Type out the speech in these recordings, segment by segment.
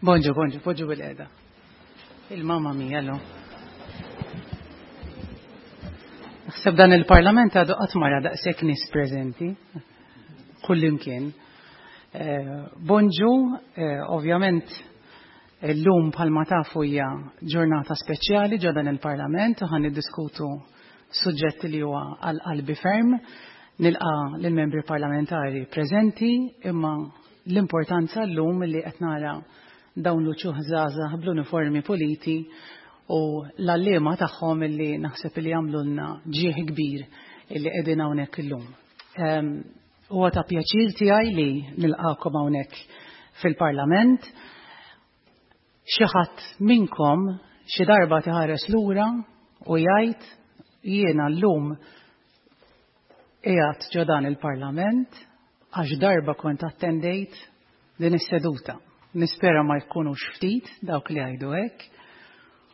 Bonġu, bonġu, poġġu bil-qeda. Il-mamma mia, lo. Naħseb dan il-parlament għadu qatt mara daqshekk nies preżenti kullimkien. Eh, bonġu, eh, ovvjament illum bħalma tafu hija ġurnata speċjali ġo dan il-parlament u ħan niddiskutu suġġett li huwa għal qalbi ferm. Nilqa lill-membri parlamentari preżenti imma l-importanza llum li qed nara dawn l-uċuħ żgħażagħ bl-uniformi puliti u l-għalliema tagħhom illi naħseb li jagħmlulna ġieħ kbir illi qegħdin hawnhekk illum. Ehm, huwa ta' pjaċir tiegħi li nilqakom hawnhekk fil-Parlament. Xi ħadd minnkom xi darba tiħares lura u jgħid jiena llum qiegħed ġo dan il-Parlament għax darba kont attendejt din is-seduta. Nispera ma jkunux ftit dawk li jgħidu hekk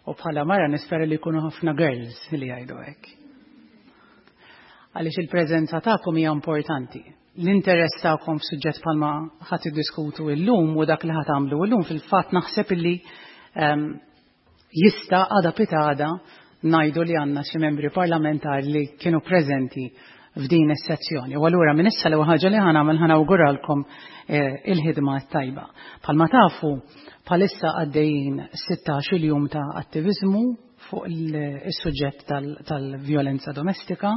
u bħala mara nispera li jkunu ħafna girls li jgħidu hekk. Għaliex il-preżenza tagħkom hija importanti. L-interess tagħkom f'suġġett bħalma ħadd iddiskutu llum u dak li ħadd għamlu llum fil-fatt naħseb illi ehm, jista' għada pitada ngħidu li għandna xi membri parlamentari li kienu preżenti f'din is-sezzjoni. U allura minn issa l-ewwel ħaġa li ħa nagħmel ħa nawguralkom eh, il-ħidma tajba. Bħalma tafu bħalissa għaddejjin 16 jum ta' attiviżmu fuq is-suġġett tal-vjolenza domestika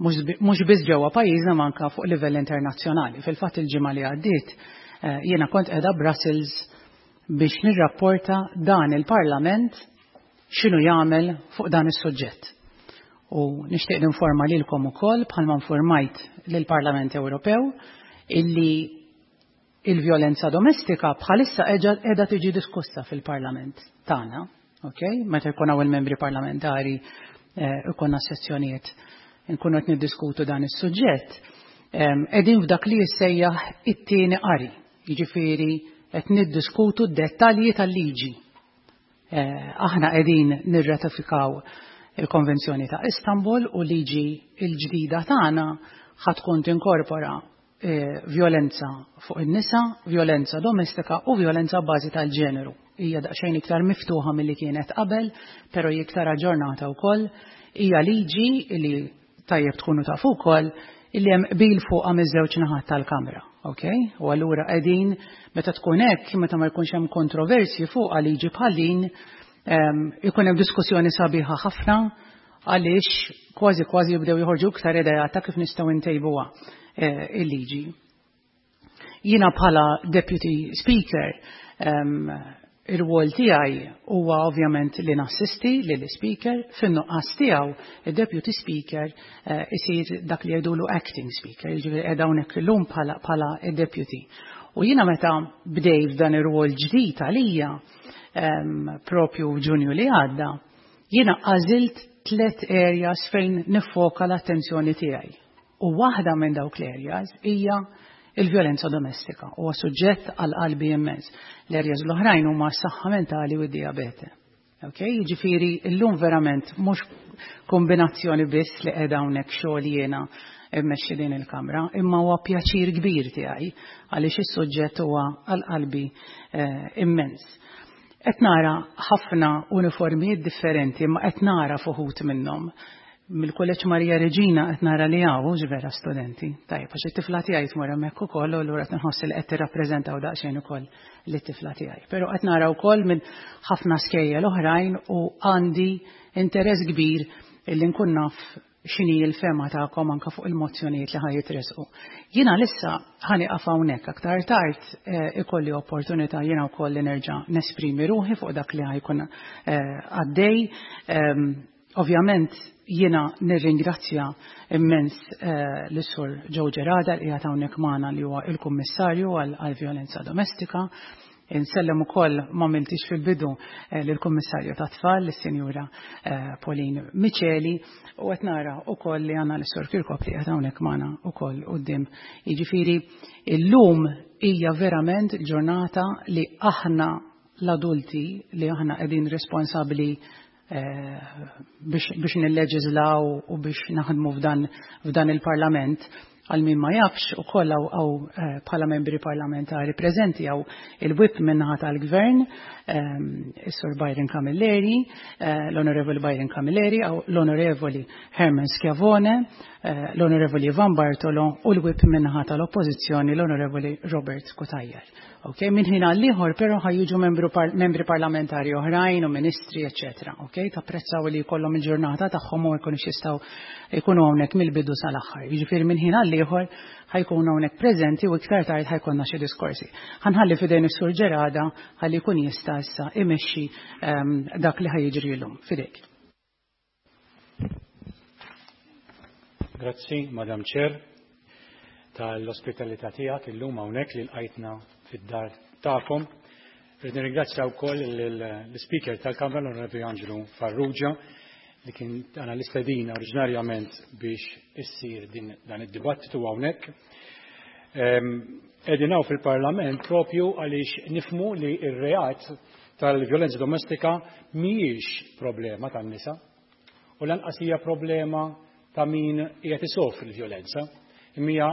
mhux biss ġewwa pajjiżna manka fuq livell internazzjonali. Fil-fatt il-ġimgħa li għaddiet eh, jiena kont qiegħda Brussels biex nirrapporta dan il-Parlament x'inhu jagħmel fuq dan is-suġġett. U nixtieq ninforma lilkom ukoll bħalma informajt lill-Parlament Ewropew illi il-vjolenza domestika bħalissa qiegħda tiġi diskussa fil-Parlament tagħna, okay? Meta jkun hawn il-membri parlamentari eh, ikonna sessjonijiet nkunu qed niddiskutu dan is-suġġett, qegħdin f'dak li jissejjaħ it-tieni qari. Jiġifieri qed niddiskutu d-dettalji tal-liġi. Eh, aħna qegħdin nirratifikaw il-Konvenzjoni ta' Istanbul u liġi l-ġdida tagħna ħa tkun tinkorpora eh, violenza fuq in-nisa, violenza domestika u violenza bażi tal-ġeneru. Hija daqsxejn iktar miftuħa milli kienet qabel, però hi iktar aġġornata wkoll. Hija liġi li tajjeb tkunu tafu wkoll illi hemm qbil fuqha miż-żewġ naħat tal-Kamra, okay? U allura qegħdin meta tkun hekk, meta ma jkunx hemm kontroversji fuqha liġi bħal din, ehm, ikun hemm diskussjoni sabiħa ħafna għaliex kważi kważi jibdew joħorġu iktar idea ta' kif nistgħu ntejbuha eh, il-liġi. Jiena bħala Deputy Speaker um, ir-rwol tiegħi huwa ovvjament li nassisti lil speaker fin-nuqqas tiegħu id-Deputy Speaker uh, isir dak li jgħidulu acting speaker, jiġifieri qiegħda hawnhekk illum bħala bħala deputy. U jiena meta bdej f'dan ir-rwol ġdid għalija um, propju f'Ġunju li għadda, jiena għażilt tliet areas fejn nifoka l-attenzjoni tiegħi. U waħda minn dawk l-areas hija il-vjolenza domestika huwa suġġett għal qalbi immens. L-areas l-oħrajn huma s-saħħa mentali u d-diabete. Ok, jiġifieri llum verament mhux kombinazzjoni biss li qiegħda hawnhekk xogħol jiena mmexxi din il-kamra, imma huwa pjaċir kbir tiegħi għaliex is-suġġett huwa għal qalbi eh, immens. Qed nara ħafna uniformijiet differenti, imma qed nara fuħut minnhom. Mill-Kulleġġ Marija Reġina qed nara li hawn hux vera studenti. Tajjeb, għax it-tifla tiegħi tmur hemmhekk ukoll u allura qed inħoss li qed tirrappreżentaw daqsxejn ukoll lit-tifla tiegħi. Però qed nara wkoll minn ħafna skejjel oħrajn u għandi interess kbir illi nkun naf x'inhi l-fehma tagħkom anke fuq il-mozzjonijiet li ħa jitresqu. Jiena lissa ħa nieqaf hawnhekk aktar tard eh, ikolli opportunità jiena wkoll li nerġa' nesprimi ruħi fuq dak li ħajkun eh, għaddej. Ehm, ovvjament jiena nirringrazzja immens eh, l-Sur Joe Gerada li qiegħed hawnhekk magħna li huwa il-Kummissarju għall-Vjolenza Domestika. Insellem ukoll ma miltix fil-bidu eh, lill-Kummissarju tat-Tfal, lis-Sinjura eh, Pauline Miceli, u qed nara ukoll li għandna l-Sur Kirkop li qed hawnhekk magħna ukoll quddiem. Jiġifieri illum hija verament ġurnata li aħna l-adulti li aħna qegħdin responsabbli eh, biex, biex nilleġislaw u biex naħdmu f'dan, f'dan il-parlament, Għal min ma jafx ukoll hawn eh, bħala membri parlamentari preżenti hawn il-whip min-naħa tal-Gvern, ehm, is-Sur Byron Camilleri, eh, l-Onorevoli Byron Camilleri, l-Onorevoli Herman Schiavone, eh, l-Onorevoli Ivan Bartolo u l-whip min-naħa tal-Oppożizzjoni l-Onorevoli Robert Cutajar. Ok, minn ħin għal ieħor però ħajjiġu membri parlamentari oħrajn u ministri, eċetera. Ok, tapprezzaw li jkollhom il-ġurnata tagħhom u jkunux jistgħu jkunu hawnhekk mill-bidu sal-aħħar. Jiġifieri minn ħin għal ieħor ħajkunu hawnhekk preżenti u iktar tard ħajkollna xi diskorsi. Ħanħalli f'idejn is-Sur Ġerada ħalli jkun jista' issa imexxi ehm, dak li ħajjiġri llum. Fidejk. Grazzi, Madam Chair, tal-ospitalità tiegħek illum hawnhekk li lqajtna fid-dar tagħkom. Rrid nirringrazzja wkoll l-Speaker tal-Kamra l-Onorevoli Angelo Farrugia li kien għana l-istedina oriġinarjament biex issir din dan id-dibattitu hawnhekk. Ehm, qegħdin hawn fil-Parlament propju għaliex nifmu li r-reat tal-vjolenza domestika mhijiex problema tan-nisa u lanqas hija problema ta' min qiegħed isofri l-vjolenza, imma hija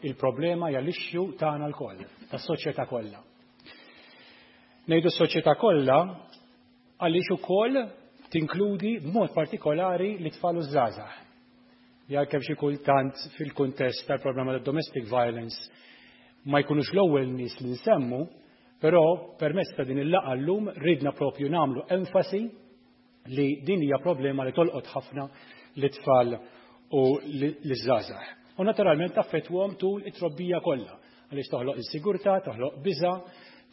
il-problema hija l-issue tagħna lkoll, tas-soċjetà kollha. Ngħidu s-soċjetà kollha għaliex ukoll tinkludi b'mod partikolari l-itfal u żgħażagħ. Li għalkemm xi kultant fil-kuntest tal-problema ta' domestic violence ma jkunux l-ewwel nies li nsemmu, però permezz ta' din il-laqgħa llum ridna propju nagħmlu enfasi li din hija problema li tolqot ħafna l-itfal u l-żgħażagħ. U naturalment taffettwhom tul it-trobbija kollha għaliex toħloq insigurtà, toħloq biża',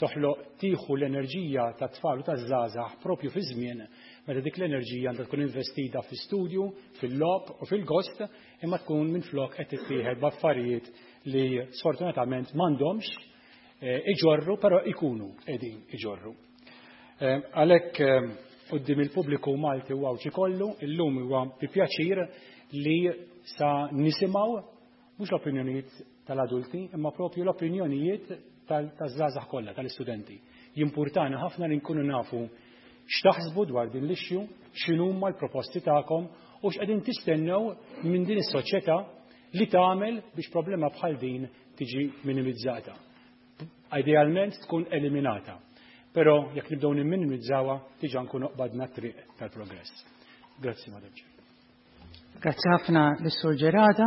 toħloq tieħu l-enerġija tat-tfal u taż-żgħażagħ propju fi żmien meta dik l-enerġija għandha tkun investita fi studju, fil-logħob u fil-gost, imma tkun minflok qed tittieħed b'affarijiet li sfortunatament m'għandhomx eh, iġorru, però ikunu qegħdin iġorru. Eh, għalhekk eh, quddiem il-pubbliku Malti u Għawdxi kollu, illum huwa bi pjaċir li sa nisimgħu mhux l-opinjonijiet tal-adulti, imma propju l-opinjonijiet taż-żgħażagħ kollha, tal-istudenti. Jimpurtana ħafna li nkunu nafu x'taħsbu dwar din l-issue, x'inhuma l-proposti tagħkom u x'qegħdin tistennew minn din is-soċjetà li tagħmel biex problema bħal din tiġi minimizzata. Idealment tkun eliminata. Però jekk nibdew nimminimizzawha diġà nkunu qbadna t-triq tal-progress. Grazzi, Madam Chair. Grazzi ħafna lis-Sur Ġerada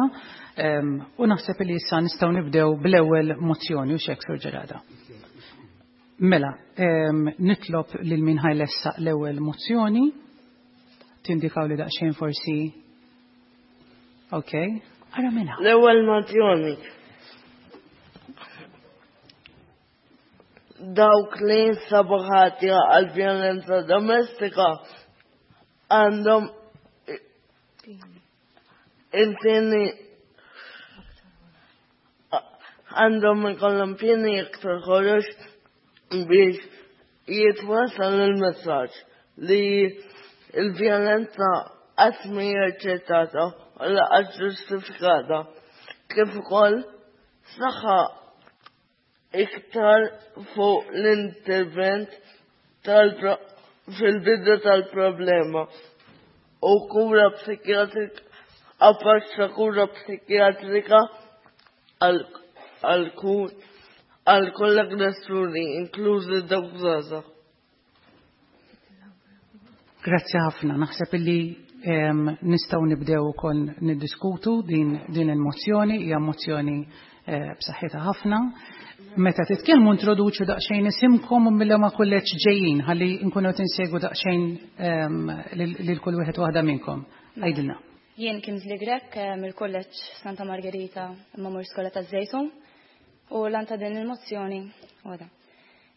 u naħseb li issa nistgħu nibdew bl-ewwel mozzjoni u xek Sur Ġerada. Mela, nitlob lil min ħajlessaq l-ewwel mozzjoni tindikaw li daqsxejn forsi Ok, ara minna. L-ewwel mozzjoni. Dawk li jinsabu ħatja għal vjolenza domestika għandhom il-pieni għandhom ikollhom pieni iktar ħorox biex jitwassal il-messaġġ li l-vjolenza qatt mhi aċċettata u lanqas ġustifikata, kif ukoll saħħa iktar fuq l-intervent fil-bidu tal-problema u kura psikjatrika approċċ ta' kura psikjatrika għal għal kull aggressuri, inklużi dawk żgħażagħ. Grazzi ħafna. Naħseb illi nistgħu nibdew ukoll niddiskutu din, din il-mozzjoni, hija mozzjoni eh, b'saħħitha ħafna. Meta titkellmu introduċu daqsxejn isimkom u mill ma kulleġġ ġejjin ħalli nkunu qed insegwu daqsxejn lil kull wieħed waħda minnkom. Għidilna. Jien Kimsley Grech eh, mill-Kulleġġ Santa Margherita imma mur skola taż-Żejtun u l ta' din il-mozzjoni għada.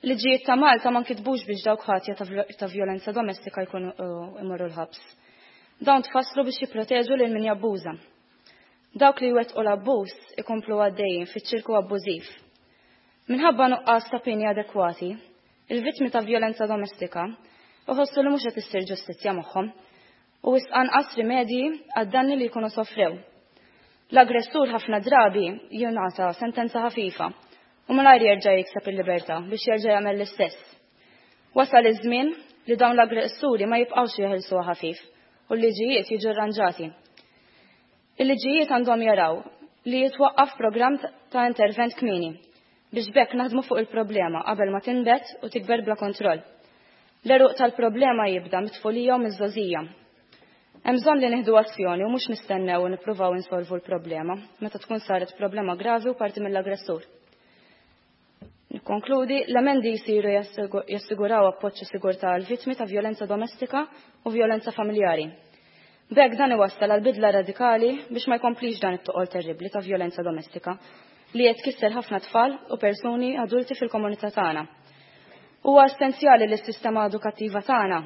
Liġijiet ta' Malta ma nkitbux biex dawk ħatja ta' vjolenza domestika jkunu eh, imorru l-ħabs. Dawn tfasslu biex jipproteġu lil min jabbuża. Dawk li jwettqu l-abbuż ikomplu għaddejjin fiċ-ċirku abbużiv. Minħabba nuqqas ta' pieni adekwati, il-vittmi ta' vjolenza domestika iħossu li mhux qed issir ġustizzja magħhom u wisq anqas rimedji għad-danni li jkunu sofrew. L-aggressur ħafna drabi jingħata sentenza ħafifa u malajr jerġa' jikseb il-libertà biex jerġa' jagħmel l-istess. Wasal iż-żmien li dawn l-aggressuri ma jibqgħux jeħilsuha ħafif u l-liġijiet jiġu rranġati. Il-liġijiet għandhom jaraw Li jitwaqqaf programm ta' intervent kmieni biex b'hekk naħdmu fuq il-problema qabel ma tinbet u tikber bla kontroll. L-għeruq tal-problema jibda mit-tfulija u miż-żgħożija. Hemm bżonn li nieħdu azzjoni u mhux nistennew u nippruvaw insolvu l-problema meta tkun saret problema gravi u parti mill-aggressur. Nikkonkludi, l-emendi jsiru jassiguraw appoġġ u sigurtà għal vittmi ta' vjolenza domestika u vjolenza familjari. B'hekk dan iwassal għal bidla radikali biex ma jkomplix dan it-toqol terribbli ta' vjolenza domestika li qed tkisser ħafna tfal u persuni adulti fil-komunità tagħna. Huwa essenzjali li s-sistema edukattiva tagħna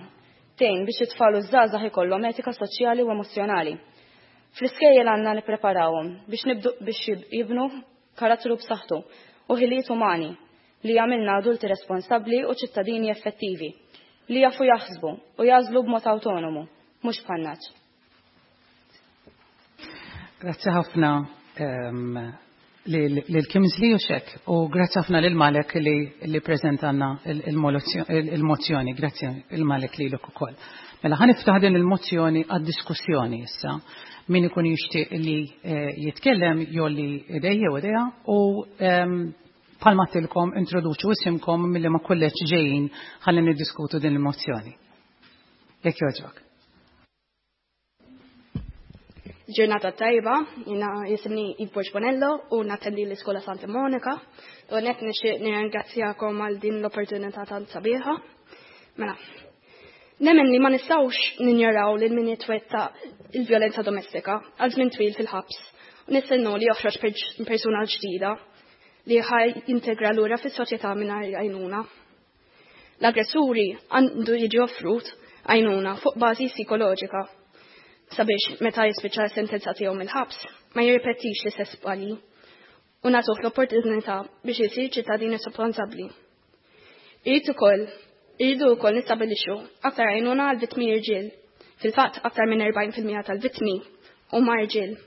tgħin biex it-tfal u ż-żgħażagħ ikollhom etika soċjali u emozzjonali. Fl-iskejjel għandna nippreparawhom biex nibdu biex jibnu karattru b'saħħtu u ħiliet umani li jagħmilna adulti responsabbli u ċittadini effettivi li jafu jaħsbu u jagħżlu b'mod awtonomu, mhux bħan-nagħaġ. Grazzi ħafna lil Kimsley u xek u grazzi ħafna lil Malek li preżentanna il-mozzjoni. Grazzi il Malek lilek ukoll. Mela ħa niftaħ din il-mozzjoni għad-diskussjoni issa. Min ikun jixtieq li jitkellem jgħolli idejh jew idejha u bħalma għedtilkom introduċu isimkom milli ma kulleġġ ġejjin ħalli niddiskutu din il-mozzjoni. Jekk jogħġbok. Ġurnata tajba, jina jisimni Yves Borg Bonello u nattendi l-Iskola Santa Monica. U net nixtieq nirringrazzjakom għal din l-opportunità tant sabiħa. Mela, nemmen li ma nistgħux ninjoraw lil min jitwetta il-vjolenza domestika għal żmien twil fil-ħabs u nistennu li joħroġ persuna ġdida li ħaj jintegra lura fis-soċjetà mingħajr għajnuna. L-aggressuri għandu jiġi offrut għajnuna fuq bażi psikoloġika sabiex meta jispiċċa s-sentenza tiegħu mill-ħabs ma jirripetix l-istess żbalji u nagħtuh l-opportunità biex isir ċittadin responsabbli. Irid ukoll irridu wkoll nistabilixxu aktar għajnuna għal vittmi irġiel. Fil-fatt aktar minn 40% tal-vittmi huma irġiel.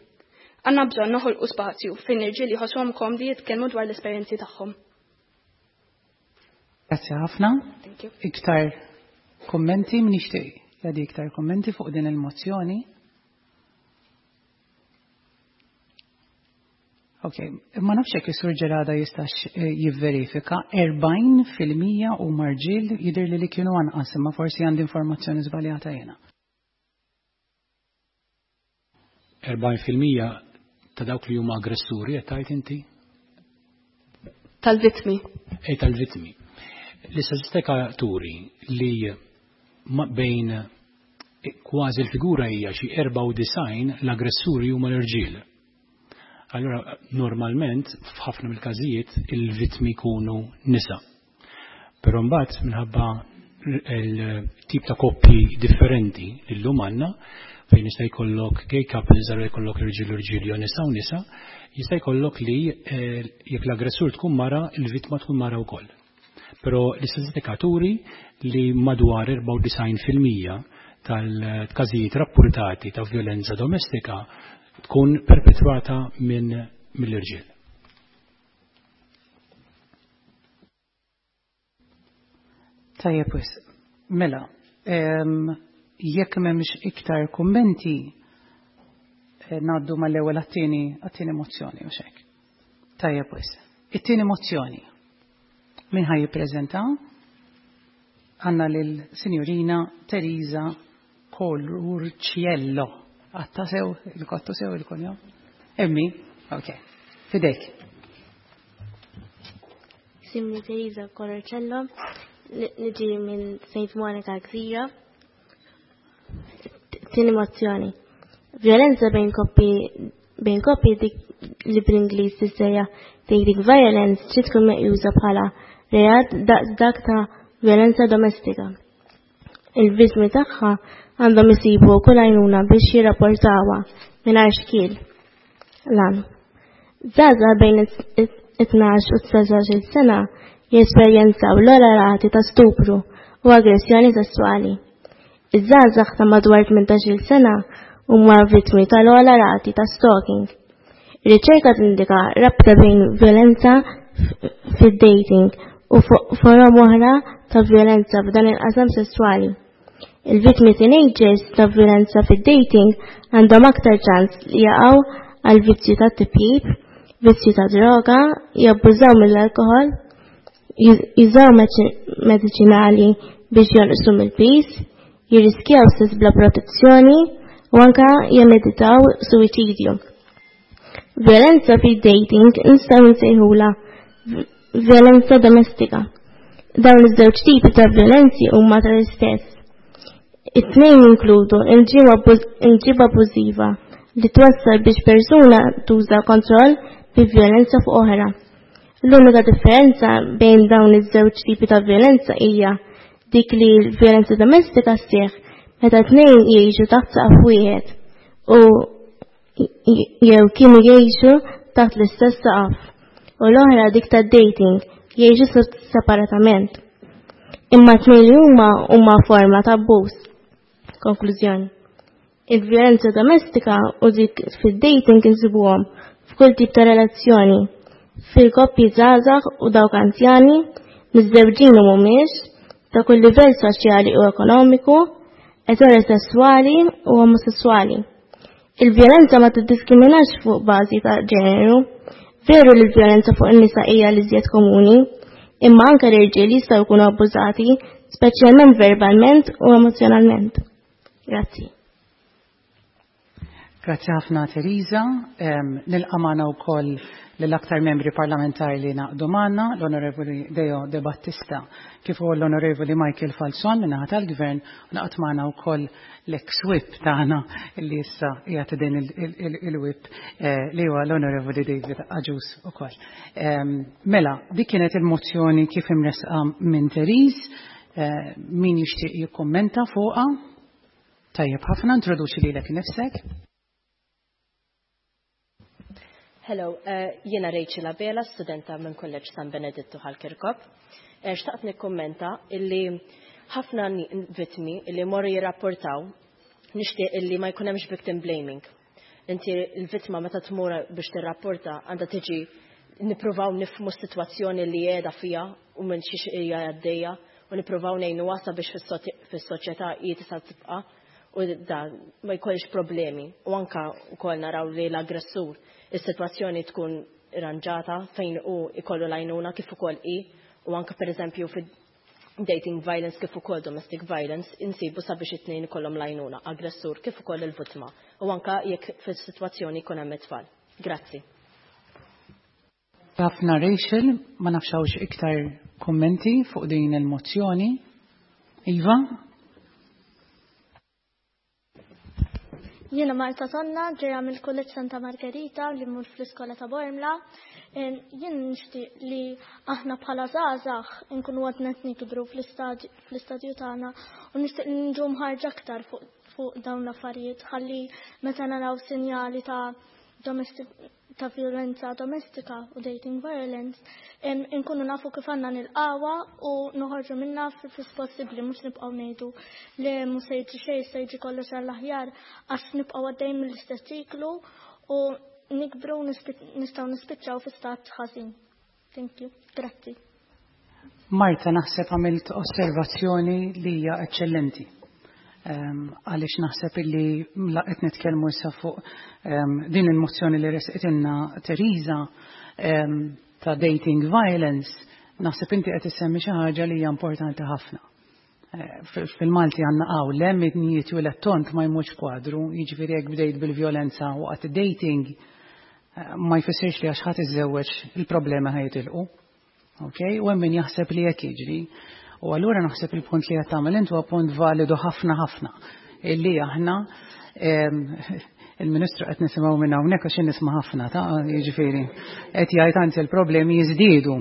Għandna bżonn noħolqu spazju fejn irġiel jħossuhom komdi jitkellmu dwar l-esperjenzi tagħhom. Grazzi ħafna. Iktar kommenti min jixtieq jagħti iktar kommenti fuq din il-mozzjoni. Ok, ma nafx jekk is-Sur Ġerada jistax jivverifika 40% huma rġiel jidher li li kienu anqas imma forsi għandi informazzjoni żbaljata jiena. 40% ta' dawk li huma aggressuri qed tgħid inti? Tal-vittmi. Ej tal-vittmi. L-istatistika turi li bejn kważi l-figura hija xi 94 l-aggressuri huma l-irġiel. Allora normalment f'ħafna mill-każijiet il-vittmi jkunu nisa. Però mbagħad minħabba il-tip ta' koppji differenti li llum għandna fejn jista' jkollok gay couples allura jkollok irġiel u rġiel jew nisa u nisa, jista' jkollok li jekk l-aggressur tkun mara, il-vittma tkun mara wkoll. Però l-istatistika turi li madwar 94% tal-każijiet rapportati ta' violenza domestika tkun perpetrata minn mill-irġiel. Tajjeb wisq. Mela, jekk m'hemmx iktar kummenti, ngħaddu mal-ewwel għat-tieni għat-tieni mozzjoni u hekk. Tajjeb wisq. It-tieni mozzjoni. Min ħaj jippreżenta? Għandna lil Sinjurina Teresa Colurciello. Għatta sew, il-kottu sew il-kunjom? Emmi, ok. Fidejk. Simni Teresa Colurciello, niġi minn St. Monica Gżira. Tieni mozzjoni. Violenza bejn koppi bejn koppi dik li bl-Ingliż tissejjaħ dating violence trid tkun meqjusa bħala reat daqs dak ta' violenza domestika. Il-vittmi tagħha għandhom isibu kull għajnuna biex jirrapportawha mingħajr xkiel. Lan. Żgħażagħ bejn it-12 u 19 sena jesperjenzaw l-ogħla rati ta' stupru u aggressjoni sessuali. Iż-żgħażagħ ta' madwar 18-il sena huma vittmi tal-ogħla rati ta' stalking. Riċerka tindika rabta bejn violenza fid-dating u forom oħra ta' violenza f'dan il-qasam sessuali. Il-vittmi teenagers ta' violenza fid-dating għandhom aktar ċans li jaqgħu għal vizzju ta' tipjip, vizzju ta' droga, jabbużaw mill-alkoħol, jużaw mediċinali biex jonqsu mill-piż, jirriskjaw sess bla protezzjoni u anka jemmeditaw suwiċidju. Violenza fid-dating nistgħu nsejħulha violenza domestika. Dawn iż-żewġ tipi ta' violenzi huma tal-istess. It-tnejn jinkludu imġiba abbużiva li twassal biex persuna tuża kontroll bi violenza fuq oħra. L-unika differenza bejn dawn iż-żewġ tipi ta' violenza hija dik li l-violenza domestika sseħħ meta tnejn jgħixu taħt saqaf wieħed u jew kienu jgħixu taħt l-istess saqaf u l-oħra dik ta' dating jgħixu separatament. Imma tnejn li huma huma forma ta' abbuż. Konklużjoni. Il-vjolenza domestika u dik fid-dating insibuhom f'kull tip ta' relazzjoni, fil-koppji żgħażagħ u dawk anzjani, miżżewġin u mhumiex, ta' kull livell soċjali u ekonomiku, eterosesswali u omosesswali. Il-vjolenza ma tiddiskriminax fuq bażi ta' ġeneru. Veru li l-vjolenza fuq in-nisa hija l-iżjed komuni, imma anke l-irġiel jistgħu jkunu abbużati, speċjalment verbalment u emozjonalment. Grazzi. Grazzi ħafna Teresa. Nilqa' magħna wkoll lill-aktar membri parlamentari li naqdu magħna, l-Onorevoli Deo De Battista, kif ukoll l-Onorevoli Michael Falzon min-naħa tal-Gvern, u naqgħod magħna wkoll l-ex whip tagħna li issa qiegħed idejn il-whip li huwa l-Onorevoli David Agius ukoll. Mela, dik kienet il-mozzjoni kif imressqa minn Therese. Min jixtieq jikkummenta fuqha? Tajjeb ħafna, introduċi lilek innifsek. Hello, jiena Rachel Abela, studenta minn Kulleġġ San Benedittu Ħal Kirkop. Xtaqt nikkummenta illi ħafna vittmi illi morru jirrapportaw nixtieq illi ma jkun hemmx victim blaming. Inti l-vittma meta tmur biex tirrapporta għandha tiġi nippruvaw nifhmu s-sitwazzjoni li qiegħda fiha u minn xiex hija għaddejja u nippruvaw ngħinuha sabiex fis-soċjetà hi tista' tibqa' u dan ma jkollx problemi. U anka wkoll naraw li l-aggressur is-sitwazzjoni tkun irranġata fejn hu jkollu l-għajnuna kif ukoll hi u anka pereżempju fi dating violence kif ukoll domestic violence insibu sabiex it-tnejn ikollhom l-għajnuna, aggressur kif ukoll il-vittma u anka jekk fis-sitwazzjoni jkun hemm it-tfal. Grazzi. Ħafna Rachel, ma nafx hawnx iktar kummenti fuq din il-mozzjoni. Iva? Jiena Marta Tonna, ġejja mill-Kulleġġ Santa Margherita li mmur fl-iskola ta' Bormla. Jien nixtieq li aħna bħala żgħażagħ inkunu għadna qed nikbru fl-istadju tagħna u nixtieq li niġu mħarġa aktar fuq dawn l-affarijiet ħalli meta naraw sinjali ta' domestic ta' violenza domestika u dating violence, inkunu nafu kif għandna nilqawha u noħorġu minnha fis possibbli mhux nibqgħu ngħidu li mhux se jiġri xejn se jiġi kollox għall-aħjar għax nibqgħu għaddejjin mill-istess ċiklu u nikbru nistgħu nispiċċaw fi stat ħażin. Thank you. Grazzi. Marta, naħseb għamilt osservazzjoni li hija eċċellenti. Għaliex naħseb illi qed nitkellmu issa fuq din il-mozzjoni li resqitilna Teresa ta' dating violence, naħseb inti qed issemmi xi ħaġa li hija importanti ħafna. Fil-Malti għandna qawl hemm id-nijiet u l-tont ma jmutx kwadru, jiġifieri jekk bdejt bil-vjolenza waqt dating ma jfissirx li għax ħadd iżżewweġ il-problema ħajtilqu. Okay? U hemm min jaħseb li hekk jiġri. U allura naħseb il-punt li qed tagħmel int huwa punt validu ħafna ħafna. Illi aħna il-Ministru qed nisimgħu minn hawnhekk għax nisma' ħafna ta' jiġifieri qed jgħid anzi l-problemi jiżdiedu.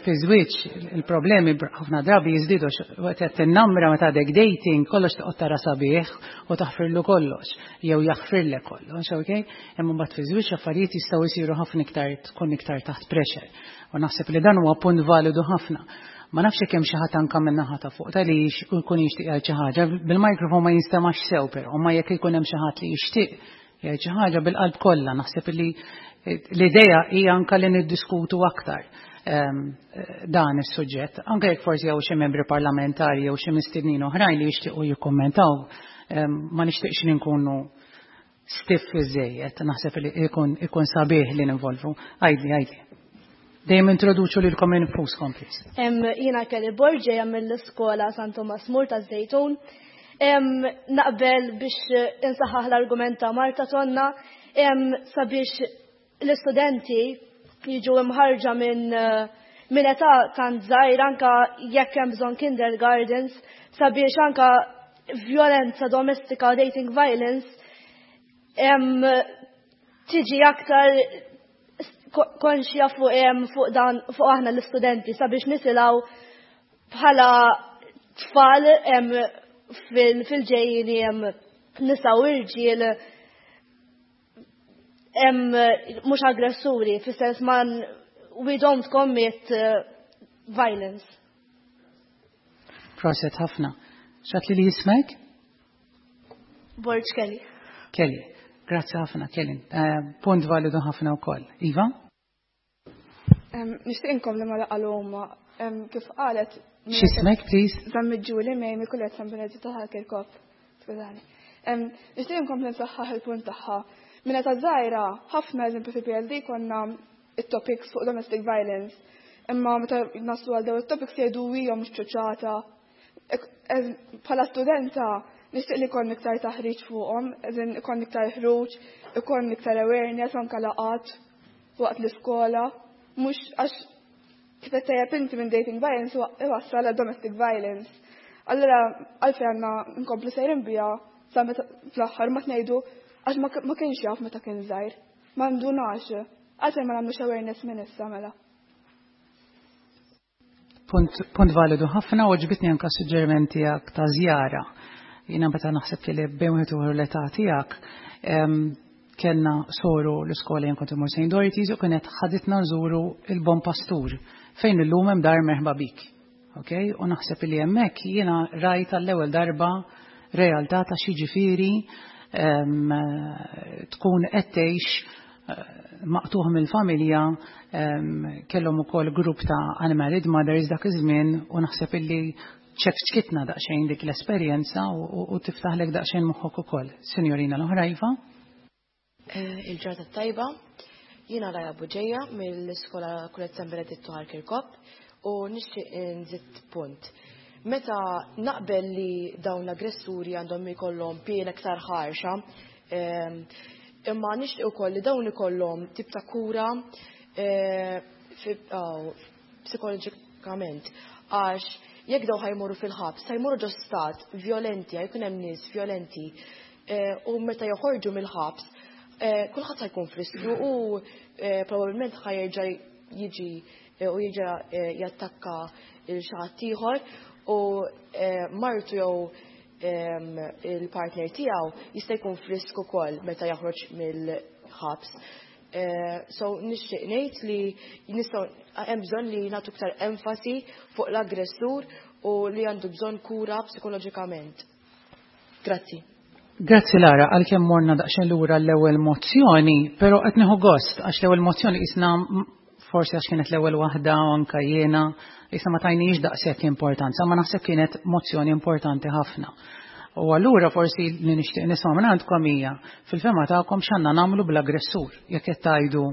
Fi żwieġ il-problemi ħafna drabi jiżdiedu waqt qed tinnamra meta għadek dating kollox toqgħod tara sabiħ u taħfirlu kollox jew jaħfirlek kollox, okay? Imma mbagħad fi żwieġ affarijiet jistgħu jsiru ħafna iktar tkun iktar taħt pressure. U naħseb li dan huwa punt validu ħafna. Ma nafx jekk hemm xi ħadd anke minn naħa ta' fuq ta' li jkun jixtieq jgħid xi ħaġa, bil-mikrofon ma jinstemax sew però, ma jekk ikun hemm xi ħadd li jixtieq jgħid xi ħaġa bil-qalb kollha, naħseb li l-idea hija anke li niddiskutu aktar dan is-suġġett, anke jekk forsi hawn xi membri parlamentari jew xi mistednin oħrajn li jixtiequ jikkummentaw, ma nixtieqx li nkunu stiff iżejjed, naħseb li ikun sabiħ li ninvolvu. Għidli, għidli. Dejjem introduċu lilkom infuskom, please. Jiena Kelly Borg ġejja mill-iskola San Tomas Mur ta' Żejtun. Naqbel biex insaħħaħ l-argument ta' Marta Tonna sabiex l-istudenti jiġu imħarġa minn età tant żgħir anka jekk hemm bżonn kindergartens sabiex anka violenza domestika u dating violence tiġi aktar konxja fuq dan fuq aħna l-istudenti sabiex nisilaw bħala tfal fil-ġejjini nisa u irġiel mhux aggressuri, fis-sens man we don't commit violence. Proset ħafna. Xat li li jismek? Borg Kelly. Kelly. Grazzi ħafna, Kelly. Punt validu ħafna wkoll. Iva? Nixtieq inkompli ma laqgħu huma kif qalet. X'ismek, please? Zammit Ġuli Mej mill-Kulleġġ San Beneditto ta' Kirkop. Skużani. Nixtieq inkompli nsaħħaħ il-punt tagħha. Minn età żgħira, ħafna eżempju fi PLD konna it-topics fuq domestic violence. Imma meta naslu għal dawn it-topics jgħidu hija mhux ċuċata. Bħala studenta nixtieq li jkollna iktar taħriġ fuqhom, eżin ikollna iktar ħruġ, ikollna iktar awareness anke laqat waqt l-iskola, mhux għax kif qed tajjeb inti minn dating violence iwassal għal domestic violence. Allura għalfejn għandna nkomplu sejrin biha sa meta fl-aħħar ma tnejdu għax ma kienx jaf meta kien żgħir. Ma ndunax. Għalfejn ma nagħmlux awareness minn issa mela. Punt validu ħafna u ġbitni anka suġġeriment tiegħek ta' żjara. Jiena meta naħseb li bejn wieħed u l-età tiegħek kellna soru l-iskola jien kont imur Saint Dorothy's u kienet ħaditna nżuru il-Bon Pastur fejn illum hemm dar merħba bik. Okay? U naħseb li hemmhekk jiena rajt għall-ewwel darba realtà ta' xi ġifieri tkun qed tgħix maqtuħ mill-familja, kellhom ukoll grupp ta' unmarried mothers dak iż-żmien u naħseb illi ċekċkitna daqsxejn dik l-esperjenza u tiftaħlek daqsxejn moħħok ukoll. Sinjorina l-oħra, Iva? Il-ġurnata tajba, jiena Raja Buġeja mill-iskola Kulleġġ San Beneditto Ħal Kirkop u nixtieq nżid punt. Meta naqbel li dawn l-aggressuri għandhom ikollhom piena iktar ħarxa, imma nixtieq ukoll li dawn ikollhom tip ta' kura psikoloġikament, għax jekk daw ħajmorru fil-ħabs, ħajmorru ġo stat violenti, ħajkun hemm nies violenti, u meta joħorġu mill-ħabs, kulħadd ħajkun f'riskju u probabbilment ħajerġa' jiġi u jerġa' jattakka il xi ħadd ieħor u martu jew il-partner tiegħu jista' jkun f'riskju ukoll meta jaħroġ mill-ħabs. So nixtieq ngħid li nistgħu hemm bżonn li nagħtu iktar enfasi fuq l-aggressur u li għandu bżonn kura psikoloġikament. Grazzi. Grazzi Lara, għalkemm morna daqsxejn lura l-ewwel mozzjoni, però qed nieħu gost għax l-ewwel mozzjoni qisna forsi għax kienet l-ewwel waħda u anke jiena qisna ma tajniex daqshekk importanza, ma naħseb kienet mozzjoni importanti ħafna. U allura forsi li nixtieq nisma' minn għandkom hija fil-fema tagħkom x'għandna nagħmlu bl-aggressur jekk qed tgħidu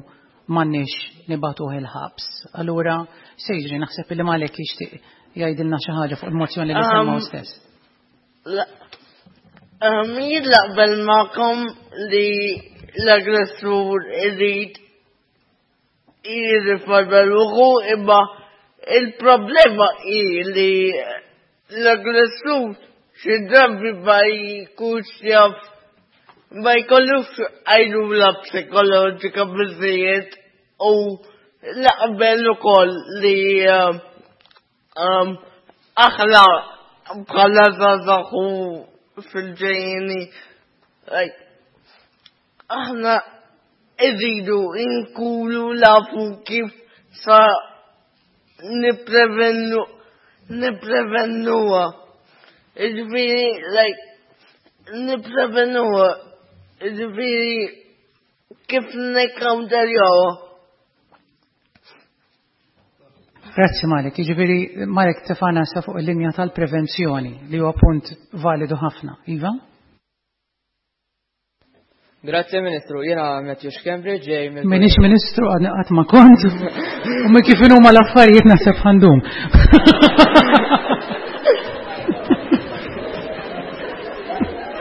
m'għandniex nibagħtuh il-ħabs. Allura se jiġri naħseb li Malek jixtieq jgħidilna xi ħaġa fuq il-mozzjoni li semmaw stess. Jien naqbel magħkom li l-aggressur irid jirriforma ruħu, imma il-problema hi li l-aggressur xi drabi ma jkunx jaf, ma jkollux għajnuna psikoloġika biżżejjed u naqbel ukoll li aħna bħala żgħażagħ u fil-ġejjieni, aħna irridu nkunu nafu kif sa nipprevennuha. Jiġifieri, nipprevenuha, jiġifieri kif nikkawnterjawha. Grazzi Marek, jiġifieri Marek tefana sa fuq il-linja tal-prevenzjoni li huwa punt validu ħafna. Iva? Grazzi Ministru, jiena Matthew Schembri ġej mill Minix Ministru għadni qatt ma kont u minn kif huma l-affarijiet naħseb ħandum.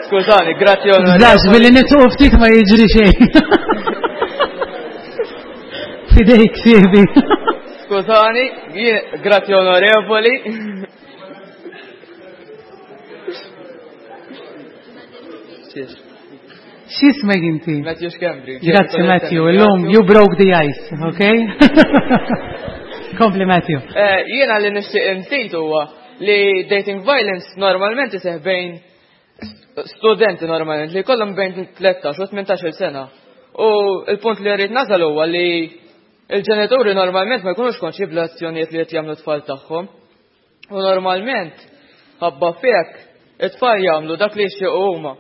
Skużani, grazzi onorevoli. Żax, billi nitqu ftit ma jiġri xejn. Fidejk sieħbi. Skużani, grazzi onorevoli. X'ismek inti? Matthew Schembri. Grazzi Matthew, illum you broke the ice, okay? Kompli Matthew. Eh, jiena li nixtieq inżid huwa li dating violence normalment iseħ bejn studenti normalment li kollhom bejn 13 u 18 sena. U il-punt li rrid nasal huwa li il-ġenituri normalment ma jkunux konxi bl-azzjonijiet li qed jagħmlu tfal tagħhom. U normalment, ħabba fek, it-tfal jagħmlu dak li jixtiequ huma.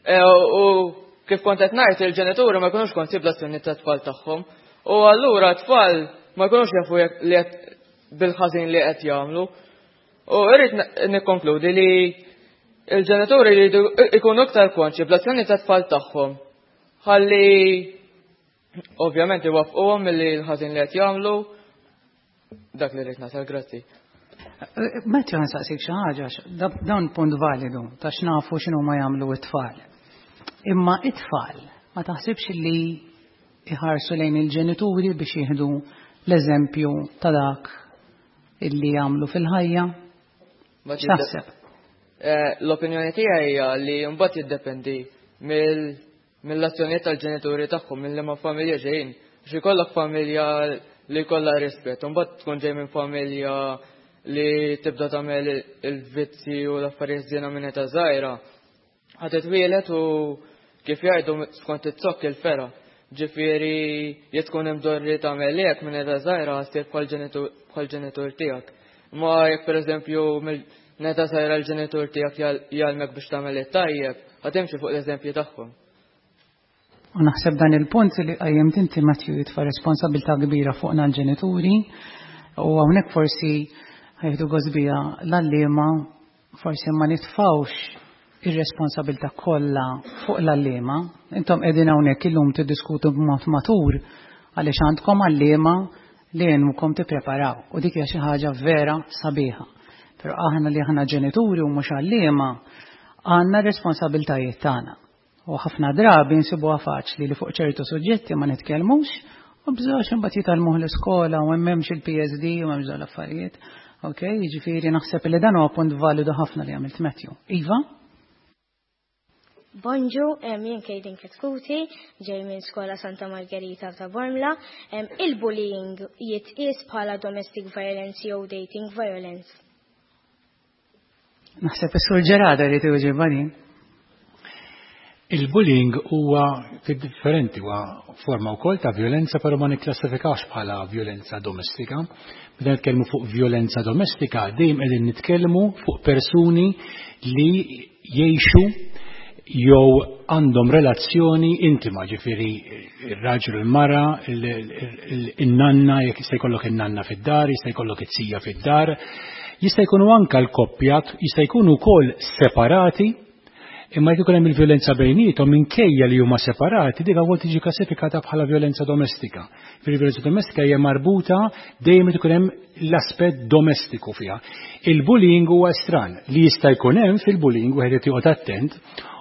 E, u kif kont qed ngħid il-ġenituri ma jkunux konxi bl-azzjonijiet tat-tfal tagħhom. U allura t-tfal ma jkunux jafu li bil-ħażin li qed jagħmlu. U irrid nikkonkludi li il-ġenituri jridu jkunu iktar konxi bl-azzjoni tat-tfal tagħhom. Ħalli Ovvjament iwaffquhom milli l-ħażin li qed jagħmlu dak li rrid nasal, grazzi. Matthew nsaqsik xi ħaġa, dan punt validu ta' x'nafu x'inhu ma jagħmlu t-tfal. Imma it-tfal ma taħsibx li iħarsu lejn il-ġenituri biex jieħdu l-eżempju ta' dak illi jagħmlu fil-ħajja? X'taħseb? Eh, l-opinjoni tiegħi hija li mbagħad jiddependi mill mill-azzjonijiet tal-ġenituri tagħhom, minn liema familja ġejjin. Għax ikollok familja li jkollha rispett, u mbagħad tkun ġej minn familja li tibda tagħmel il-vizzi u l-affarijiet żiena minn età żgħira. Ħa titwielet u kif jgħidu skont it-zokk il-fera. Ġifieri jekk tkun imdorri tagħmel hekk minn età żgħira ssir bħall-ġenitur tiegħek. Ma jekk pereżempju minn età żgħira l-ġenitur tiegħek jgħallmek biex tagħmel it-tajjeb, ħa timxi fuq l-eżempji tagħhom. U naħseb dan il-punt li qajjimt inti Matthew jitfa' responsabilità kbira fuqna l-ġenituri u hawnhekk forsi ħajħdu gost bija l-għalliema forsi ma nitfgħux ir-responsabilità kollha fuq l-għalliema. Intom qegħdin hawnhekk illum tiddiskutu b'mod matur għaliex għandkom għalliema li għenukom tippreparaw u dik hija xi ħaġa vera sabiħa. Però aħna li aħna ġenituri u mhux għalliema għandna r-responsabiltajiet tagħna. U ħafna drabi nsibuha faċli li fuq ċertu suġġetti ma nitkellmux u bżgħax imbagħad jitgħallmuh l-iskola u hemmx il-PSD u hemmx dawn l-affarijiet. Ok, jiġifieri naħseb li dan huwa punt validu ħafna li għamilt Matthew. Iva? Bonġu, jien Kejdin Ketkuti, ġej minn Skola Santa Margherita ta' Bormla. Il-bullying jitqies bħala domestic violence jew dating violence? Naħseb is-Sur Ġerada jrid iwieġibha din. Il-bullying huwa differenti, huwa forma wkoll ta' violenza, però ma nikklassifikawx bħala violenza domestika. Meta nitkellmu fuq violenza domestika, dejjem qegħdin nitkellmu fuq persuni li jgħixu jew għandhom relazzjoni intima, ġifieri ir-raġel u l-mara, in-nanna, jekk jista' jkollok in-nanna fid-dar, jista' jkollok it-sija fid-dar, jista' jkunu anka l-koppja, jista' jkunu wkoll separati, imma jekk ikun hemm il-vjolenza bejniethom minkejja li huma separati, dik wkoll tiġi klassifikata bħala vjolenza domestika. Fil-vjolenza domestika hija marbuta dejjem ikun hemm l-aspett domestiku fiha. Il-bullying huwa estran li jista' jkun hemm fil-bullying wieħed irid joqgħod attent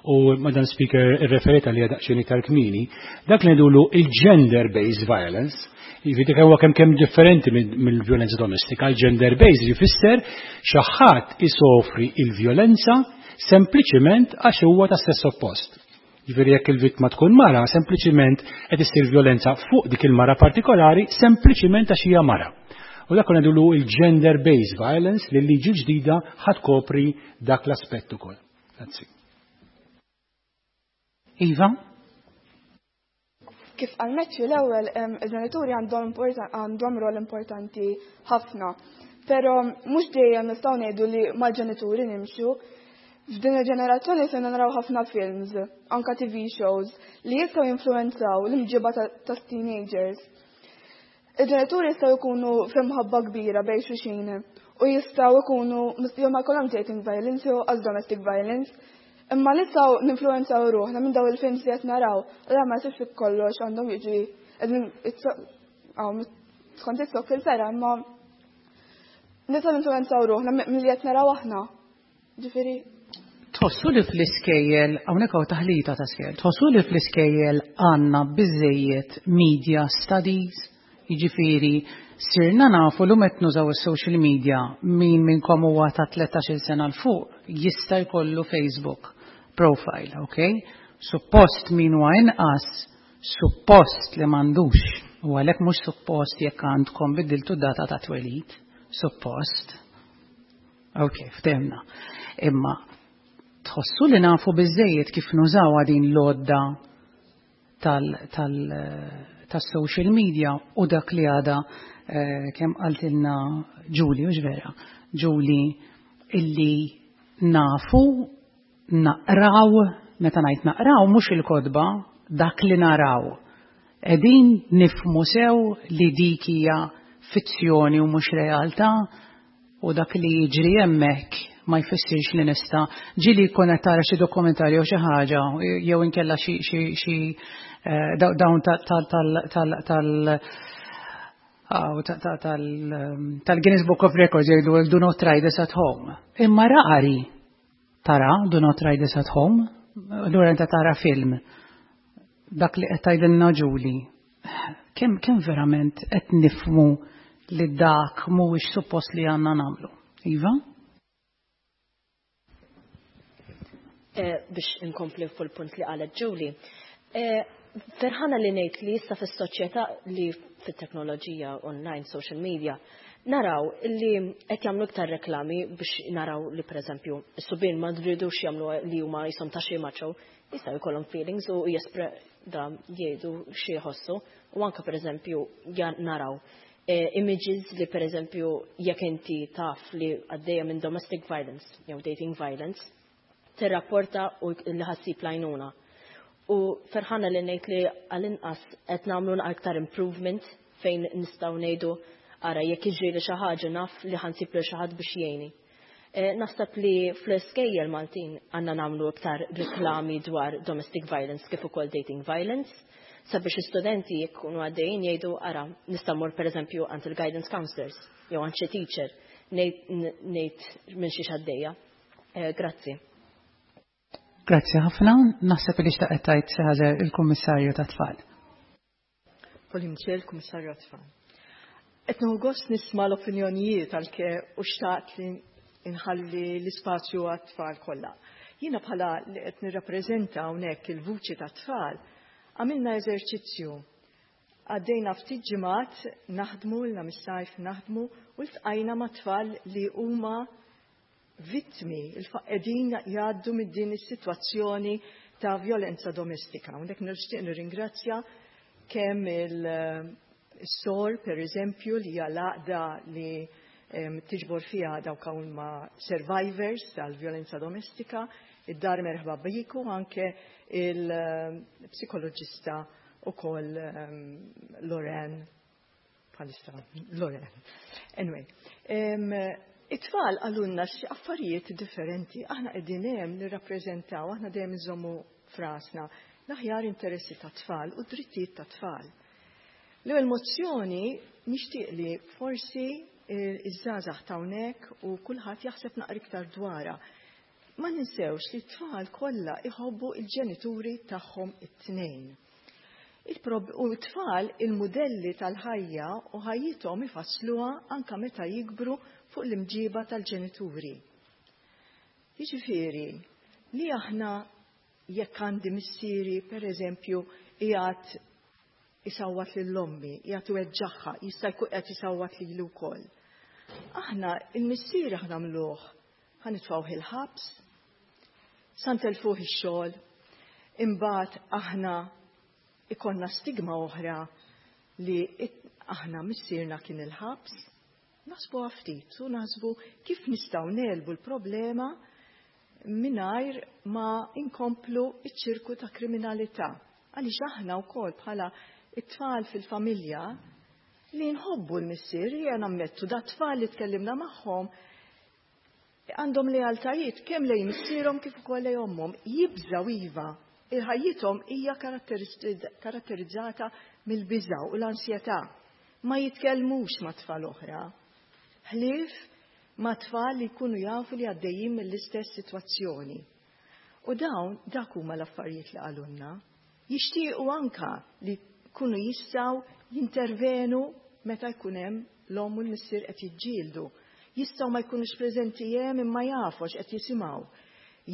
u Madam Speaker irreferiet għalija daqsxejn iktar kmieni, dak li ngħidulu il-gender based violence, jiġifieri huwa kemm kemm differenti mill-vjolenza domestika, il-gender based jfisser xi ħadd isofri il-vjolenza sempliċiment għax huwa ta' sess oppost. Jiġifieri jekk il-vittma tkun mara, sempliċiment qed issir vjolenza fuq dik il-mara partikolari sempliċiment għax hija mara. U dak ngħidulu il-gender based violence li l-liġi ġdida ħa tkopri dak l-aspett ukoll. Grazzi. Iva? Kif qal Matthew l-ewwel il-ġenituri għandhom għandhom rol importanti ħafna. Però mhux dejjem nistgħu ngħidu li mal-ġenituri nimxu. F'din il-ġenerazzjoni se naraw ħafna films, anka TV shows, li jistgħu jinfluwenzaw l-imġiba ta' teenagers. Il-ġenituri jistgħu jkunu f'imħabba kbira bejn xulxin. U jistgħu jkunu jew ma jkollhomx dating violence jew għal domestic violence. Imma nistgħu ninfluwenzaw ruħna minn daw il-films li qed naraw, u ma jsibx fi kollox għandhom jiġi skont it-tokk il-pera, imma nistgħu ninfluwenzaw ruħna milli qed naraw aħna. Ġifieri Tħossu li fl-iskejjel, hawnhekk hawn taħlita ta' skejjel, tħossu li fl-iskejjel għandna biżejjed media studies, jiġifieri sirna nafu l qed nużaw is-social media min minnkom huwa ta' 13-il sena 'l fuq jista' jkollu Facebook profile, ok? Suppost min huwa inqas, suppost li m'għandux, u għalhekk mhux suppost jekk għandkom biddiltu data ta' twelid, suppost. Ok, ftehmna. Imma tħossu li nafu biżejjed kif nużaw din l-għodda tas-social media u dak li għada kemm qaltilna Julie, u vera, Julie illi nafu naqraw, meta ngħid naqraw mhux il-kotba, dak li naraw. Qegħdin nifhmu sew li dik hija fizzjoni u mhux realtà u dak li jiġri hemmhekk ma jfissirx li nista' ġieli jkun qed tara xi dokumentarju jew xi ħaġa jew inkella xi xi xi dawn tal tal-Guinness Book of Records jgħidu do not try this at home. Imma rari tara do not try this at home, allura inta tara film. Dak li qed tgħidilna Julie, kemm kemm verament qed nifhmu li dak mhuwiex suppost li għandna nagħmlu. Iva? Biex inkompli fuq il-punt li qalet Julie. Ferħana li ngħid li issa fis-soċjetà li fit-teknoloġija online, social media, naraw li qed jagħmlu iktar reklami biex naraw li pereżempju s-subien ma rridux jagħmlu li huma jisom ta' xi macho, jistgħu jkollhom feelings u jespre da jgħidu xi jħossu u anke pereżempju naraw images li pereżempju jekk inti taf li għaddejja minn domestic violence jew dating violence, tirrapporta u li ħa ssib l-għajnuna. U ferħana li ngħid li għall-inqas qed nagħmlu aktar improvement fejn nistgħu ngħidu ara jekk jiġri li xi ħaġa naf li ħa nsib lil xi ħadd biex jgħinni. Naħseb li fl-iskejjel Maltin għandna nagħmlu iktar reklami dwar domestic violence kif ukoll dating violence sabiex l-istudenti jkunu għaddejjin jgħidu ara nista' mmur pereżempju għand il-guidance counselors jew għand xi teacher ngħid minn xi għaddejja. Grazzi. Grazzi ħafna, naħseb li xtaqet tgħid xi ħaġa il-Kummissarju tat-Tfal. Pauline Michel, Kummissarju tat-Tfal. Qed nieħu gost nisma' l-opinjonijiet għalke u xtaqt li nħalli l-ispazju għat-tfal kollha. Jiena bħala li qed nirrappreżenta hawnhekk il-vuċi tat-tfal, għamilna eżerċizzju. Għaddejna ftit ġimgħat naħdmu, ilna mis-sajf naħdmu u ltqajna ma' tfal li huma vittmi, qegħdin jgħaddu minn din is-sitwazzjoni ta' violenza domestika. Hawnhekk nixtieq nirringrazzja kemm il-SOR, per eżempju, li hija l-għaqda li tiġbor fiha dawk huma survivors tal-violenza domestika, id-Dar Merħba Biku, anke il-psikoloġista ukoll Loren, bħalissa Loren. Anyway, it-tfal qalulna xi affarijiet differenti, aħna qegħdin hemm nirrappreżentaw, aħna dejjem nżommu f'rasna l-aħjar interessi tat-tfal u drittijiet tat-tfal. L-ewwel mozzjoni nixtieq li forsi iż-żgħażagħ hawnhekk u kulħadd jaħseb naqra iktar dwarha. Ma ninsewx li t-tfal kollha iħobbu il-ġenituri tagħhom it-tnejn. U t-tfal il-modelli tal-ħajja u ħajjithom ifassluha anka meta jikbru fuq l-imġiba tal-ġenituri. Jiġifieri li aħna jekk għandi missieri, per eżempju, qiegħed isawwat lil ommi, qiegħed iweġġagħha, jista' jkun qed isawwat lili wkoll. Aħna il-missier aħna nagħmluh, ħa nitfgħuh il-ħabs, sa ntelfuh ix-xogħol, imbagħad aħna ikollna stigma oħra li aħna missierna kien il-ħabs. Naħsbu ftit u naħsbu kif nistgħu negħlbu l-problema mingħajr ma inkomplu iċ-ċirku ta' kriminalità. Għaliex aħna wkoll bħala it-tfal fil-familja Li nħobbu l-missier, hija nammettu da tfal li tkellimna magħhom għandhom lealtajiet kemm lejn missierhom kif ukoll lejn ommhom. Jibżgħu iva, il-ħajjithom hija karatterizzata mill-biża' u l-ansjetà. Ma jitkellmux ma' tfal oħra. Ħlief ma' tfal li jkunu jafu li għaddejjin mill-istess sitwazzjoni. U dawn dak huma l-affarijiet li qalulna. Jixtiequ anka li jkunu jistgħu jintervenu meta jkun hemm l-omm u l-missier qed jiġġieldu. Jistgħu ma jkunux preżenti hemm imma jafu għax qed jisimgħu.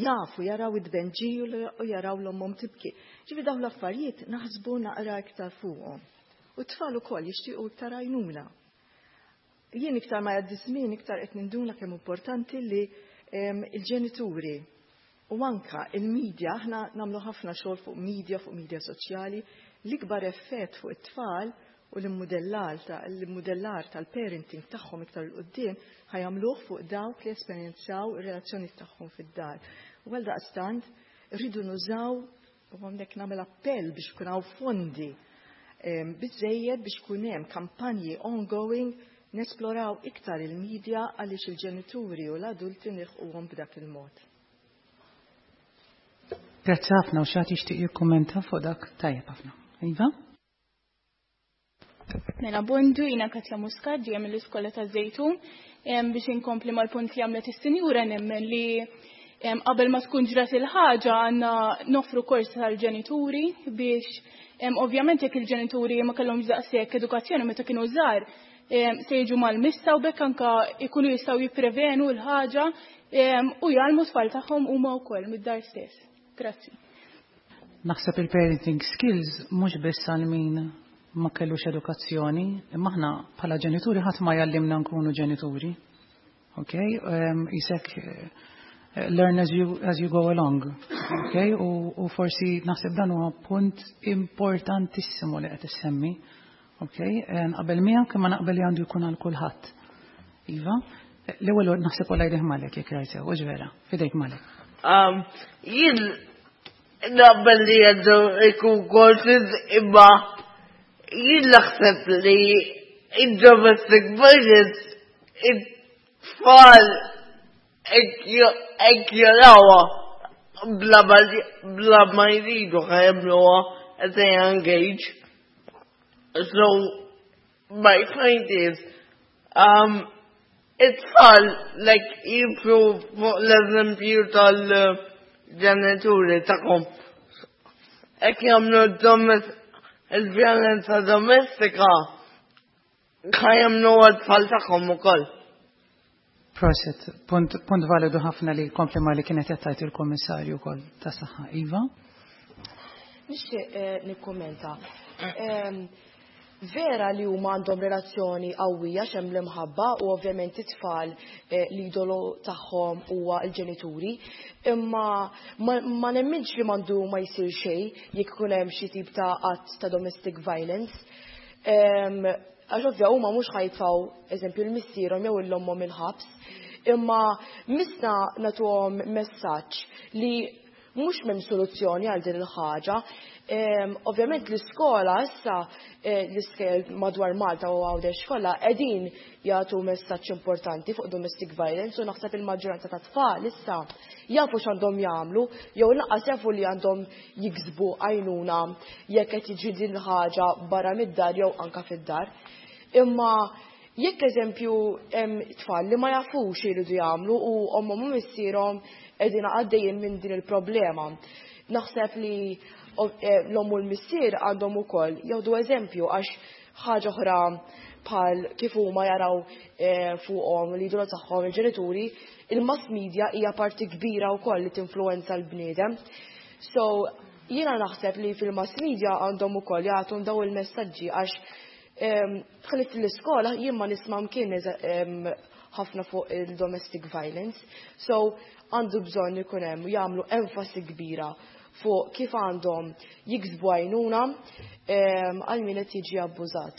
Jafu jaraw it-tbenġil u jaraw l-ommhom tibki. Ġifieri dawn l-affarijiet naħsbu naqra iktar fuqhom. U t-tfal ukoll jixtiequ iktar għajnuna. Jien iktar ma jgħaddi żmien iktar qed ninduna kemm importanti li il-ġenituri u anka il-medja, aħna nagħmlu ħafna xogħol fuq media, fuq media soċjali, l-ikbar effett fuq it-tfal u l-immudellar ta' l-immudellar tal-parenting tagħhom iktar 'il quddiem ħa jagħmluh fuq dawk li esperjenzaw ir-relazzjoni tagħhom fid-dar. U għaldaqstant rridu nużaw u hawnhekk nagħmel appell biex ikun hawn fondi biżejjed biex ikun hemm kampanji ongoing nesploraw iktar il-media għaliex il-ġenituri u l-adulti nilħquhom b'dak il-mod. Grazzi ħafna u xi jixtieq jikkummenta fuq dak tajjeb ħafna. Iva? Mela bondu jina Katja Muscat ġejja mill-iskola ta' Zejtun biex inkompli mal-punt li għamlet is-sinjura nemmen li qabel ma tkun ġrat il-ħaġa għandna nofru kors tal-ġenituri biex ovvjament jekk il-ġenituri ma kellhomx daqshekk edukazzjoni meta kienu żgħar se jiġu mal-missa u bekk anka jkunu jistgħu jipprevenu l-ħaġa u jgħallmu tfal tagħhom huma wkoll mid-dar stess. Grazzi. Naħseb il-parenting skills mhux biss għal min ma kellux edukazzjoni, imma aħna bħala ġenituri ħadd ma jgħallimna nkunu ġenituri. Ok? Isek learn as you, as you go along. Ok? U, u forsi naħseb dan huwa punt importantissimu li qed issemmi. Ok? Naqbel miegħek imma naqbel li għandu jkun għal kulħadd. Iva? L-ewwel naħseb wara jdejh Malek jekk rajt sew, vera, fidejk Malek. Jien naqbel li għandu jkun courses imma jien naħseb li id-domestic violence it-tfal hekk jarawha bla ma jridu ħa jagħmluha at a young age. So my point is, it-tfal like jibru fuq l-eżempju tal-ġenituri tagħhom. Hekk jagħmlu il-vjolenza domestika ħa jagħmlu għat-tfal tagħhom ukoll. Prosit, punt, punt validu ħafna li kompli ma li kienet qed il-Kummissarju wkoll ta' saħħa. Iva? Nixtieq nikkummenta. Vera li huma għandhom relazzjoni qawwija x'hemm l-imħabba u ovvjament it-tfal l-idolu tagħhom huwa l-ġenituri, imma ma nemminx li m'għandu ma jsir xejn jekk ikun hemm xi tip ta' att ta' domestic violence. Għax ovvja huma mhux ħa jitfgħu eżempju l-missierhom jew l-ommhom il-ħabs, imma misna nagħtuhom messaġġ li mhux m'hemm soluzzjoni għal din il-ħaġa. Ovvjament l-iskola issa l-iskejjel madwar Malta u Għawdex kollha qegħdin jagħtu messaġġ importanti fuq domestic violence u naħseb il-maġġoranza ta' tfal issa jafu x'għandhom jagħmlu jew lanqas jafu li għandhom jiksbu għajnuna jekk qed jiġri din il-ħaġa barra mid-dar jew anka fid-dar. Imma jekk eżempju hemm tfal li ma jafux x'iridu jagħmlu u ommhom u missierhom qegħdin għaddejjin minn din il-problema. Naħseb li l-omm u l-missier għandhom ukoll jieħdu eżempju għax ħaġa oħra bħal kif huma jaraw fuqhom l-idolu tagħhom il-ġenituri, il-mass media hija parti kbira wkoll li tinfluwenza l-bniedem. So jiena naħseb li fil-mass media għandhom ukoll jagħtu daw il-messaġġi għax ħalli fl-iskola jien ma nisma' mkien ħafna fuq il-domestic violence. So għandu bżonn ikun hemm jagħmlu enfasi kbira fuq kif għandhom jiksbu għajnuna għal min qed jiġi abbużat.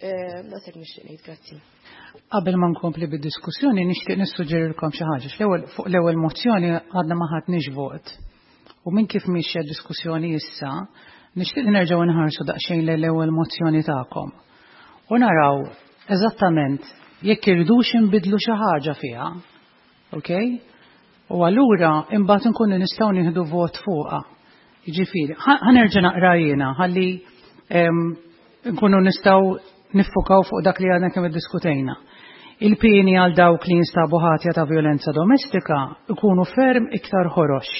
Daqshekk nixtieq ngħid, grazzi. Qabel ma nkompli bid-diskussjoni nixtieq nissuġġerilkom xi ħaġa. L-ewwel fuq l-ewwel mozzjoni għadna ma ħadniex vot. U minn kif mixja diskussjoni issa, nixtieq li nerġgħu nħarsu daqsxejn lejn l-ewwel mozzjoni tagħkom. U naraw eżattament jekk irridux inbiddlu xi ħaġa fiha. Ok? U allura imbagħad inkunu nistgħu nieħdu vot fuqha. Jiġifieri, ħa nerġa' naqra jiena ħalli nkunu nistgħu niffukaw fuq dak li għadna kemm iddiskutejna. Il-pieni għal dawk li jinstabu ħatja ta' vjolenza domestika ikunu ferm iktar ħorox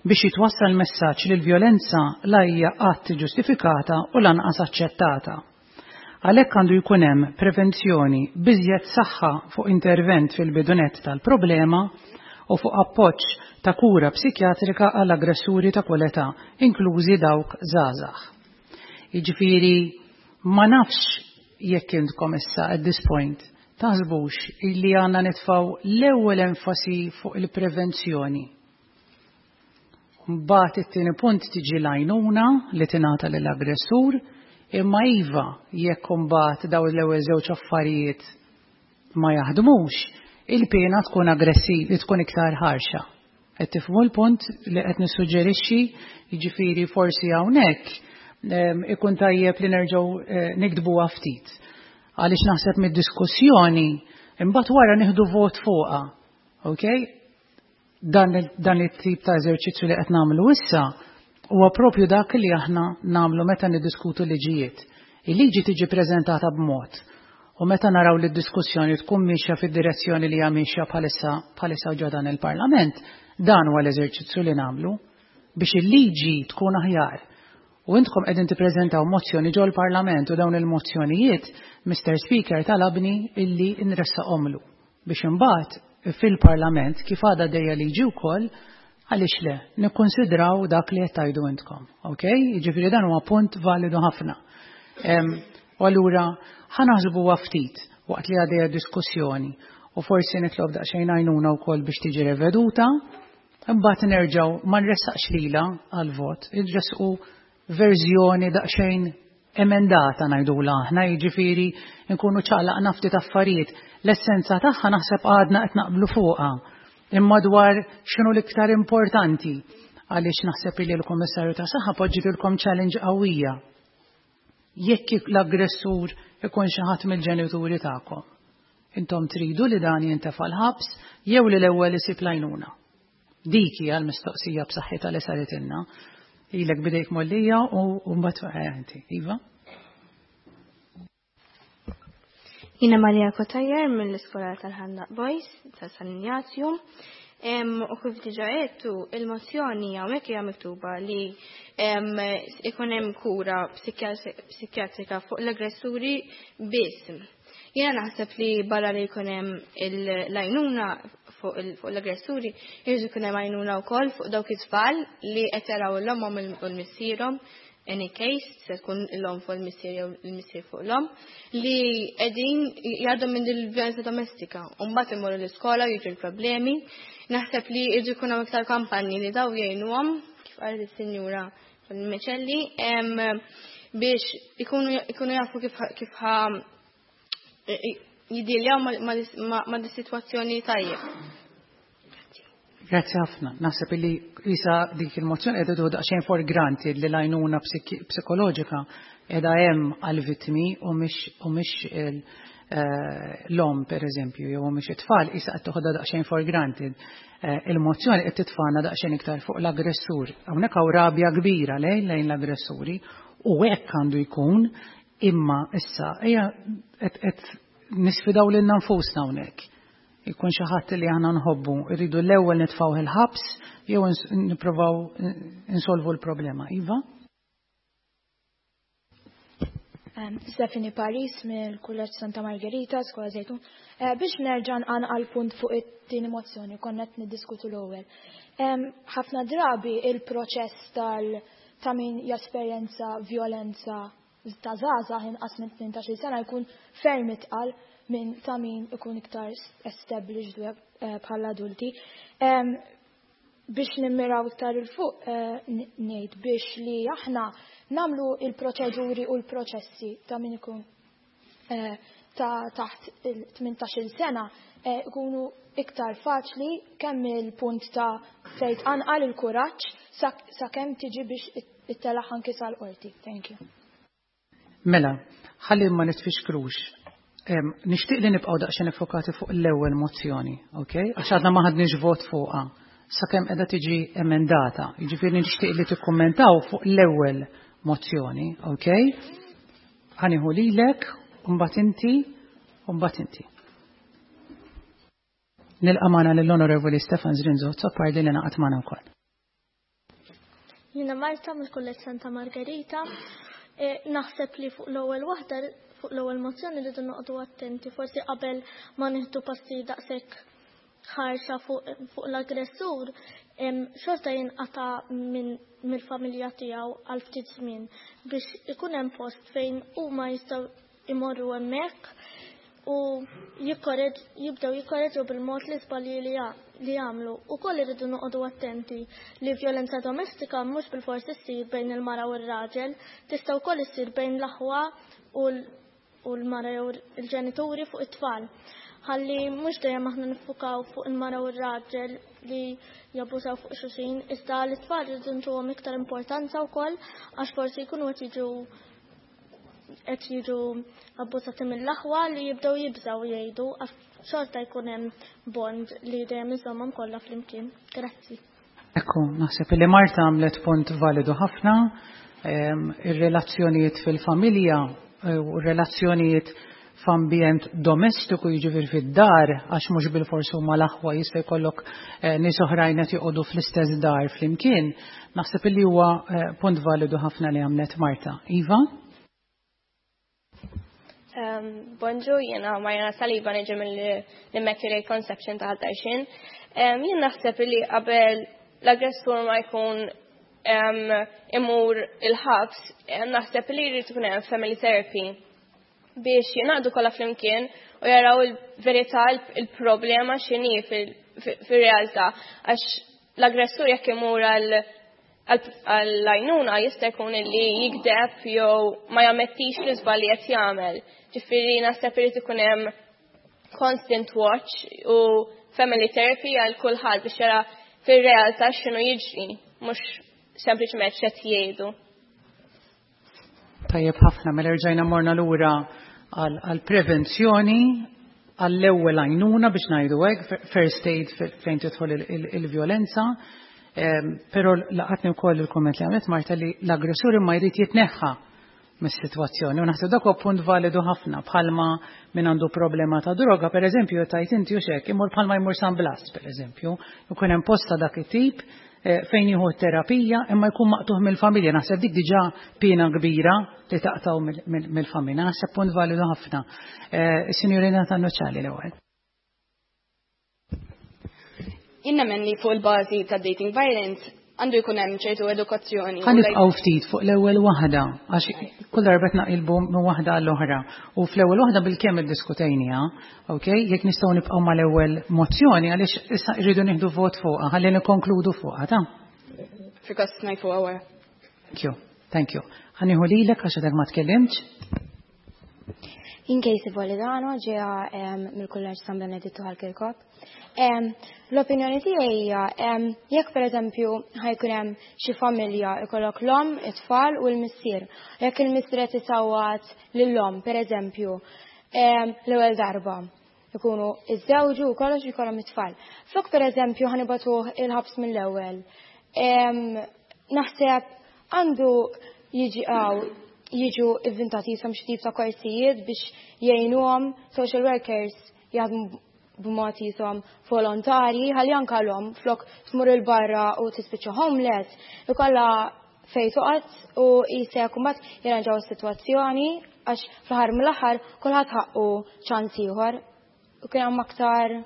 biex jitwassal messaġġ li l-vjolenza la hija qatt ġustifikata u lanqas aċċettata. Għalhekk għandu jkun hemm prevenzjoni b'iżjed saħħa fuq intervent fil-bidu nett tal-problema u fuq appoġġ ta' kura psikjatrika għal aggressuri ta' kull età, inklużi dawk żgħażagħ. Jiġifieri ma nafx jekk intkom issa at this point taħsbux illi għandna nitfgħu l-ewwel enfasi fuq il-prevenzjoni. Mbagħad it-tieni punt tiġi l-għajnuna li tingħata lill-aggressur, imma iva jekk imbagħad dawn l-ewwel żewġ affarijiet ma jaħdmux, il-piena tkun aggressiv, tkun iktar ħarxa. Qed tifhmu l-punt li qed nissuġġerixxi, jiġifieri forsi hawnhekk ikun tajjeb li nerġgħu eh, niktbuha ftit. Għaliex naħseb mid-diskussjoni imbagħad wara nieħdu vot fuqha. Okay? Dan, dan it-tip ta' eżerċizzju li qed nagħmlu issa huwa propju dak li aħna nagħmlu meta niddiskutu liġijiet. Il-liġi tiġi preżentata b'mod u meta naraw li d-diskussjoni tkun mixja fid-direzzjoni li hija mixja bħalissa bħalissa ġo dan il-Parlament, dan huwa l-eżerċizzju li nagħmlu biex il-liġi tkun aħjar. U intkom qegħdin tippreżentaw mozzjoni ġol parlament u dawn il-mozzjonijiet, Mr. Speaker talabni illi nressaqhomlu biex imbagħad fil-Parlament kif għadha dejja liġi wkoll għaliex le nikkonsidraw dak li qed tgħidu intkom. Ok? Jiġifieri dan huwa punt validu ħafna. U allura ħa naħsbuha ftit waqt li għaddejja diskussjoni u forsi nitlob daqsxejn għajnuna wkoll biex tiġi reveduta, imbagħad nerġgħu ma nressaqx lila għal vot, nressqu verżjoni daqsxejn emendata ngħidulha aħna, jiġifieri nkunu ċaqlaqna ftit affarijiet. L-essenza tagħha naħseb għadna qed naqblu fuqha. Imma dwar x'inhu l-iktar importanti għaliex naħseb li l-Kummissarju ta' Saħħa poġġitilkom challenge qawwija. Jekk l-aggressur ikun xi ħadd mill-ġenituri tagħkom. Intom tridu li dan jintefa' l-ħabs jew li l-ewwel isib l-għajnuna. Dik hija l-mistoqsija b'saħħitha li saritilna. Ilek bidejk mollija u mbagħad eh, inti. Iva? Jina Maria Kotajer mill-Iskola tal-Ħandaq Boys ta' San Ignazju. U kif diġa għedtu, il-mozzjoni hawnhekk hija miktuba li ikun hemm kura psikjatrika fuq l-aggressuri biss. Jiena naħseb li barra li jkun hemm l-għajnuna fuq l-aggressuri, jridu jkun hemm għajnuna wkoll fuq dawk it-tfal li qed jaraw l-ommhom u l-missierhom any case, se tkun l-om fuq il-missier jew il-missier fuq l-om, li qegħdin jgħaddu minn il-vjolenza domestika. U mbagħad imorru l-iskola jiġu l-problemi. Naħseb li jridu jkun hemm iktar kampanji li daw jgħinuhom, kif qalet is-sinjura Micelli, biex ikunu jafu kif ħa jidiljaw ma' dis-sitwazzjoni tajjeb. Grazzi ħafna. Naħseb li isa dik il-mozzjoni qiegħda tieħu daqsxejn for granted li l-għajnuna psikoloġika qiegħda hemm għall-vittmi u mhix eh, l-om per eżempju jew mhix it-tfal isa qed toħodha daqsxejn for granted. Eh, il-mozzjoni qed titfana daqsxejn iktar fuq l-aggressur. Hawnhekk hawn rabja kbira lejn lejn l-aggressuri u hekk għandu jkun imma issa ejja qed nisfidaw lilna nfusna hawnhekk. Ikun xi ħadd li aħna nħobbu, irridu l-ewwel nitfgħu il-ħabs jew nippruvaw insolvu l-problema. Iva? Stephanie Paris mill-Kulleġġ Santa Margherita, Skola Zejtun. Eh, biex nerġa' nqanqal punt fuq it-tieni mozzjoni konna qed niddiskutu l-ewwel. Ħafna drabi il-proċess tal ta' min jesperjenza vjolenza ta' żgħażagħ inqas minn 18-il sena jkun ferm itqal minn ta' min ikun iktar established eh, bħala adulti. Biex nimmiraw iktar il-fuq eh, ngħid biex li aħna namlu il-proċeduri u l-proċessi ta' min ikun eh, ta' taħt il-18 sena ikunu iktar faċli kemm il-punt ta' fejn tqanqal il-kuraġġ sakemm tiġi biex ittelaħ anki sal-qorti. Thank you. Mela, Ħalli ma nitfixkrux. Nixtieq li nibqgħu daqsxejn iffokati fuq l-ewwel mozzjoni, ok? Għax għadna ma ħadniex vot fuqha sakemm qiegħda tiġi emendata. Jiġifieri nixtieq li tikkummentaw fuq l-ewwel mozzjoni, ok? Ħa nieħu lilek, u mbagħad inti, u mbagħad inti. Nilqa' magħna lill-Onorevoli Stefan Zrinzo Azzopardi li ngħaqad magħna wkoll. Jiena Marta mill-Kulleġġ Santa Margherita. E, naħseb li fuq l-ewwel waħda fuq l-ewwel mozzjoni rridu noqogħdu attenti, forsi qabel ma nieħdu passi daqshekk ħarxa fuq, fuq l-aggressur, xorta jinqata' minn mill-familja tiegħu għal ftit żmien biex ikun hemm post fejn huma jistgħu imorru hemmhekk u jibdew jikkoreġu bil-mod l-iżbalji li jagħmlu. Ukoll irridu noqogħdu attenti li vjolenza domestika mhux bilfors issir bejn il-mara u r-raġel, tista' wkoll issir bejn l-aħwa u l-mara jew il-ġenituri fuq it-tfal. Ħalli mhux dejjem aħna niffukaw fuq il-mara u r-raġel li jabbużaw fuq xulxin, iżda l-tfal irridu ntuhom iktar importanza wkoll għax forsi jkunu qed jiġu qed jiġu abbużati mill-aħwa li jibdew jibżgħu jgħidu għax xorta jkun hemm bond li dejjem iżommhom kollha flimkien. Grazzi. Ekku, naħseb li Marta għamlet punt validu ħafna. Ehm, ir-relazzjonijiet fil-familja eh, u relazzjonijiet f'ambjent domestiku jiġifieri fid-dar għax mhux bilfors huma l-aħwa jista' jkollok eh, nies oħrajn qed joqogħdu fl-istess dar flimkien, naħseb li huwa eh, punt validu ħafna li għamlet Marta. Iva? Um, bonġu, jena Marjana Saliba niġi mill-Immaculate Conception ta' Ħal Um, jien naħseb li qabel l-aggressur ma jkun um, imur il-ħabs, naħseb li jrid ikun hemm family therapy biex jingħaqdu kollha flimkien u jaraw il-verità il-problema x'inhi fir-realtà għax l-aggressur jekk imur għall-għajnuna jista' jkun li jikdeb jew ma jammettix l-iżball li qed jagħmel. Ġifieri naħseb irid ikun hemm constant watch u family therapy għal kulħadd biex jara fir-realtà x'inhu jiġri, mhux sempliċement x'qed jgħidu. Tajjeb ħafna, mela rġajna morna lura għall-prevenzjoni, għall-ewwel għajnuna biex ngħidu hekk, first aid fejn tidħol il-vjolenza. Ehm, però laqatni wkoll il-kumment li għamlet Marta li l-aggressur imma jrid jitneħħa mis-sitwazzjoni. U naħseb dak huwa punt validu ħafna bħalma min għandu problema ta' droga, per eżempju, tajt inti u xek, imur bħalma jmur San Blas, per eżempju, ikun hemm posta dak it-tip eh, fejn jieħu terapija imma jkun maqtuħ mill-familja. Naħseb dik diġà pina kbira li taqtaw mill-familja. Naħseb punt validu ħafna. Eh, Is-Sinjurina Tannuċċali l-ewwel. Jien nemmen li fuq il-bażi ta' dating violence għandu jkun hemm ċertu edukazzjoni. Ħa nibqgħu ftit fuq l-ewwel waħda għax kull darba qed naqilbu minn waħda għall oħra. U fl-ewwel waħda bilkemm iddiskutejniha, ok? Jekk nistgħu nibqgħu mal-ewwel mozzjoni għaliex issa rridu nieħdu vot fuqha, ħalli nikkonkludu fuqha, ta'? Fil-każ ngħid fuqha wara. Thank you, thank you. Ħa nieħu lilek għax għadek ma tkellimtx. Jien Casey Polidano ġeja mill-Kulleġġ San Benedittu ħal Kirkop. L-opinjoni tiegħi hija jekk pereżempju ħajkun hemm xi familja ikollok l-omm, it-tfal u l-missier. Jekk il-missier qed isawwat lill-omm pereżempju l-ewwel darba ikunu iżżewġu u kollox ikollhom it-tfal. Flok pereżempju ħanibatuh il-ħabs mill-ewwel. Naħseb għandu jiġi għaw jiġu ivvintati jisom xi tip ta' korsijiet biex jgħinuhom social workers jaħdmu b'mod jisom volontarji ħalli anke l-omm flok tmur il-barra u tispiċċa homeless ikollha fejn toqgħod u jisek mbagħad jirranġaw is-sitwazzjoni għax fl-aħħar mill-aħħar kulħadd ħaqqu ċans ieħor u kien hemm aktar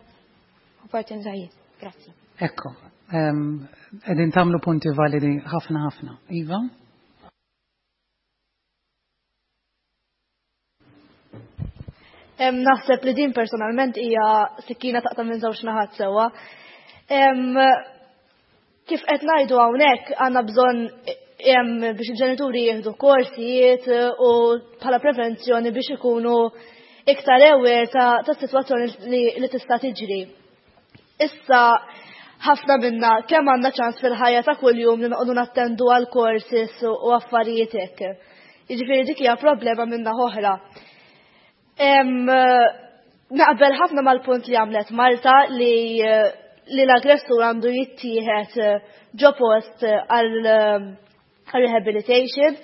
opportunitajiet. Grazzi. Ekku, qegħdin tagħmlu punti validi ħafna ħafna. Iva? Naħseb li din personalment hija sikkina taqta' minn żewġ naħat sewwa. Kif qed ngħidu hawnhekk għandna bżonn biex il-ġenituri jieħdu korsijiet u bħala prevenzjoni biex ikunu iktar aware ta' sitwazzjoni li tista' tiġri. Issa ħafna minna kemm għandna ċans fil-ħajja ta' kuljum li noqogħdu nattendu għal courses u affarijiet hekk. Jiġifieri dik hija problema minn naħa oħra. Naqbel ħafna mal-punt li għamlet Marta li li l-aggressur għandu jittieħed ġo post għal rehabilitation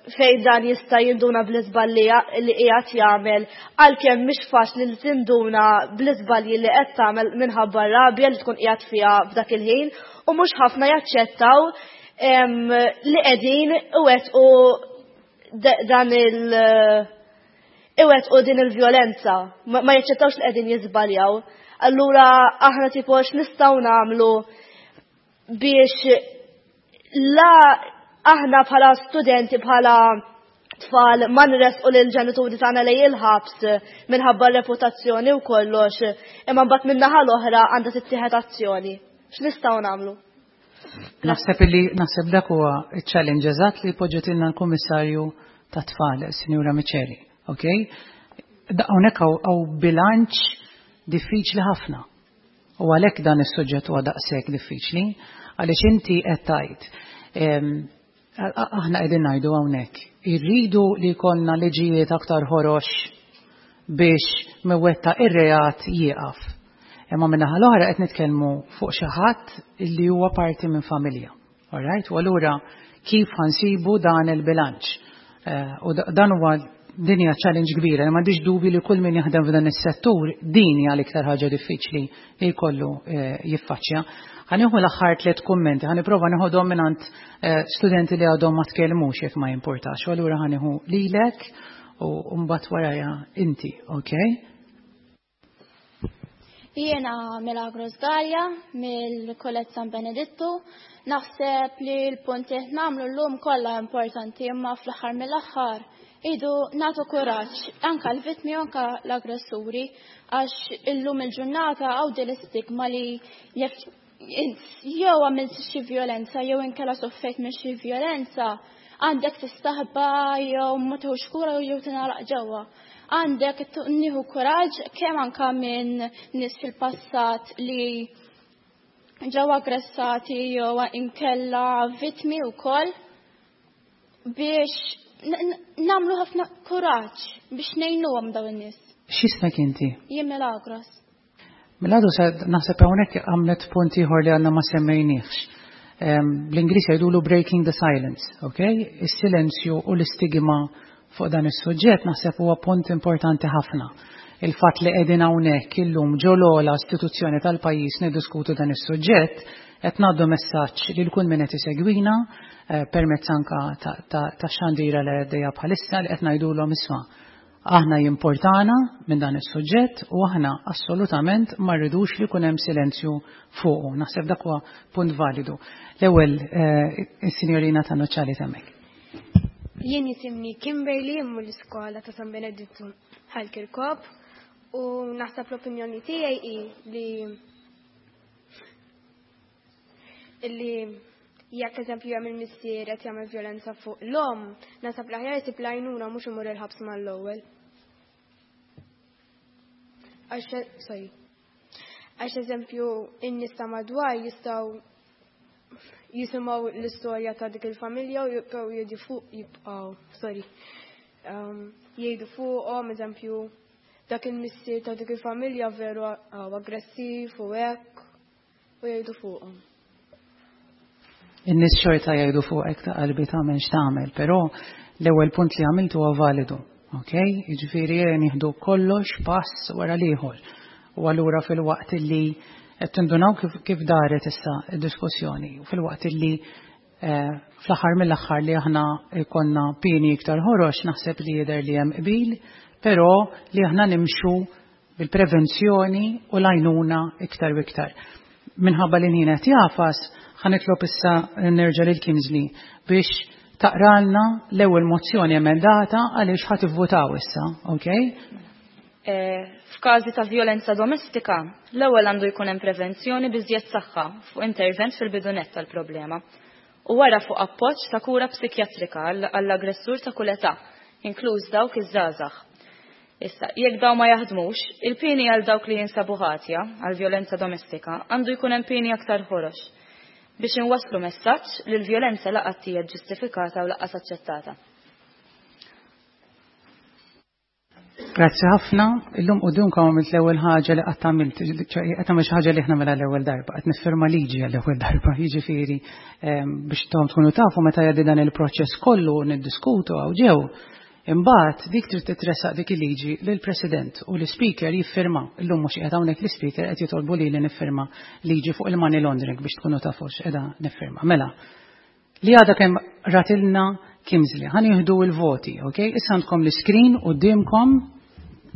fejn dan jista' jinduna bl-iżballi li qiegħed jagħmel għalkemm mhix faċli li tinduna bl-iżbalji li qed tagħmel minħabba r-rabja li tkun qiegħed fiha f'dak il-ħin u mhux ħafna jaċċettaw li qegħdin iwettqu dan il- iwettqu din il-vjolenza, ma jaċċettawx li qegħdin jiżbaljaw. Allura aħna tipo x'nistgħu nagħmlu biex la aħna bħala studenti bħala tfal ma nresqu lil ġenituri tagħna lejn il-ħabs minħabba reputazzjoni u kollox, imma mbagħad min-naħa l-oħra għandha tittieħed azzjoni. X'nistgħu nagħmlu? Naħseb li naħseb dak huwa ċ-challenge eżatt li poġġetilna l-Kummissarju tat-Tfal, Sinjura Miceli, ok? Hawnhekk hawn bilanċ diffiċli ħafna. U għalhekk dan is-suġġett huwa daqshekk diffiċli, għaliex inti qed tgħid aħna qegħdin ngħidu hawnhekk, irridu li jkollna liġijiet aktar ħorox biex mewetta ir-reat jieqaf. Imma min-naħa l-oħra qed nitkellmu fuq xi ħadd li huwa parti minn familja. All right? U allura kif ħansibu dan il-bilanċ? U dan huwa din hija challenge kbira, li m'għandix dubju li kull min jaħdem f'dan is-settur din hija l-iktar ħaġa diffiċli li jkollu jiffaċċja. Ħa nieħu l-aħħar tliet kummenti, ħa nipprova nieħodhom mingħand studenti li għadhom ma tkellmux jekk ma jimpurtax. U allura ħa nieħu lilek u mbagħad warajha inti, okay? Jiena Milagros Gallia mill-Kulleġġ San Benedittu. Naħseb li l-punti qed nagħmlu llum kollha importanti imma fl-aħħar mill-aħħar idu nagħtu kuraġġ anke l-vittmi u anke l-aggressuri għax illum il-ġurnata hawn din l-istigma li jekk jew għamilt xi vjolenza jew inkella soffejt minn xi vjolenza għandek tistaħba jew ma tieħux kura jew tingħalaq ġewwa. Għandek nieħu kuraġġ kemm anka minn nies fil-passat li ġew aggressati jew inkella vittmi wkoll biex nagħmlu ħafna kuraġġ biex ngħinuhom dawn in-nies. X'ismek inti? Jien Milagros. Milagros naħseb hawnhekk għamlet punt ieħor li għandna ma semmejniex. Bl-Ingliż jgħidulu breaking the silence, ok? Is-silenzju u l-istigma fuq dan is-suġġett naħseb huwa punt importanti ħafna. Il-fatt li qegħdin hawnhekk illum ġo l-ogħla istituzzjoni tal-pajjiż niddiskutu dan is-suġġett qed ngħaddu messaġġ lil kull min qed isegwina permezz anka tax-xandira li għaddejja bħalissa li qed ngħidulhom isma' aħna jimportana minn dan is-suġġett u aħna assolutament ma rridux li jkun hemm silenzju fuqu. Naħseb dak huwa punt validu. L-ewwel is-sinjorina ta' Nuċċali temmek. Jien jisimni Kimberly immu l-iskola ta' San Benedittu Ħal Kirkop u naħseb l-opinjoni tiegħi hi li illi jekk eżempju hemm il-missier qed jagħmel vjolenza fuq l-omm, naħseb l-aħjar isib l-għajnuna mhux imur il-ħabs mal-ewwel. Għax sorry. Għax eżempju in-nies ta' madwar jistgħu jisimgħu l-istorja ta' dik il-familja u jibqgħu jgħidu fuq jibqgħu, sorry. Jgħidu fuqhom, eżempju, dak il-missier ta' dik il-familja veru aggressiv u hekk u jgħidu fuqhom. In-nies xorta jgħidu fuqek ta' qalbi tagħmel x'tagħmel, però l-ewwel punt li għamilt huwa validu. Ok? Jiġifieri nieħdu kollox pass wara l-ieħor. U allura fil-waqt li qed tindunaw kif daret issa d-diskussjoni, u fil-waqt li fl-aħħar mill-aħħar li aħna jkollna pieni iktar ħorox naħseb li jidher li hemm qbil, però li aħna nimxu bil-prevenzjoni u l-għajnuna iktar u iktar. Minħabba li l-ħin qed jagħfas, ħa nitlob issa nerġa' lil Kingsley biex taqralna l-ewwel mozzjoni emendata għaliex ħa tivvutaw issa, ok? F'każi ta' vjolenza domestika, l-ewwel għandu jkun hemm prevenzjoni b'iżjed saħħa fuq intervent fil-bidu nett tal-problema u wara fuq appoġġ ta' kura psikjatrika għall-aggressur ta' kull età, inkluż dawk iż-żgħażagħ. Issa, jekk dawn ma jaħdmux, il-pieni għal dawk li jinsabu ħatja għal vjolenza domestika għandu jkun hemm pieni aktar ħorox. Biex inwasslu messaġġ li l-vjolenza la qatt hija ġustifikata u lanqas aċċettata. Grazzi ħafna. Illum qudiemkom għamilt l-ewwel ħaġa li qatt għamilt, ċe qed nagħmel xi ħaġa li aħna mela l-ewwel darba, qed niffirma liġi għall-ewwel darba, jiġifieri biex tom tkunu tafu meta jgħaddi dan il-proċess kollu niddiskutu hawn ġew. Imbagħad dik trid titressaq dik il-liġi lill-President u l-Ispeaker jiffirma. Illum mhux qiegħed hawnhekk l-Ispeaker qed jitolbu lili niffirma liġi fuq il-money laundering biex tkunu tafu x'qiegħda niffirma. Mela, li għadha kemm ratilna Kimsley. Ħa nieħdu l-voti, ok? Issa għandkom l-iskrin quddiemkom,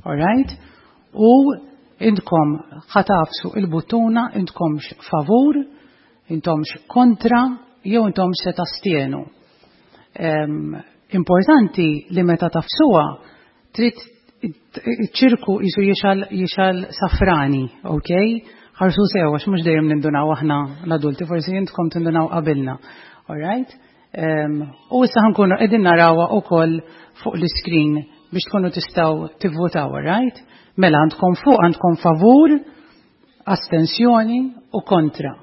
all right? U intkom ħa tagħfsu il-buttuna intkomx favur, intomx kontra, jew intomx se tastienu. Importanti li meta tagħfsuha trid ċirku jisu jixgħel jixgħel safrani, ok? Ħarsu sew għax mhux dejjem nindunaw aħna l-adulti, forsi intkom tindunaw qabilna. All right? U issa ħa nkunu qegħdin narawha wkoll fuq l-iskrin biex tkunu tistgħu tivvotaw, all right? Mela għandkom fuq għandkom favur, astensjoni u kontra.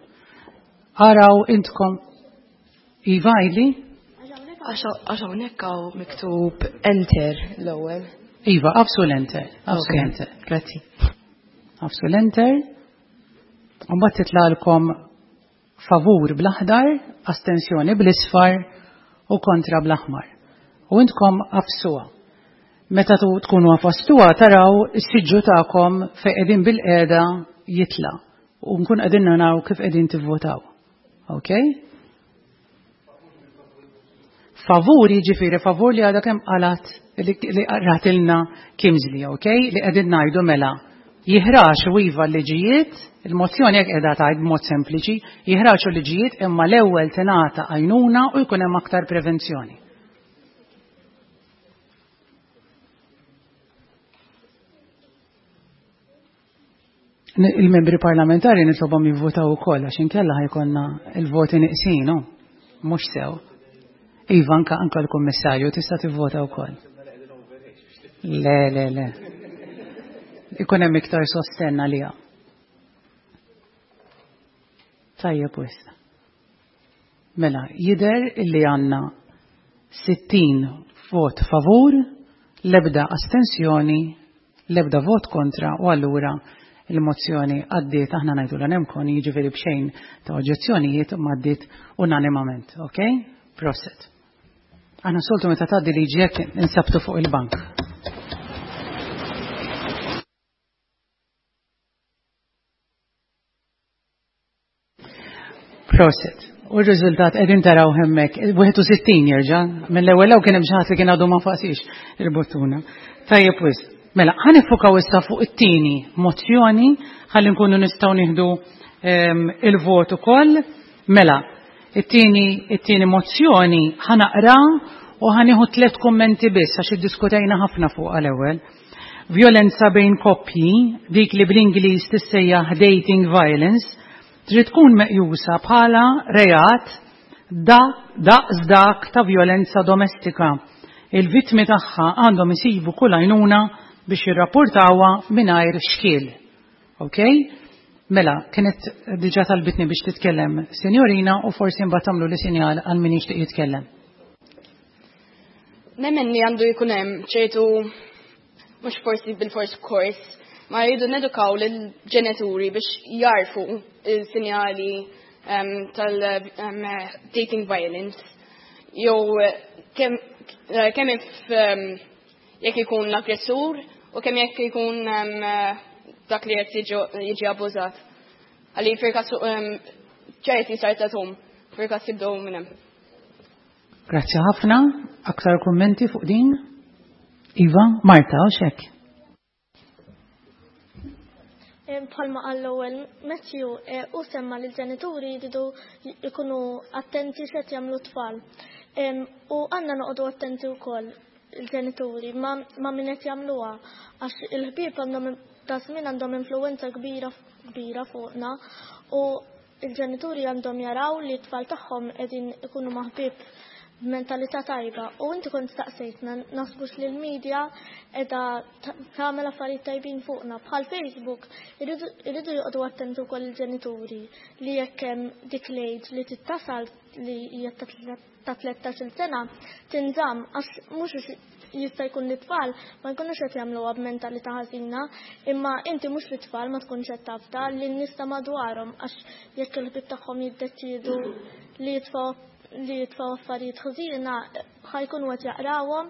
Araw intkom Iva, Ili? Għax hawnhekk hawn miktub enter l-ewwel. Iva, agħfsu l-enter. Agħfsu l-enter. Grazzi. Agħfsu l-enter. U mbagħad titlagħlkom favur bl-aħdar, astensjoni bl-isfar u kontra bl-aħmar. U intkom agħfsuha. Meta tkunu għafastuha taraw is-siġġu tagħkom fejn qegħdin bil-qiegħda jitla' u nkun qegħdin naraw kif qegħdin tivvotaw. Ok? Favur jiġifieri favur li għadha kemm qalat li ratilna Kimsley, ok? Li qegħdin ngħidu mela jiħraxu iva l-liġijiet, il-mozzjoni jekk qiegħda tgħid b'mod sempliċi, jiħraxu liġijiet imma l-ewwel tingħata għajnuna u jkun hemm aktar prevenzjoni. Il-membri parlamentari nitlobhom jivvotaw ukoll għax inkella ħa jkollna il-voti neqsin, mhux sew. Iva, anka anka l-kummissarju tista' tivvota wkoll. Le, le, le. Ikun hemm iktar sostenn għaliha. Tajjeb wisq. Mela, jidher illi għandna 60 vot favur, l-ebda astensjoni, l-ebda vot kontra u allura il-mozzjoni għaddiet aħna ngħidu l nemkon jiġifieri b'xejn ta' oġġezzjonijiet ma għaddiet unanimament, ok? Prosit. Aħna soltu meta tgħaddi liġi hekk insabtu fuq il-bank. Prosit. U r-riżultat qegħdin taraw hemmhekk 61 jerġa' mill-ewwel kien hemm xi ħadd li kien għadu ma faqsix il-buttuna. Tajjeb wisq. Mela, ħa niffukaw issa fuq it-tieni mozzjoni ħalli nkunu nistgħu nieħdu il-vot ukoll. Mela, it-tieni it-tieni mozzjoni ħa naqra u ħa nieħu tliet kummenti biss għax iddiskutejna ħafna fuq għal-ewwel. Vjolenza bejn koppji, dik li bl-Ingliż tissejjaħ dating violence, trid tkun meqjusa bħala reat da daqs dak ta' vjolenza domestika. Il-vittmi tagħha għandhom isibu kull għajnuna biex jirrapportawha mingħajr xkiel. Ok? Mela, kienet diġà talbitni biex titkellem sinjorina u forsi mbagħad tagħmlu li sinjal għal min jixtieq jitkellem. Nemmen li għandu jkun hemm ċertu mhux forsi bil-fors kors, ma jridu nedukaw lill-ġenituri biex jarfu il-sinjali tal-dating violence. Jew kemm kemm jekk ikun l-aggressur u kemm jekk ikun dak li qed jiġi abbużat. Għalli firkas ċerti sartatum, firkas jibdew minn hemm. Grazzi ħafna. Aktar kummenti fuq din? Iva, Marta, u xek? Bħalma qal l-ewwel Matthew, u semma li l-ġenituri jridu jkunu attenti x'qed jagħmlu t-tfal. U għandna noqogħdu attenti wkoll il-ġenituri ma' min qed jagħmluha għax il-ħbieb għandhom ta' żmien għandhom influwenza kbira kbira fuqna u il-ġenituri għandhom jaraw li t-tfal tagħhom qegħdin ikunu ma' ħbieb. b'mentalità tajba u inti kont staqsejtna naħsbux li l-media qiegħda tagħmel affarijiet tajbin fuqna. Bħal Facebook irridu joqogħdu attenti wkoll il-ġenituri li jekk hemm dik l-age li tittasal li hija ta' 13-il sena tinżamm għax mhux jista' jkun li tfal ma jkunux qed jagħmluha b'mentalità ħażina, imma inti mhux li tfal ma tkunx qed tafda li n-nies ta' madwarhom għax jekk il-ħbieb tagħhom jiddeċiedu li jitfgħu li jitfgħu affarijiet ħżiena ħa jkunu qed jaqrawhom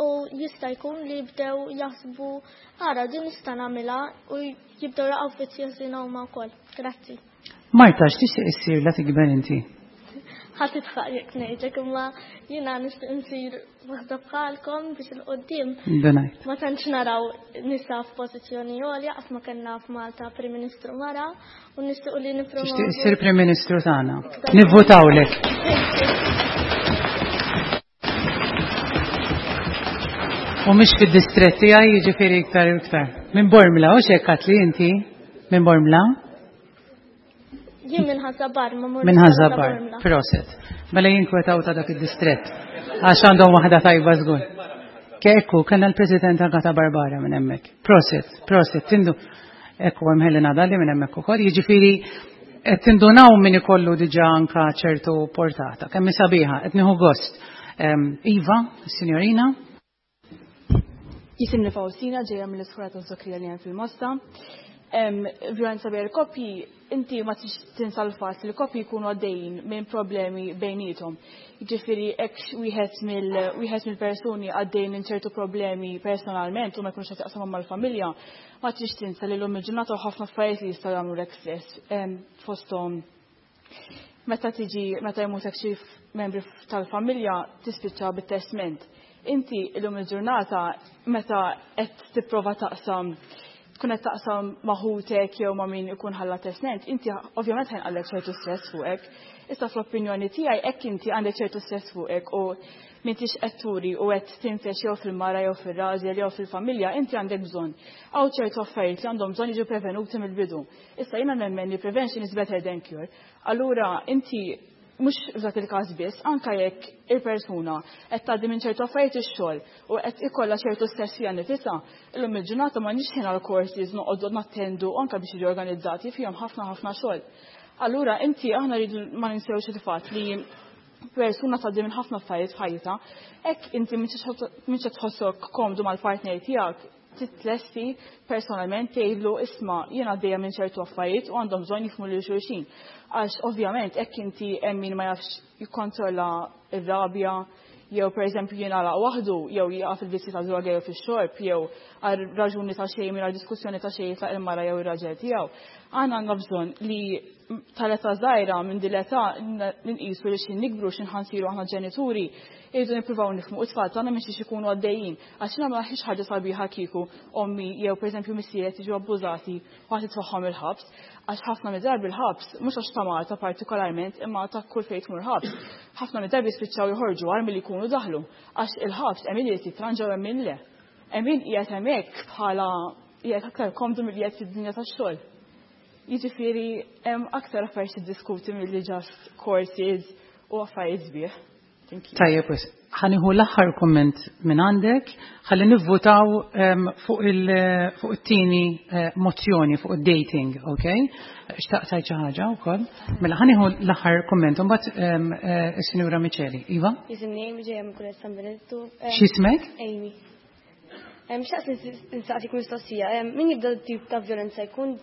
u jista' jkun li jibdew jaħsbu ara din nista' nagħmilha u jibdew jaqgħu f'vizzji ħżiena huma wkoll. Grazzi. Marta, x'tixtieq issir la tikber inti? Ħa titfaq jekk ngħidlek imma jiena nixtieq insir waħda bħalkom biex il-qoddim. Ma tantx naraw nisa f'pożizzjoni għolja qatt ma kellna f'Malta Prim Ministru mara u nixtiequ li nippromovu. Tixtieq issir Prim Ministru tagħna. Nivvutawlek. U mhix fid-distrett tiegħi jiġifieri iktar u iktar. Minn Bormla, u xekkat li inti minn Bormla? Jien minn Ħażabar, ma mur. Minn Ħażabar, proset. Mela jinkwetaw ta' dak id-distrett. Għax għandhom waħda tajba żgur. Kekku, kellna l-President Agata Barbara minn hemmhekk. Proset, proset, tindu. Ekku hemm Helena Dalli minn hemmhekk ukoll. Jiġifieri qed tindunaw min ikollu diġà anka ċertu portata. Kemm sabiħa, qed nieħu gost. Iva, signorina. Jisimni Faustina ġejja mill-iskola ta' Zokrija li hemm fil-Mosta. Violenza bejn il-koppji, inti ma tinsa l-fatt li l-koppji jkunu għaddejjin minn problemi bejniethom. Jiġifieri hekk wieħed mill-persuni għaddej minn ċertu problemi personalment u ma jkunx qed jaqsamhom mal-familja, ma tridx tinsa li llum il-ġurnata ħafna affarijiet li jistgħu jagħmlulek stress fosthom meta tiġi meta jmutek xi membri tal-familja tispiċċa bit-testment. Inti illum il-ġurnata meta qed tipprova taqsam tkun qed taqsam ma' ħutek jew ma' min ikun ħalla testment, inti ovvjament ħajnqallek ċertu stress fuqek. Issa fl-opinjoni tiegħi hekk inti għandek ċertu stress fuqek u m'intix qed turi u qed tinfex jew fil-mara jew fir-raġel jew fil-familja, inti għandek bżonn. Hawn ċertu affarijiet li għandhom bżonn jiġu prevenuti mill-bidu. Issa jiena nemmen li prevention is better than cure. Allura inti mhux f'dak il-każ biss, anke jekk il-persuna qed tgħaddi minn ċertu affarijiet ix-xogħol u qed ikollha ċertu stress fiha nifisha, illum il-ġurnata m'għandniex ħin għal courses noqogħdu nattendu anke biex jiġu organizzati fihom ħafna ħafna xogħol. Allura inti aħna rridu ma ninsewx il-fatt li persuna tgħaddi minn ħafna affarijiet f'ħajjitha, hekk inti m'intx qed tħossok komdu mal-partner tiegħek, titlesti personalment tgħidlu isma' jien għaddejja minn ċertu affarijiet u għandhom bżonn jifhmu lil xulxin. Għax ovvjament hekk inti hemm min ma jafx jikkontrolla r-rabja jew pereżempju jingħalaq waħdu jew jaqa' fil-vizzji ta' droga jew fix-xorb jew għal raġuni ta' xejn mingħajr diskussjoni ta' xejn jitlaq il-mara jew ir-raġel tiegħu. Aħna għandna bżonn li tal-età żgħira minn din l-età nqisu li x'ħin nikbru x'ħin ħansiru aħna ġenituri irridu nippruvaw nifhmu it-tfal tagħna minn xiex ikunu għaddejjin. Għax jiena ma ħiex ħaġa sabiħa kieku ommi jew pereżempju missieri qed jiġu abbużati u ħadd itfagħhom il-ħabs. Għax ħafna mid-drabi l-ħabs, mhux għax ta' Malta partikolarment, imma ta' kull fejn tmur ħabs, ħafna mid-drabi jispiċċaw joħorġu agħar milli jkunu daħlu. Għax il-ħabs hemm min irid jitranġa u hemm min le. Hemm min qiegħed hemmhekk bħala qiegħed aktar komdu milli qiegħed fid-dinja tax-xogħol. Jiġifieri hemm aktar affarijiet tiddiskuti milli just courses u affarijiet sbieħ. Tajjeb, wisq. Ħa nieħu l-aħħar kumment minn għandek, ħalli nivvutaw fuq it-tieni mozzjoni fuq id-dating, ok? Xtaqt tgħid xi ħaġa wkoll? Mela ħa nieħu l-aħħar kumment u mbagħad is-Sinjura Miċeli. Iva? Jisimni Amy ġejja minn Kulleġġ San Benedittu. X'ismek? Amy. Xtaqt nsaqsik mistoqsija. Min jibda tip ta' vjolenza jkun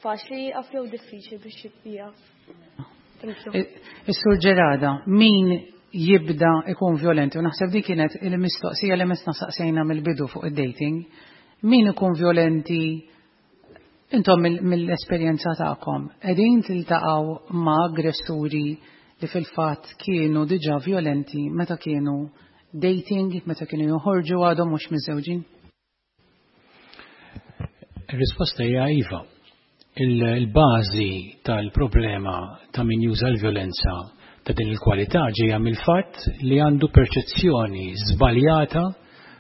faċli jieqaf jew diffiċli biex jieqaf? Is-Sur Ġerada, min jibda ikun violenti, u naħseb di kienet il-mistoqsija li mesna saqsejna mill-bidu fuq id-dating, min ikun violenti intom mill-esperjenza tagħkom, qegħdin tiltaqgħu ma' aggressuri li fil-fatt kienu diġà violenti meta kienu dating, meta kienu joħorġu għadhom mhux miżżewġin? Ir-risposta hija iva. Il-bażi tal-problema ta' min juża l-vjolenza ta' din il-kwalità ġejja mill-fatt li għandu perċezzjoni żbaljata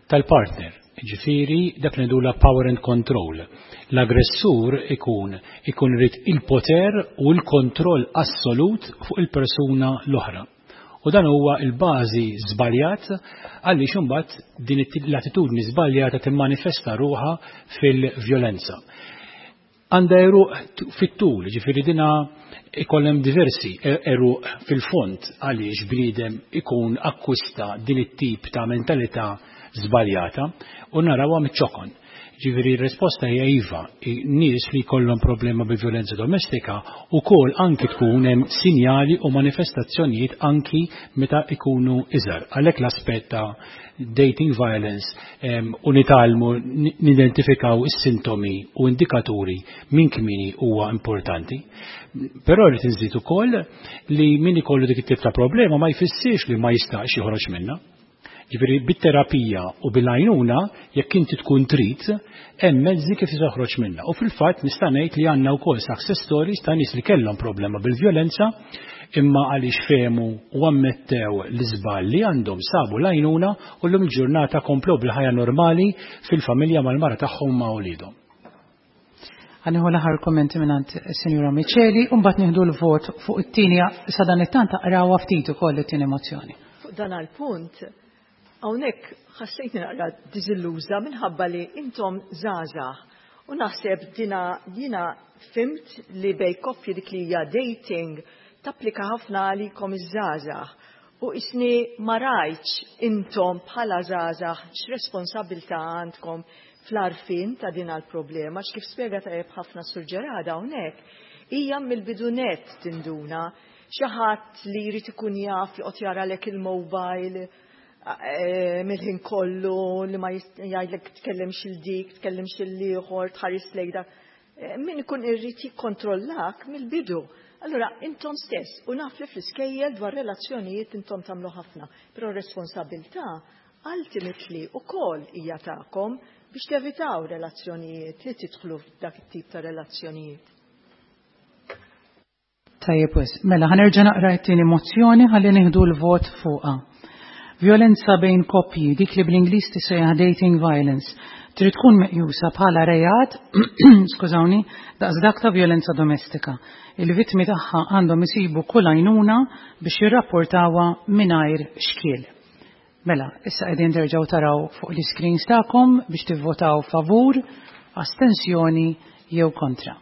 tal-partner. Ġifieri dak li ngħidulha power and control. L-aggressur ikun ikun irid il-poter u l-kontroll assolut fuq il-persuna l-oħra. U dan huwa l-bażi żbaljat għaliex imbagħad din l-attitudni żbaljata timmanifesta ruħha fil-vjolenza. Għandha għeruq fit-tul, ġifieri dina ikollem diversi għeruq fil-fond għaliex bniedem ikun akkwista din it-tip ta' mentalità żbaljata u narawha miċ-ċokon. Ġifieri r-risposta hija iva, nies li jkollhom problema bi vjolenza domestika wkoll anki tkun hemm sinjali u manifestazzjonijiet anki meta ikunu iżgħar. Għalhekk l-aspett ta' dating violence u nitgħallmu nidentifikaw is-sintomi u indikaturi minn kmieni huwa importanti. Però rrid inżid ukoll li min ikollu dik it-tip ta' problema ma jfissirx li ma jistax joħroġ minnha. Ġifieri bit-terapija u bil-għajnuna, jekk inti tkun trid, hemm mezzi kif toħroġ minnha. U fil-fatt nista' ngħid li għandna wkoll success stories ta' nies li kellhom problema bil-vjolenza imma għaliex fehmu u ammettew l-iżball li għandhom sabu l-għajnuna u llum il-ġurnata komplew bil-ħajja normali fil-familja mal-mara tagħhom ma' uliedhom. Ħa nieħu l-aħħar kummenti mingħand is-Sinjura Miceli u mbagħad nieħdu l-vot fuq it-tieni sadanittant aqrawha ftit ukoll it-tieni mozzjoni. Fuq dan għall-punt, hawnhekk ħassejtni naqra diżilluża minħabba li intom żgħażagħ u naħseb dina jiena fhimt li bejn koppji dik li hija dating tapplika ħafna għalikom iż-żgħażagħ u isni ma rajtx intom bħala żgħażagħ x'responsabbiltà għandkom fl-għarfien ta' din għall-problema, għax kif spjega tajjeb ħafna Sur Gerada hawnhekk, hija mill-bidu nett tinduna xi ħadd li jrid ikun jaf joqgħod jaralek il-mobile mill-ħin kollu li ma jgħidlek tkellimx il dik, tkellimx il ieħor, tħares lejn dak. Min ikun irrid jikkontrollak mill-bidu. Allura intom stess, u naf li fl-iskejjel dwar relazzjonijiet intom tagħmlu ħafna, però r-responsabilità ultimately ukoll hija tagħkom biex tevitaw relazzjonijiet li tidħlu f'dak it-tip ta' relazzjonijiet. Tajjeb wis. Mela ħa nerġa' naqra t-tieni mozzjoni ħalli nieħdu l-vot fuqha. Vjolenza bejn koppji, dik li bl-Ingliż tissejjaħ dating violence, trid tkun meqjusa bħala reat, skużawni, daqs dak ta' vjolenza domestika. Il-vittmi tagħha għandhom isibu kull għajnuna biex jirrapportawha mingħajr xkiel. Mela, issa qegħdin terġgħu taraw fuq l-iscreens tagħkom biex tivvotaw favur, astensjoni jew kontra.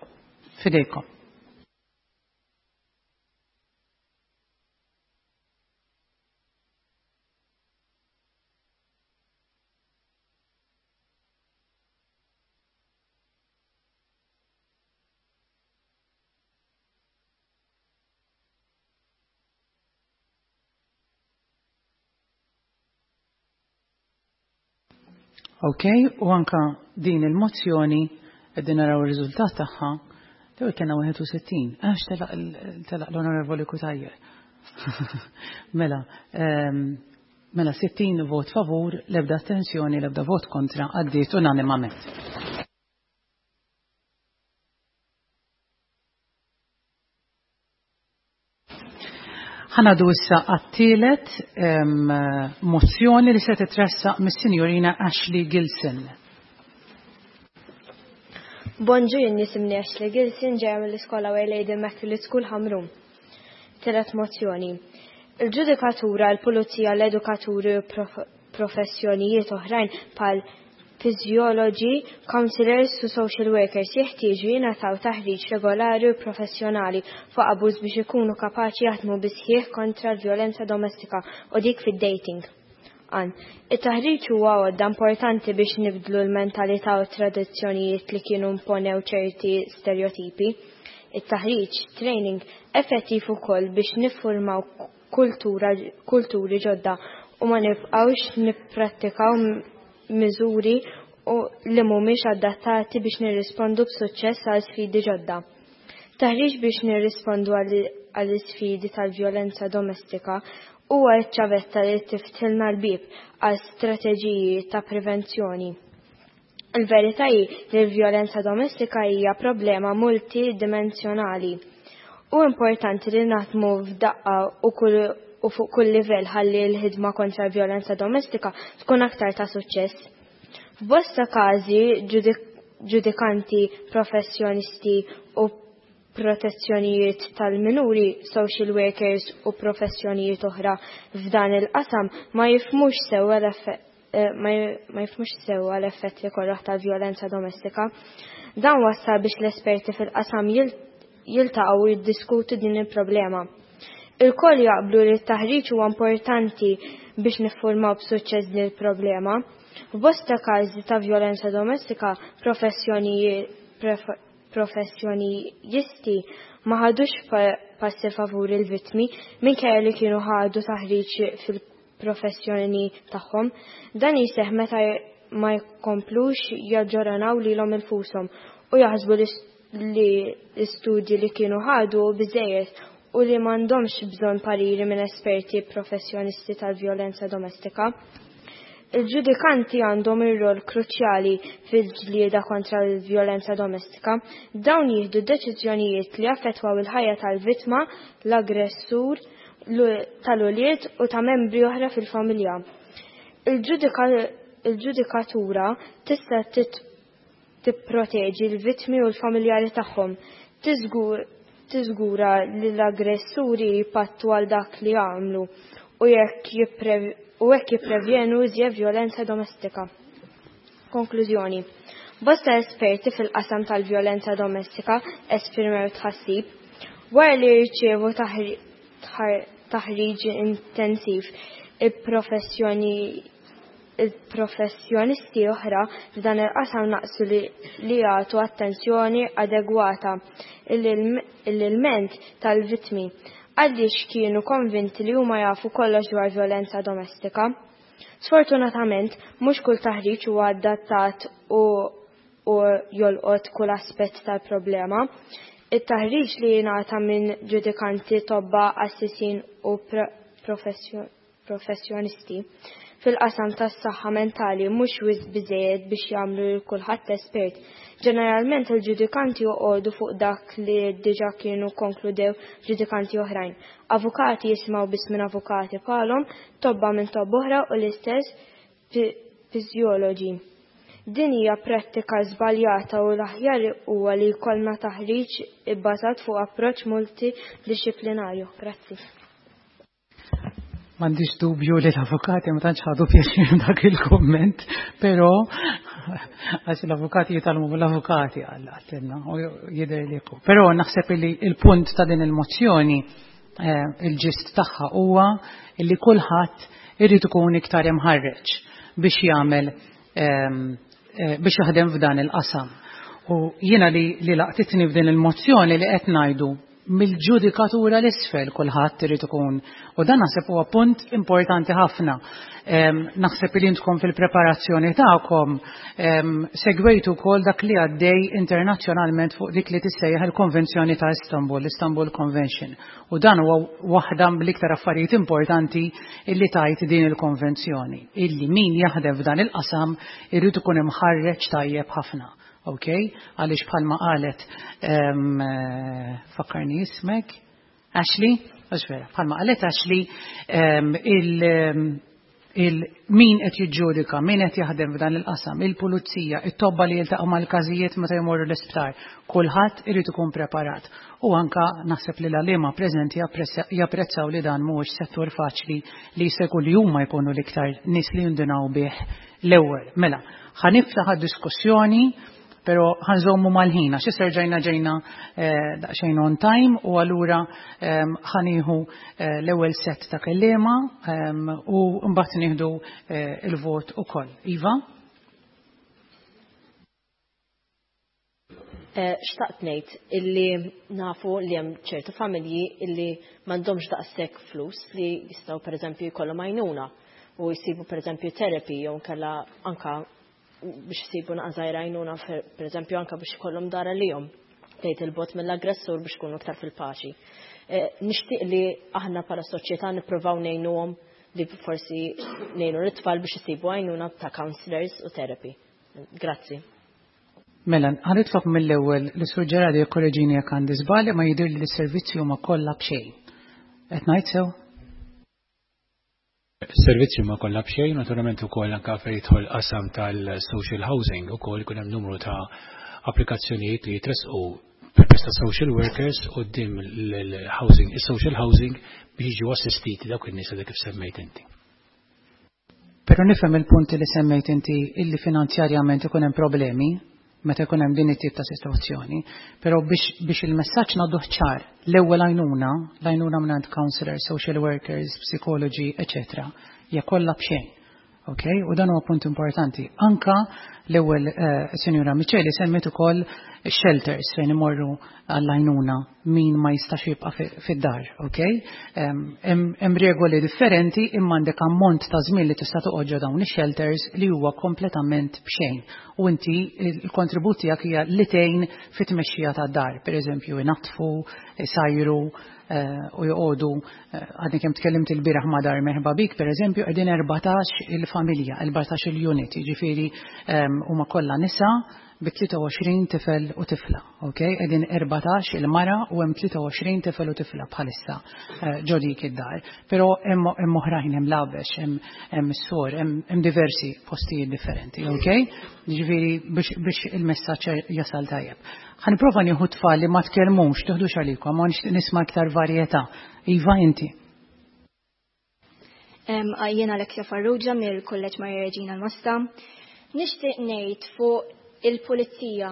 Fidejkom. Ok, u anka din il-mozzjoni qegħdin naraw ir-riżultat tagħha l-ewwel kellna 61, għax telaq l-Onorevoli Cutajar. Mela, mela 60 vot favur, l-ebda astensjoni, l-ebda vot kontra, għaddiet unanimament. Ħa ngħaddu issa għat-tielet mozzjoni li se titressaq mis-Sinjorina Ashley Gilson. Bonġu, jien jisimni Ashley Gilson, ġejja mill-iskola Our Lady Immaculate School Ħamrun. Tielet mozzjoni. Il-ġudikatura, il-pulizija, l-edukaturi u professjonijiet oħrajn bħal psikoloġi, counselors u social workers jeħtieġu jingħataw taħriġ regolari u professjonali fuq abbuż biex ikunu kapaċi jaħdmu bisħieħ kontra l-vjolenza domestika u dik fid-dating. Għan, it-taħriġ huwa għodda importanti biex nibdlu l-mentalità u tradizzjonijiet li kienu imponew ċerti stereotipi. It-taħriġ, training, effettiv ukoll biex niffurmaw kultura, kulturi ġodda u ma nibqgħux nipprattikaw miżuri u li mhumiex adattati biex nirrispondu b'suċċess għal sfidi ġodda. Taħriġ biex nirrispondu għall isfidi tal-vjolenza domestika huwa ċ-ċavetta li tiftħilna l-bib għal strateġiji ta' prevenzjoni. Il-verità hi li l-vjolenza domestika hija problema multidimensjonali. U importanti li naħdmu f'daqqa u kull u fuq kull livell ħalli l-ħidma kontra l-vjolenza domestika tkun aktar ta' suċċess. F'bosta każi ġudikanti, professjonisti u protezzjonijiet tal-minuri, social workers u professjonijiet oħra f'dan il-qasam ma jifhmux sewwa ma jifhmux sewwa l-effetti koroh tal-vjolenza domestika. Dan wassal biex l-esperti fil-qasam jiltaqgħu u jiddiskutu din il-problema. Ilkoll jaqblu li t-taħriġ huwa importanti biex niffurmaw b'suċċess din il-problema. F'bosta każi ta' vjolenza domestika, professjonijisti ma ħadux passi favur il-vittmi minkejja li kienu ħadu taħriġ fil-professjoni tagħhom. Dan jseħħ meta ma jkomplux jaġġornaw lilhom infushom u jaħsbu li l-istudji li kienu ħadu biżżejjed u li m'għandhomx bżonn pariri minn esperti professjonisti tal-vjolenza domestika. Il-ġudikanti għandhom ir-rol kruċjali fil-ġlieda kontra l-vjolenza domestika. Dawn jieħdu deċiżjonijiet li jaffettwaw il-ħajja tal-vittma, l-aggressur, tal-ulied u ta' membri oħra fil-familja. Il-ġudikatura tista' tipproteġi l-vittmi u l-familjari tagħhom, tiżgura li l-aggressuri jpattu għal dak li għamlu u hekk jipprevjenu iżjed vjolenza domestika. Konklużjoni. Bosta esperti fil-qasam tal-vjolenza domestika esprimew tħassib wara li jirċievu taħriġ intensiv il-professjoni il-professjonisti oħra f'dan il-qasam naqsu li jagħtu attenzjoni adegwata l-ilment tal-vittmi għaliex kienu konvinti li huma jafu kollox dwar vjolenza domestika. Sfortunatament, mhux kull taħriġ huwa adattat u jolqot kull aspett tal-problema. It-taħriġ li jingħata minn ġudikanti, tobba, assisin u professjonisti fil-qasam tas-saħħa mentali mhux wisq biżejjed biex jagħmlu lil kulħadd espert. Ġeneralment il-ġudikanti joqogħdu fuq dak li diġà kienu konkludew ġudikanti oħrajn. Avukati jisimgħu biss minn avukati bħalhom, tobba minn tobba oħra u l-istess psikoloġi. Din hija prattika żbaljata u l-aħjar huwa li jkollna taħriġ ibbażat fuq approċċ multidixxiplinarju. Grazzi. M'għandix dubju li l-avukati ma tantx ħadu pjaċir dak il-komment, però għax l-avukati jitgħallmu mill-avukati għaltilna u jidher li Però naħseb li il-punt ta' din il-mozzjoni il-ġist tagħha huwa li kulħadd irid ikun iktar imħarreġ biex jagħmel biex jaħdem f'dan il-qasam. U jiena li laqtitni f'din il-mozzjoni li qed ngħidu mill-ġudikatura l-isfel kulħadd irid ikun. U dan naħseb huwa punt importanti ħafna. Naħseb li intkom fil-preparazzjoni tagħkom segwejtu wkoll dak li għaddej internazzjonalment fuq dik li tissejjaħ il-Konvenzjoni ta' Istanbul, l-Istanbul Convention. U dan huwa waħda mill-iktar affarijiet importanti illi tajt din il-konvenzjoni, illi min jaħdem f'dan il-qasam irid ikun imħarreġ tajjeb ħafna. Ok, għaliex bħalma qalet fakkarni ismek, Ashley, għax vera, bħalma qalet Ashley, il min qed jiġġudika, min qed jaħdem f'dan il-qasam, il-pulizija, it-tobba li jiltaqgħu mal-każijiet meta jmorru l-isptar, kulħadd irid ikun preparat. U anka naħseb li l-għalliema preżenti japprezzaw li dan mhuwiex settur faċli li se jkun li huma jkunu l-iktar nies li jindunaw bih l-ewwel. Mela, ħa niftaħ diskussjoni pero ħa nżommu mal-ħin, għax issa ġejna daqsxejn on time u allura ħa nieħu l-ewwel set ta' kelliema u mbagħad nieħdu il-vot ukoll. Iva? Xtaqt ngħid illi nafu li hemm ċertu familji illi m'għandhomx daqshekk flus li jistgħu pereżempju jkollhom għajnuna u jsibu pereżempju therapy jew nkella anka biex jsibu naqra għajnuna pereżempju anka biex ikollhom dar għalihom tgħid il-bogħod mill-aggressur biex ikunu iktar fil-paċi. Nixtieq li aħna bħala soċjetà nippruvaw ngħinuhom li forsi ngħinu l-tfal biex isibu għajnuna ta' counselors u therapy. Grazzi. Mela, ħa nitlob mill-ewwel li Sur Ġerardi jikkoreġini jekk għandi żball ma jidher li s-servizzi huma kollha b'xejn. Qed ngħid sew? Servizzi huma kollha b'xejn, naturalment ukoll anke fejn jidħol qasam tal-social housing ukoll ikun hemm numru ta' applikazzjonijiet li jitresqu. permezz ta' social workers quddiem il-housing, is-social housing biex jiġu assistiti dawk in-nies li kif semmejt inti. Però nifhem il-punti li semmejt inti illi finanzjarjament ikun hemm problemi meta jkun hemm din it-tip ta' sitwazzjoni, però biex il-messaġġ ngħadduh ċar, l-ewwel għajnuna, l-għajnuna mingħand counselors, social workers, psikoloġi, eċetera, hija kollha b'xejn. Ok, u dan huwa punt importanti. Anka l-ewwel Sinjura Micheli semmiet ukoll shelters fejn imorru għall-għajnuna min ma jistax jibqa' fid-dar, ok? Hemm regoli differenti imma għandek ammont ta' żmien li tista' toqgħod ġo dawn ix-shelters li huwa kompletament b'xejn. U inti l-kontribut tiegħek hija li tgħin fit-tmexxija tad-dar, pereżempju inaddfu, isajru, u joqogħdu għadni kemm tkellimt il-bieraħ ma' Dar Merħba Bik, pereżempju, qegħdin 14 il-familja, 14 il-unit, jiġifieri huma kollha nisa bi 23 tifel u tifla, ok? Qegħdin 14 il-mara u hemm 23 tifel u tifla bħalissa ġo dik id-dar. Però hemm oħrajn, hemm Labex, hemm is-Sur, hemm diversi postijiet differenti, ok? Jiġifieri biex il-messaġġ jasal tajjeb. Ħa nipprova nieħu tfal li ma tkellmux, tiħdux għalikom, ma nixtieq nisma' iktar varjetà. Iva inti. Jiena Alexia Farrugia mill-Kulleġġ Maria Reġina l-Mosta. Nixtieq ngħid fuq il-pulizija.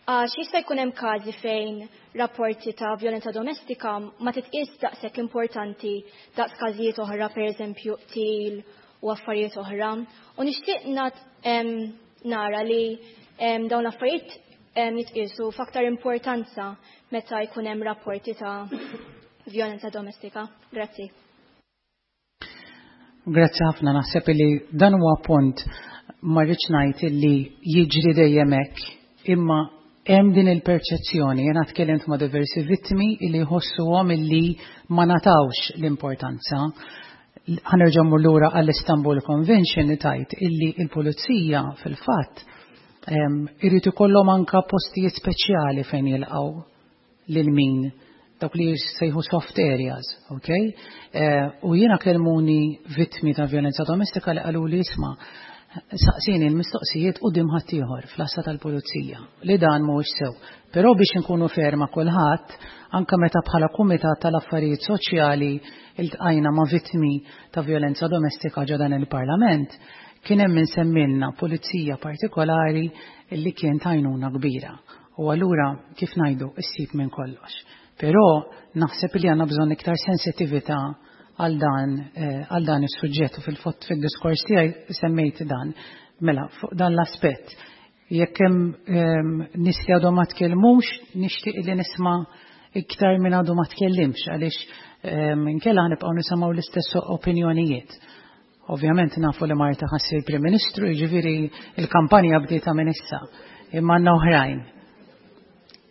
Għax jista' jkun hemm każi fejn rapporti ta' vjolenza domestika ma titqies daqshekk importanti daqs każijiet oħra, pereżempju qtil u affarijiet oħra. U nixtieq nara li dawn l-affarijiet jitqiesu f'aktar importanza meta jkun hemm rapporti ta' vjolenza domestika. Grazzi. Grazzi ħafna, naħseb li dan huwa punt ma rridx ngħid li jiġri dejjem hekk, imma hemm din il-perċezzjoni. Jiena tkellimt ma' diversi vittmi li jħossuhom illi ma natawx l-importanza. Ħa nerġa' mmur lura għall-Istanbul Convention li tajt illi il-pulizija fil-fatt irid ikollhom anka postijiet speċjali fejn jilqgħu lil min dawk li sejħu soft areas, ok? U jiena kellmuni vittmi ta' violenza domestika li qalu li isma' saqsini l-mistoqsijiet quddiem ħaddieħor fl-għassa tal-pulizija li dan mhuwiex sew. Però biex inkunu fair ma' kulħadd, anka meta bħala Kumitat tal-Affarijiet Soċjali iltqajna ma' vittmi ta' violenza domestika ġo dan il-Parlament, kien hemm min semmilna pulizija partikolari li kien t'għajnuna kbira. U allura, kif ngħidu, issib minn kollox. Però naħseb li għandna bżonn iktar sensitività għal dan għal dan is-suġġett u fil-fatt fid-diskors tiegħi semmejt dan. Mela, fuq dan l-aspett. Jekk hemm nies li għadhom ma tkellmux, nixtieq li nisma' iktar minn għadu ma tkellimx għaliex inkella ħanibqgħu nisimgħu l-istess opinjonijiet. Ovvjament nafu li Marta ħa ssir Prim Ministru, jiġifieri il-kampanja bdietha minn issa. Imma għandna oħrajn.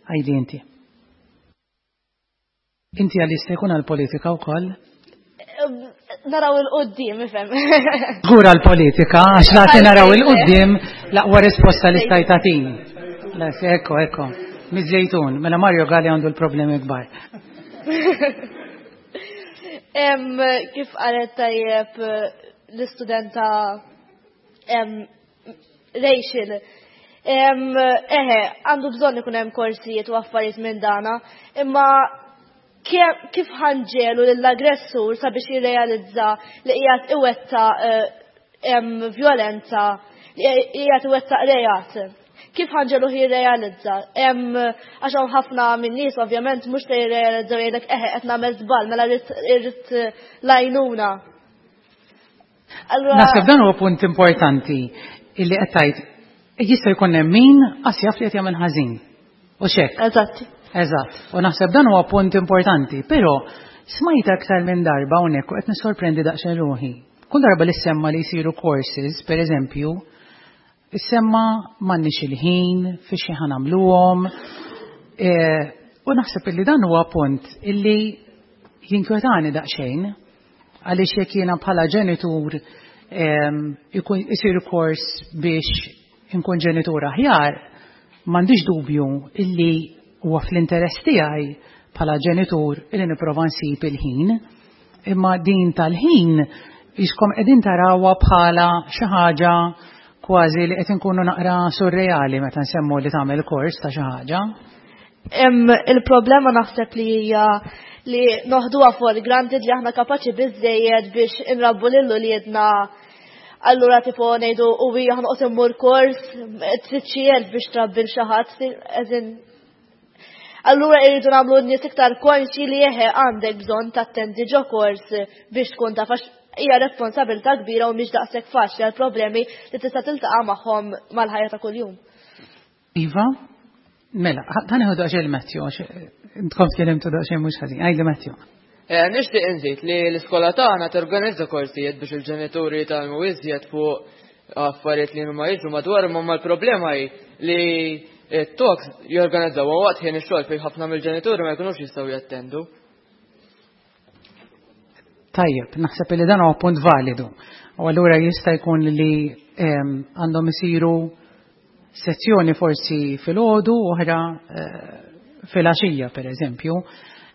Għajdi inti. Inti għal jista' jkun għall-politika wkoll? Naraw il-qoddim, ifhem. Żgur għall-politika, għax laqti naraw il-qoddim l-aqwa risposta li stajt tagħtini. Ekko, ekko. Miż-Żejtun, mela Mario Galli għandu l-problemi kbar. Kif qalet tajjeb l-istudenta Rachel, eħe, għandu bżonn ikun hemm korsijiet u affarijiet minn dana, imma kif ħanġelu lill-aggressur sabiex jirrealizza li qiegħed iwetta violenza, li qiegħed iwettaq reat? Kif ħanġelu jirrealizza? Għax hawn ħafna minn nies ovvjament mhux se jirrealizzaw jgħidlek eħe qed nagħmel żball mela rrid l-għajnuna. Allura Naħseb dan huwa punt importanti illi qed tgħid jista' jkun hemm min qas jaf li qed jagħmel ħażin. U x'hekk. Eżatt. Eżatt. U naħseb dan huwa punt importanti, però smajt aktar minn darba hawnhekk u qed nissorprendi daqsxejn ruħi. Kull darba li semma li jsiru courses, per eżempju, issemma m'għandniex il-ħin, fi xi ħa nagħmluhom. U naħseb illi dan huwa punt illi jinkwetani daqsxejn, għaliex jekk jiena bħala ġenitur ikun isir kors biex inkun ġenitur aħjar, m'għandix dubju illi huwa fl-interess tiegħi bħala ġenitur illi nipprova nsib il-ħin. Imma din tal-ħin jiskom qegħdin tarawha bħala xi ħaġa kważi li qed inkunu naqra surreali meta nsemmu li tagħmel kors ta' xi ħaġa. Il-problema naħseb li hija li noħduha for granted li aħna kapaċi biżejjed biex inrabbu lil uliedna allura tipo ngħidu u hija ħanoqgħod immur kors trid xi biex trabbi l xi ħadd Allura irridu nagħmlu n-nies iktar konxi li eħe għandek bżonn tattendi ġo kors biex tkun taf għax hija responsabilità kbira u mhix daqshekk faċli għal problemi li tista' tiltaqa' magħhom mal-ħajja ta' kuljum. Iva, mela, dan iħu daqsxejn Matthew, għax intkom tkellimtu daqsxejn mhux ħażin. Għajli Matthew. Eh, nixtieq inżid li l-iskola tagħna torganizza korsijiet biex il-ġenituri jitgħallmu iżjed fuq affarijiet li huma jiġu madwar imma l-problema hi li t-talks jorganizzaw waqt ħin ix-xogħol fejn ħafna mill-ġenituri ma jkunux jistgħu jattendu. Tajjeb, naħseb li dan huwa punt validu. U allura jista' jkun li ehm, għandhom isiru sezzjoni forsi filgħodu oħra eh, filgħaxija pereżempju,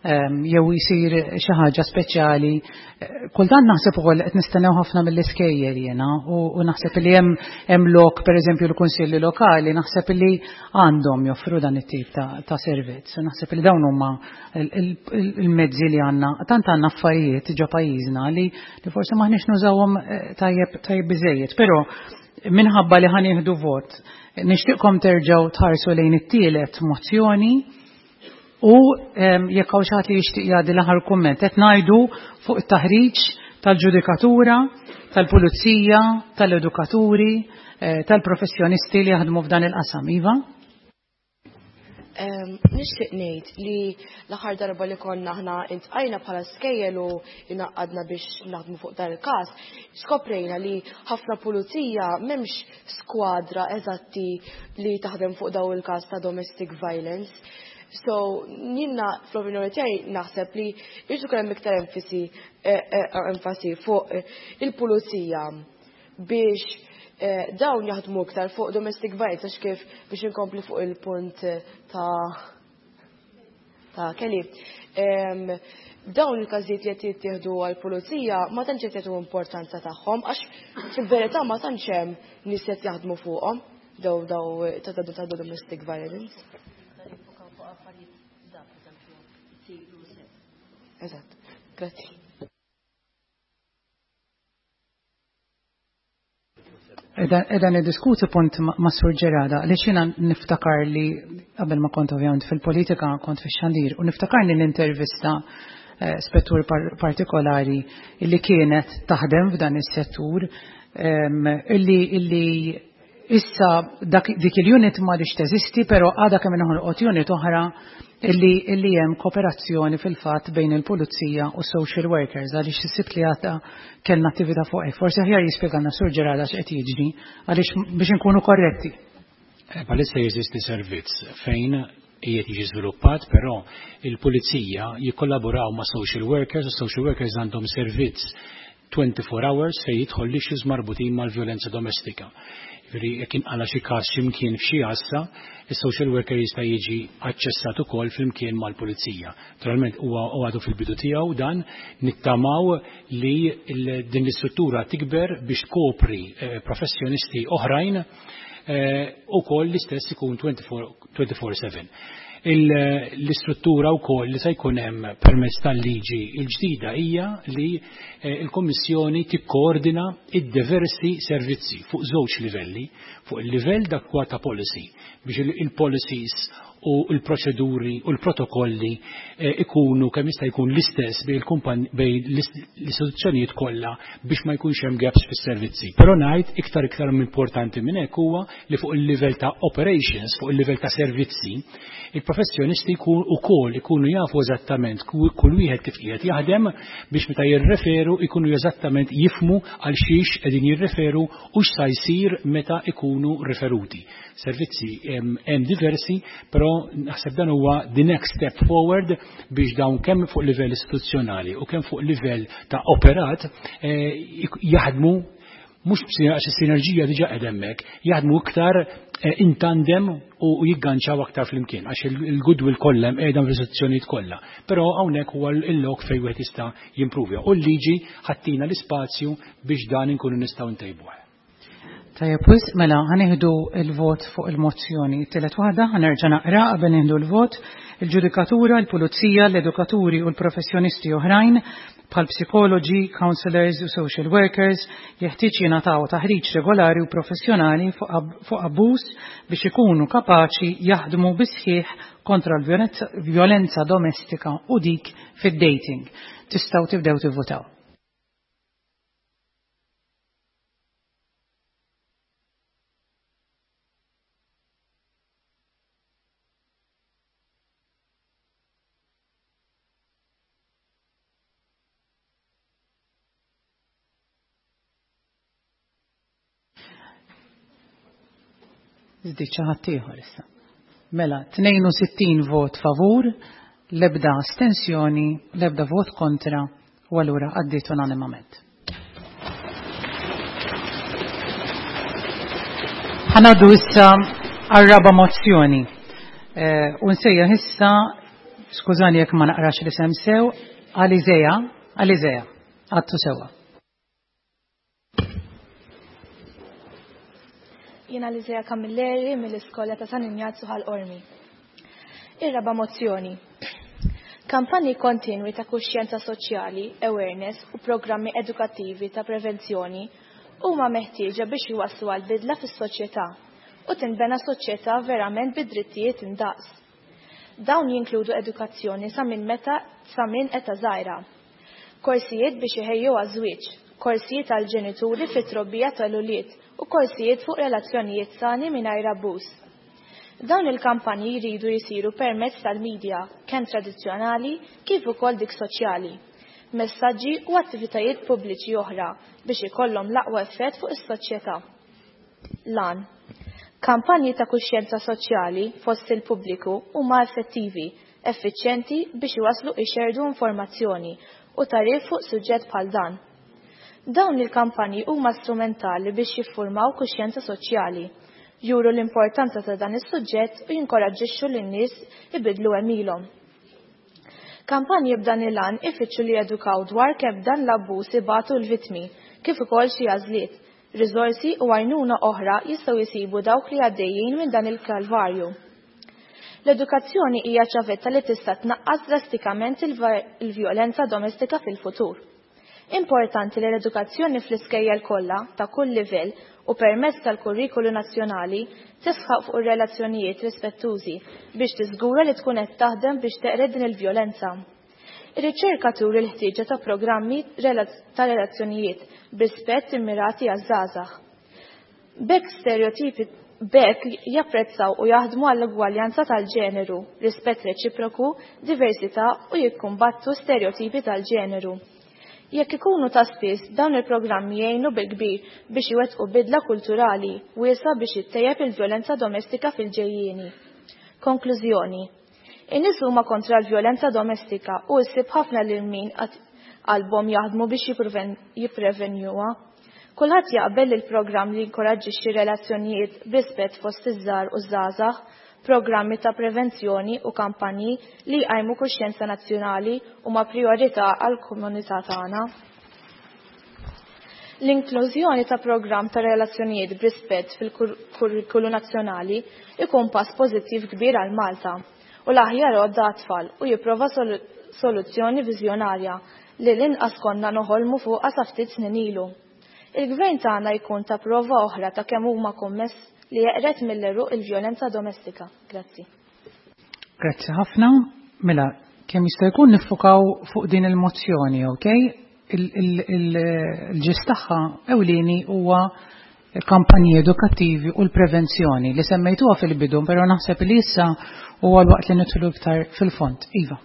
ehm, jew jisir xi ħaġa speċjali. Eh, kultant naħseb ukoll qed nistennew ħafna mill-iskejjel jiena u naħseb li hemm hemm lok pereżempju l-kunsilli lokali naħseb li għandhom joffru dan it-tip ta' servizz. Naħseb li dawn huma il-mezzi li għandna, tant għandna affarijiet ġo pajjiżna li forsi maħniex nużawhom eh, tajjeb tajjeb biżejjed, però minħabba li ħanieħdu vot, nixtieqkom terġgħu tħarsu lejn it-tielet mozzjoni u jekk hawn xi ħadd li jixtieq jgħaddi l-aħħar kumment qed ngħidu fuq it-taħriġ tal-ġudikatura, tal-pulizija, tal-edukaturi, eh, tal-professjonisti li jaħdmu f'dan il-qasam. Iva? Nixtieq ngħid li l-aħħar darba li konna aħna intqajna bħala skejjel u inaqqadna biex naħdmu fuq dan il-każ, skoprejna li ħafna pulizija m'hemmx skwadra eżatti li taħdem fuq daw il-każ ta' domestic violence. So, jiena fl-opinjoni tiegħi naħseb li jrid ikun hemm iktar enfasi eh, eh, enfasi fuq il-pulizija biex eh, dawn jaħdmu iktar fuq domestic violence għax kif biex inkompli fuq il-punt eh, ta' ta' Kelly. Dawn il-każijiet li qed jittieħdu għall-pulizija ma tantx qed jagħtu importanza tagħhom għax fil-verità ma tantx hemm nies qed jaħdmu fuqhom daw daw ta' ta' domestic violence. Eżatt, grazzi. Edha niddiskuti punt ma' Sur Ġerada li xina niftakar li qabel ma kont ovvjament fil-politika kont fix-xandir u niftakar li l-intervista eh, spettur partikolari illi kienet taħdem f'dan is-settur ehm, illi illi Issa dak dik il-unit m'għadhiex teżisti, però għadha kemm inħolqot unit oħra illi illi hemm kooperazzjoni fil-fatt bejn il-pulizija u social workers għaliex is-Sibt li għadda kellna attività fuq hekk. Forsi aħjar jispjegalna Sur Gerard x'qed jiġri għaliex biex inkunu korretti. Eh, bħalissa jeżisti servizz fejn qiegħed jiġi żviluppat, però il-pulizija jikkollaboraw ma' social workers u social workers għandhom servizz 24 hours fejn jidħol l-issues marbutin mal-vjolenza domestika. Jiġifieri jekk inqala' xi każ xi mkien f'xi għassa, is-social worker jista' jiġi aċċessat ukoll flimkien mal-pulizija. Naturalment huwa għadu fil-bidu tiegħu dan, nittamaw li din l-istruttura tikber biex tkopri eh, professjonisti oħrajn eh, ukoll l-istess ikun 24/7. L-istruttura wkoll li se jkun hemm permezz tal-liġi l-ġdida hija li eh, l-Kummissjoni tikkoordina id-diversi servizzi fuq żewġ livelli, fuq il-livell dak ta' policy biex il-policies u l-proċeduri u l-protokolli eh, ikunu kemm jista' jkun l-istess bejn l-istituzzjonijiet kollha biex ma jkunx hemm gaps fis-servizzi. Però ngħid iktar iktar importanti minn hekk huwa li fuq il-livell ta' operations, fuq il-livell ta' servizzi, il-professjonisti ukoll ikunu jafu eżattament kull wieħed kif qiegħed jaħdem biex meta jirreferu ikunu eżattament jifmu għal xiex qegħdin jirreferu u x'sa jsir meta ikunu referuti. Servizzi hemm diversi, però naħseb dan huwa the next step forward biex dawn kemm fuq livell istituzzjonali u kemm fuq livell ta' operat eh, jaħdmu mhux għax is-sinerġija diġà qed hemmhekk, jaħdmu iktar eh, in tandem u jigganċaw aktar flimkien għax il-goodwill kollha hemm qiegħda fl-istituzzjonijiet kollha. Però hawnhekk huwa l-lok fejn wieħed jista' jimpruvja. U l-liġi ħattina l-ispazju biex dan inkunu nistgħu ntejbuh. Tajjeb wisq, mela ħa nieħdu l-vot fuq il-mozzjoni. It-tielet waħda ħa nerġa' naqra qabel nieħdu l-vot. Il-ġudikatura, il-pulizija, l-edukaturi u l-professjonisti oħrajn bħal psikoloġi, counselors u social workers jeħtieġ jingħataw taħriġ regolari u professjonali fuq abbuż biex ikunu kapaċi jaħdmu bis-sħiħ kontra l-vjolenza domestika u dik fid-dating. Tistgħu tibdew tivvutaw. Żdied xi ħadd ieħor issa. Mela, 62 vot favur, l-ebda astensjoni, l-ebda vot kontra, u allura għaddiet unanimament. Ħa ngħaddu issa għar-raba' mozzjoni. Eh, u nsejjaħ issa, skużani jekk ma naqrax l-isem sew, Alizea, Alizea, għattu sewa. Jiena Alizea Camilleri mill-Iskola ta' San Injazzu Ħal Qormi. Ir-raba' mozzjoni. Kampanji kontinwi ta' kuxjenza soċjali, awareness u programmi edukattivi ta' prevenzjoni huma meħtieġa biex iwasslu għal bidla fis-soċjetà u tinbena soċjetà verament bi drittijiet indaqs. Dawn jinkludu edukazzjoni sa minn meta sa minn età żgħira. Korsijiet biex iħejju għaż-żwieġ, korsijiet għall-ġenituri fit-trobbija tal-ulied u korsijiet fuq relazzjonijiet sani mingħajr abbuż. Dawn il-kampanji jridu jsiru permezz tal-media, kemm tradizzjonali kif ukoll dik soċjali, messaġġi u attivitajiet pubbliċi oħra biex ikollhom l-aqwa effett fuq is-soċjetà. L-għan. Kampanji ta' kuxjenza soċjali fost il-pubbliku huma effettivi, effiċjenti biex iwasslu ixerrdu informazzjoni u tagħrif fuq suġġett bħal dan. Dawn il-kampanji huma strumentali biex jiffurmaw kuxjenza soċjali, juru l-importanza ta' dan is-suġġett u jinkoraġġixxu lin-nies ibiddlu għemilhom. Kampanji b'dan il-għan ifittxu li jedukaw dwar kemm dan l-abbuż ibatu l-vittmi, kif ukoll xi għażliet, riżorsi u għajnuna oħra jistgħu jsibu dawk li għaddejjin minn dan il-kalvarju. L-edukazzjoni hija ċavetta li tista' tnaqqas drastikament il-vjolenza domestika fil-futur. Importanti li l-edukazzjoni fl-iskejjel kollha ta' kull livell u permezz tal-kurrikulu nazzjonali tisħaq fuq ir-relazzjonijiet rispettużi biex tiżgura li tkun qed taħdem biex teqred din il-vjolenza. Ir-riċerka turi l-ħtieġa ta' programmi ta' relazzjonijiet b'rispett immirati għaż-żgħażagħ. B'hekk stereotipi b'hekk japprezzaw u jaħdmu għall-ugwaljanza tal-ġeneru, rispett reċiproku, diversità u jikkumbattu stereotipi tal-ġeneru. Jekk ikunu ta' spiss, dawn il-programmi jgħinu bil-kbir biex iwettqu bidla kulturali wiesgħa biex ittejjeb il-vjolenza domestika fil-ġejjieni. Konklużjoni, In-nies huma kontra l-vjolenza domestika u ssib ħafna lil min qed qalbhom jaħdmu biex jipprevenjuha. Kulħadd jaqbel li l-programm li jinkoraġġixxi relazzjonijiet b'rispett fost iż-żgħar u ż-żgħażagħ, programmi ta' prevenzjoni u kampanji li jqajmu kuxjenza nazzjonali huma prijorità għall-komunità tagħna. L-inklużjoni ta' programm ta' relazzjonijiet b'rispett fil-kurrikulu nazzjonali ikun pass pożittiv kbir għal Malta u l-aħjar għodda għat-tfal u jipprova soluzzjoni viżjonarja li l-inqas konna noħolmu fuqha sa ftit snin ilu. Il-Gvern tagħna jkun ta prova oħra ta' kemm huma kommess li jeqred mill-għeruq il-vjolenza domestika. Grazzi. Grazzi ħafna. Mela, kemm jista' jkun niffukaw fuq din il-mozzjoni, ok? Il-ġist tagħha ewlieni huwa kampanji edukattivi u l-prevenzjoni li semmejtuha fil-bidu, però naħseb li issa huwa l-waqt li nidħlu iktar fil-fond. Iva.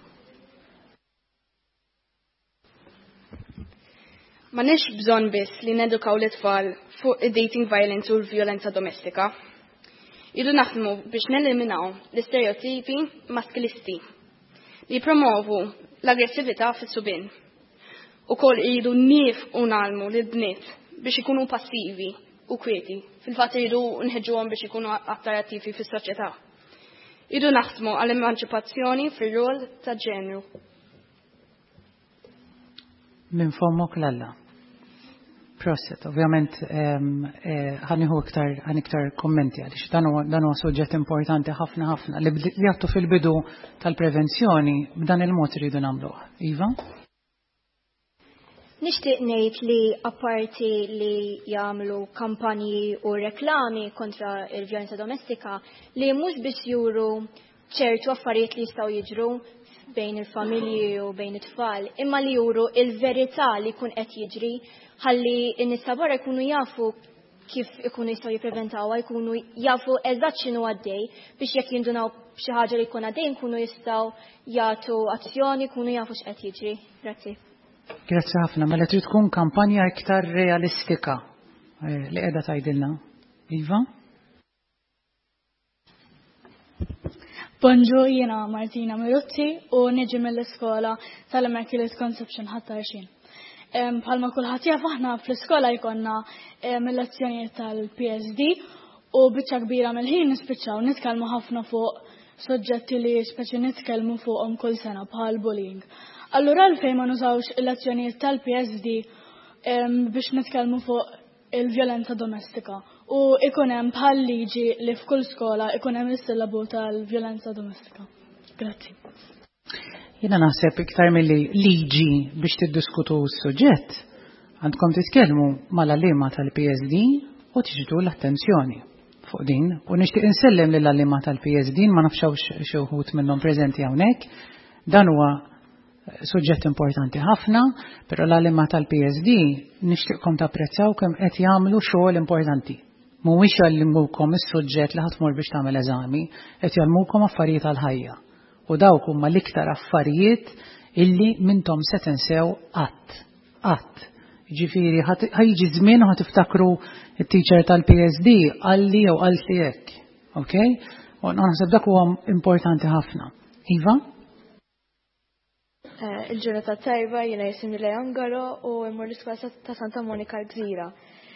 M'għandniex bżonn biss li nedukaw l-itfal fuq id-dating violence u l-vjolenza domestika. Idu naħdmu biex neliminaw l-istereotipi maskilisti li promovu l-aggressività fis-subien. Ukoll iridu niefqu ngħallmu lill-bniet biex ikunu passivi u kwieti. Fil-fatt iridu nħeġġuhom biex ikunu aktar attivi fis-soċjetà. Iridu naħdmu għall-emanċipazzjoni fir-rol ta' ġenru. Minn fommok l-Alla. Proset, ovvjament ħa nieħu iktar ħan iktar kommenti għaliex dan huwa suġġett importanti ħafna ħafna li għattu fil-bidu tal-prevenzjoni b'dan il-mod iridu nagħmluh. Iva? Nixtieq ngħid li apparti li jagħmlu kampanji u reklami kontra il-vjolenza domestika li mhux biss juru ċertu affarijiet li jistgħu jiġru bejn il-familji u bejn it-tfal, imma li juru il-verità li jkun qed jiġri ħalli n-nies ta' barra jkunu jafu kif ikunu jistgħu jippreventawha, jkunu jafu eżatt x'inhu għaddej biex jekk jindunaw b'xi ħaġa li jkun għaddej nkunu jistgħu jagħtu azzjoni, jkunu jafu x'qed jiġri. Grazzi. Grazzi ħafna, mela trid tkun kampanja iktar realistika eh, li qiegħda tgħidilna. Iva? Bonġu, jiena Martina Miruzzi u niġi mill-iskola tal-Immaculate Conception ħattarxin. Bħalma kulħadd jaf aħna fl-iskola jkollna mill-lezzjonijiet tal-PSD u biċċa kbira mill-ħin nispiċċaw nitkellmu ħafna fuq soġġetti li speċi nitkellmu fuqhom kull sena bħal bullying. Allura għalfejn ma nużawx il-lezzjonijiet tal-PSD biex nitkellmu fuq il-vjolenza domestika u ikun hemm bħal liġi li f'kull skola ikun hemm is-sillabu tal-vjolenza domestika. Grazzi. Jiena naħseb iktar milli liġi biex tiddiskutu s-suġġett, għandkom titkellmu mal-għalliema tal-PSD u tiġdu l-attenzjoni fuq din. U nixtieq insellem lill-għalliema tal-PSD, ma nafx hawnx xi wħud minnhom preżenti hawnhekk. Dan huwa suġġett importanti ħafna, però l-għalliema tal-PSD nixtieqkom tapprezzaw kemm qed jagħmlu xogħol importanti. Mhuwiex jgħallimukom is-suġġett li ħa tmur biex tagħmel eżami, qed jgħallmukom affarijiet għall-ħajja. U dawk huma l-iktar affarijiet illi mintom se tinsew qatt. Qatt. Jiġifieri ħa jiġi żmien u ħa tiftakru t-teacher tal-PSD qalli jew qaltli hekk. Ok? U naħseb dak huwa importanti ħafna. Iva? Eh, il-ġurnata tajba jiena jisimni Leon Garo u mmur l-iskola ta' Santa Monika l-Gżira.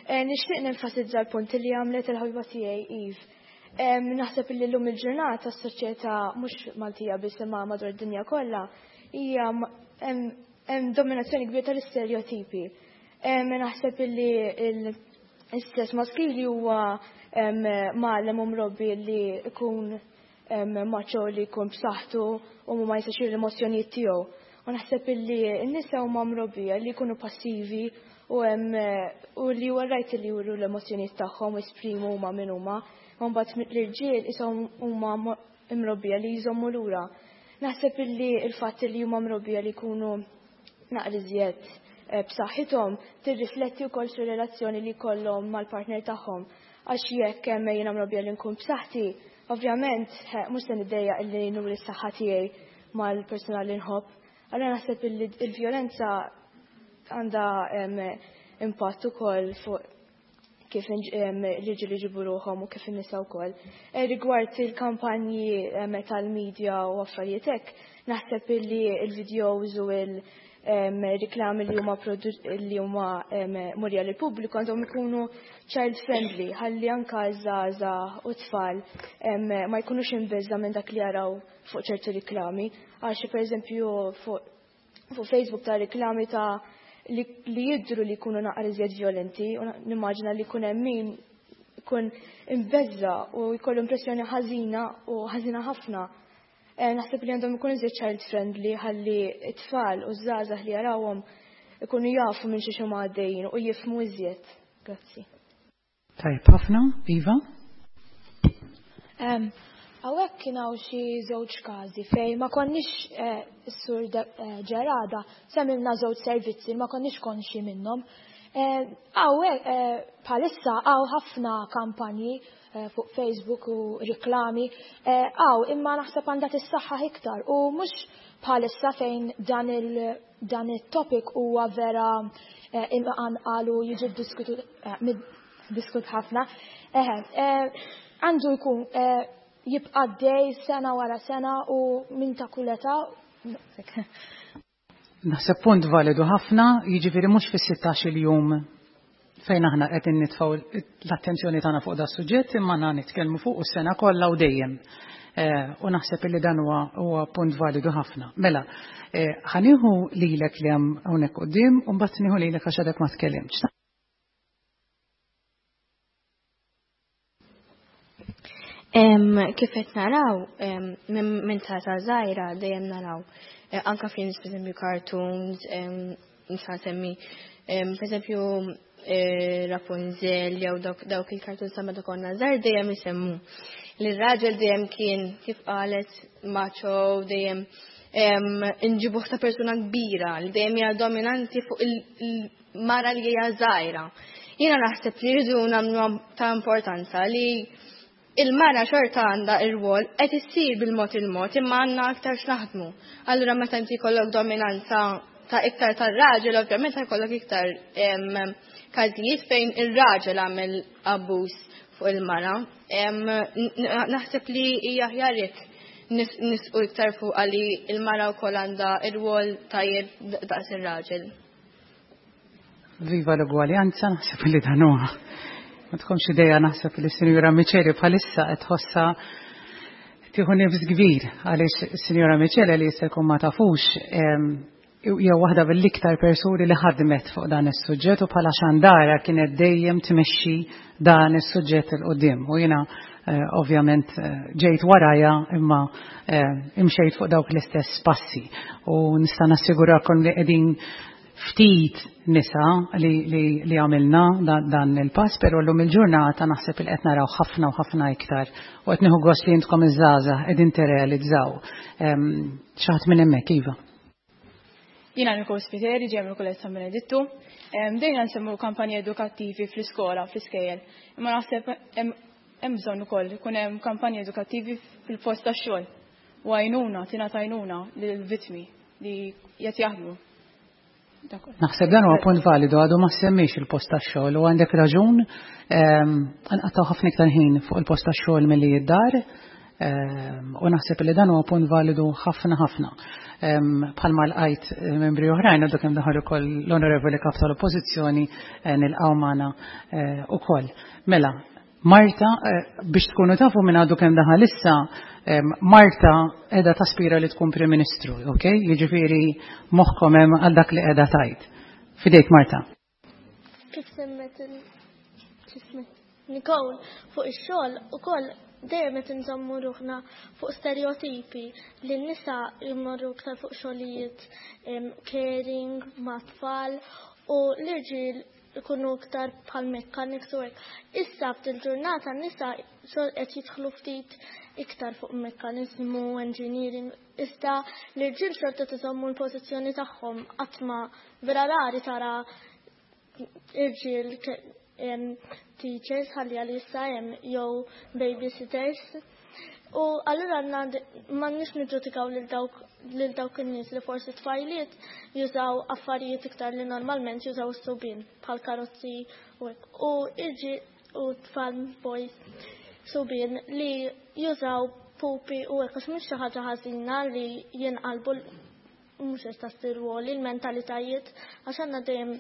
Eh, nixtieq nenfasizza l-punt li għamlet il-ħabiba tiegħi Eve. Naħseb li llum il-ġurnata s-soċjetà mhux Maltija biss imma madwar id-dinja kollha hija hemm dominazzjoni kbira tal-istereotipi. Naħseb li l-istess maskili huwa mgħallem u mrobbi li jkun macho li jkun b'saħħtu u ma jistax juri l-emozzjonijiet tiegħu. U naħseb illi n-nisa huma mrobbija li jkunu passivi u u li huwa rajt li juru l-emozzjonijiet tagħhom u jesprimu huma min huma. Ma mbagħad l-irġiel ishom huma mrobbija li jżommu lura. Naħseb illi l-fatt li huma mrobbija li jkunu naqra iżjed eh, b'saħħithom tirrifletti wkoll fir-relazzjoni li jkollhom mal-partner tagħhom. Għax jekk hemm jiena mrobbija li nkun b'saħħti, Ovvjament, mhux se niddejjaq illi nuri s-saħħa tiegħi mal-persuna li nħobb. Allura naħseb illi l-vjolenza għandha impatt ukoll fuq kif l-irġiel iġibu ruħhom u kif in-nisa wkoll. Eh, rigward il-kampanji tal-medja u affarijiet hekk, naħseb illi l-videos u il- riklami li huma li huma murja lil pubbliku għandhom ikunu child friendly ħalli anka żgħażagħ u tfal ma jkunux imbeżża' minn dak li jaraw fuq ċertu riklami. Għax pereżempju fuq fuq Facebook ta' riklami ta' li, li jidru li jkunu naqra iżjed violenti u nimmaġina li jkun hemm min jkun imbeżża' u jkollu impressjoni ħażina u ħażina ħafna Eh, naħseb li għandhom ikun iżjed child friendly ħalli t-tfal u żgħażagħ li jarawhom ikunu jafu minn xi huma għaddejjin u jifhmu iżjed. Grazzi. Tajb ħafna, Iva? Hawnhekk kien hawn xi żewġ każi fejn ma konniex eh, is-sur eh, Ġerada semmilna żewġ servizzi ma konniex konxi minnhom. Hawnhekk bħalissa hawn ħafna kampanji Eh, fuq Facebook u riklami għaw eh, imma naħseb għandha tissaħħaħ iktar u mhux bħalissa fejn dan il dan it-topic huwa vera eh, imqanqal u jiġi diskut ħafna. Għandu jkun jibqa' dej sena wara sena u minn ta' kull età. Naħseb punt validu ħafna, jiġifieri mhux fis-16 il-jum fejn aħna qed nitfgħu l-attenzjoni tagħna fuq da suġġett imma aħna nitkellmu fuq is-sena kollha u dejjem. Eh, u naħseb illi dan huwa punt validu ħafna. Mela, eh, ħanieħu lilek li hemm hawnhekk quddiem u mbagħad nieħu lilek għax għadek ma tkellimx. Kif qed naraw minn ta' żgħira dejjem naraw eh, anka films pereżempju cartoons, nista' nsemmi pereżempju eh, Rapunzel jew dawk il-cartoons ta' meta konna żgħar dejjem isemmu li r-raġel dejjem kien kif qalet macho dejjem inġibuh ta' persuna kbira li dejjem hija dominanti fuq il-mara li hija żgħira. Jiena naħseb li rridu nagħmlu ta' importanza li il-mara xorta għandha ir-rwol qed issir bil-mod il-mod imma għandna aktar x'naħdmu. Allura meta inti jkollok dominanza ta' iktar tar-raġel, ovvjament jkollok iktar każijiet fejn ir-raġel għamel abbuż fuq il-mara. Naħseb li hija aħjar jekk nisqu iktar fuq għali il-mara wkoll għandha ir-rwol tajjeb daqs ir-raġel. Viva l-ugwaljanza, naħseb li dan huwa. Ma tkunx idea naħseb li Sinjura Miċeli bħalissa qed tħossha tieħu nifs kbir għaliex Sinjura Miċeli li jista' jkun ma tafux hija waħda mill-iktar persuni li ħadmet fuq dan is-suġġett u bħala xandara kienet dejjem tmexxi dan is-suġġett il qudiem U jiena eh, ovvjament eh, ġejt waraja imma eh, imxejt fuq dawk l-istess passi u nista' nassigurakom li qegħdin ftit nisa li, li, li għamilna dan, dan il-pass, pero l-lum il-ġurnata naħseb il qed naraw ħafna u ħafna iktar u qed nieħu gost li intkom iż-żgħażagħ qegħdin tirrealizzaw. Xi ħadd minn hemmhekk iva. Jiena Nicole Spiteri, ġej mill-Kulleġġ San Benedittu. Dejna nsemmu kampanji edukattivi fl-iskola, fl-iskejjel. Imma naħseb hemm bżonn ukoll ikun hemm kampanji edukattivi fil-post tax-xogħol u għajnuna, tingħata għajnuna lill-vittmi li qed jaħdmu. Naħseb dan huwa punt validu għadu ma semmix il-post tax-xogħol u għandek raġun ehm, nqattaw ħafna iktar ħin fuq il-post tax-xogħol milli id-dar ehm, u naħseb li dan huwa punt validu ħafna ħafna. Ehm, bħalma l-qajt eh, membri oħrajn għadu kemm daħal ukoll l-Onorevoli Kap tal-Oppożizzjoni eh, nilqgħu magħna eh, ukoll. Mela, Marta, eh, biex tkunu tafu minn għadu kemm daħal issa, Marta edha taspira li tkun Prim Ministru, ok? Jiġifieri moħħkom hemm għal dak li qiegħda tajt. Fidejk Marta. Kif semmet Nicole fuq ix-xogħol ukoll dejjem qed inżommu ruħna fuq stereotipi li n-nisa jmorru iktar fuq xogħlijiet caring ma' tfal u l-irġiel ikunu iktar bħal mechanics u hekk. Issa f'dil-ġurnata n-nisa xogħol qed jidħlu ftit iktar fuq mekkaniżmu, engineering, iżda l-irġiel xorta tiżommu l-pożizzjoni tagħhom qatt ma vera rari tara irġiel teachers ħalli għal issa hemm jew babysitters. U allura għandna m'għandniex niġġudikaw lil dawk lil dawk in-nies li forsi tfajliet jużaw affarijiet iktar li normalment jużaw is-subien bħal karozzi u hekk. U irġi u tfal boys subien li jużaw pupi u hekk għax mhux xi ħaġa ħażina li jinqalbu mhux qed tagħti rwoli l-mentalitajiet għax għandna dejjem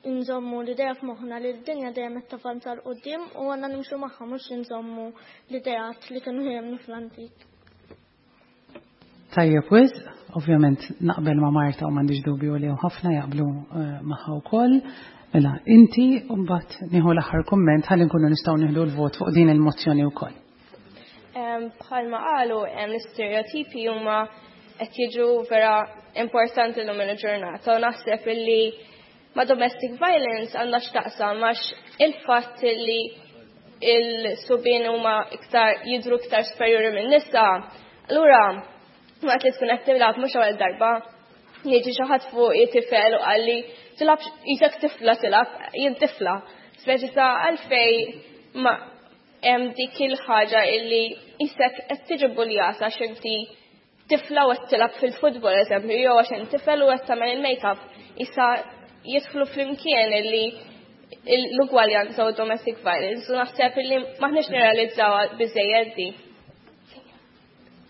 nżommu l-idea f'moħħna li d-dinja dejjem qed tavanza 'l quddiem u għandna nimxu magħha mhux inżommu l-ideat li kienu jemmnu fl-antik. Tajjeb wisq, ovvjament naqbel ma' Marta u m'għandix dubju li ħafna jaqblu eh, magħha wkoll. Mela, inti mbagħad nieħu l-aħħar kumment ħalli nkunu nistgħu nieħdu l-vot fuq din il-mozzjoni wkoll. Bħalma qalu hemm l-istereotipi huma qed jiġu vera importanti llum il-ġurnata u naħseb illi ma' domestic violence għandha x'taqsam għax il-fatt li il-subien huma iktar jidhru iktar superjuri minn nisa, allura waqt li tkun qed tilgħab mhux ewwel darba jiġi xi ħadd fuq tifel u qalli tilgħab isek tifla tilgħab jien tifla. Speċi ta' għalfej ma hemm dik il-ħaġa illi isek qed tiġi buljata għax inti tifla u qed tilgħab fil-futbol eżempju, jew għax inti tifel u qed tagħmel il-makeup, issa jidħlu flimkien illi l-ugwaljanza u domestic violence u naħseb illi maħniex nirrealizzaw biżejjed di.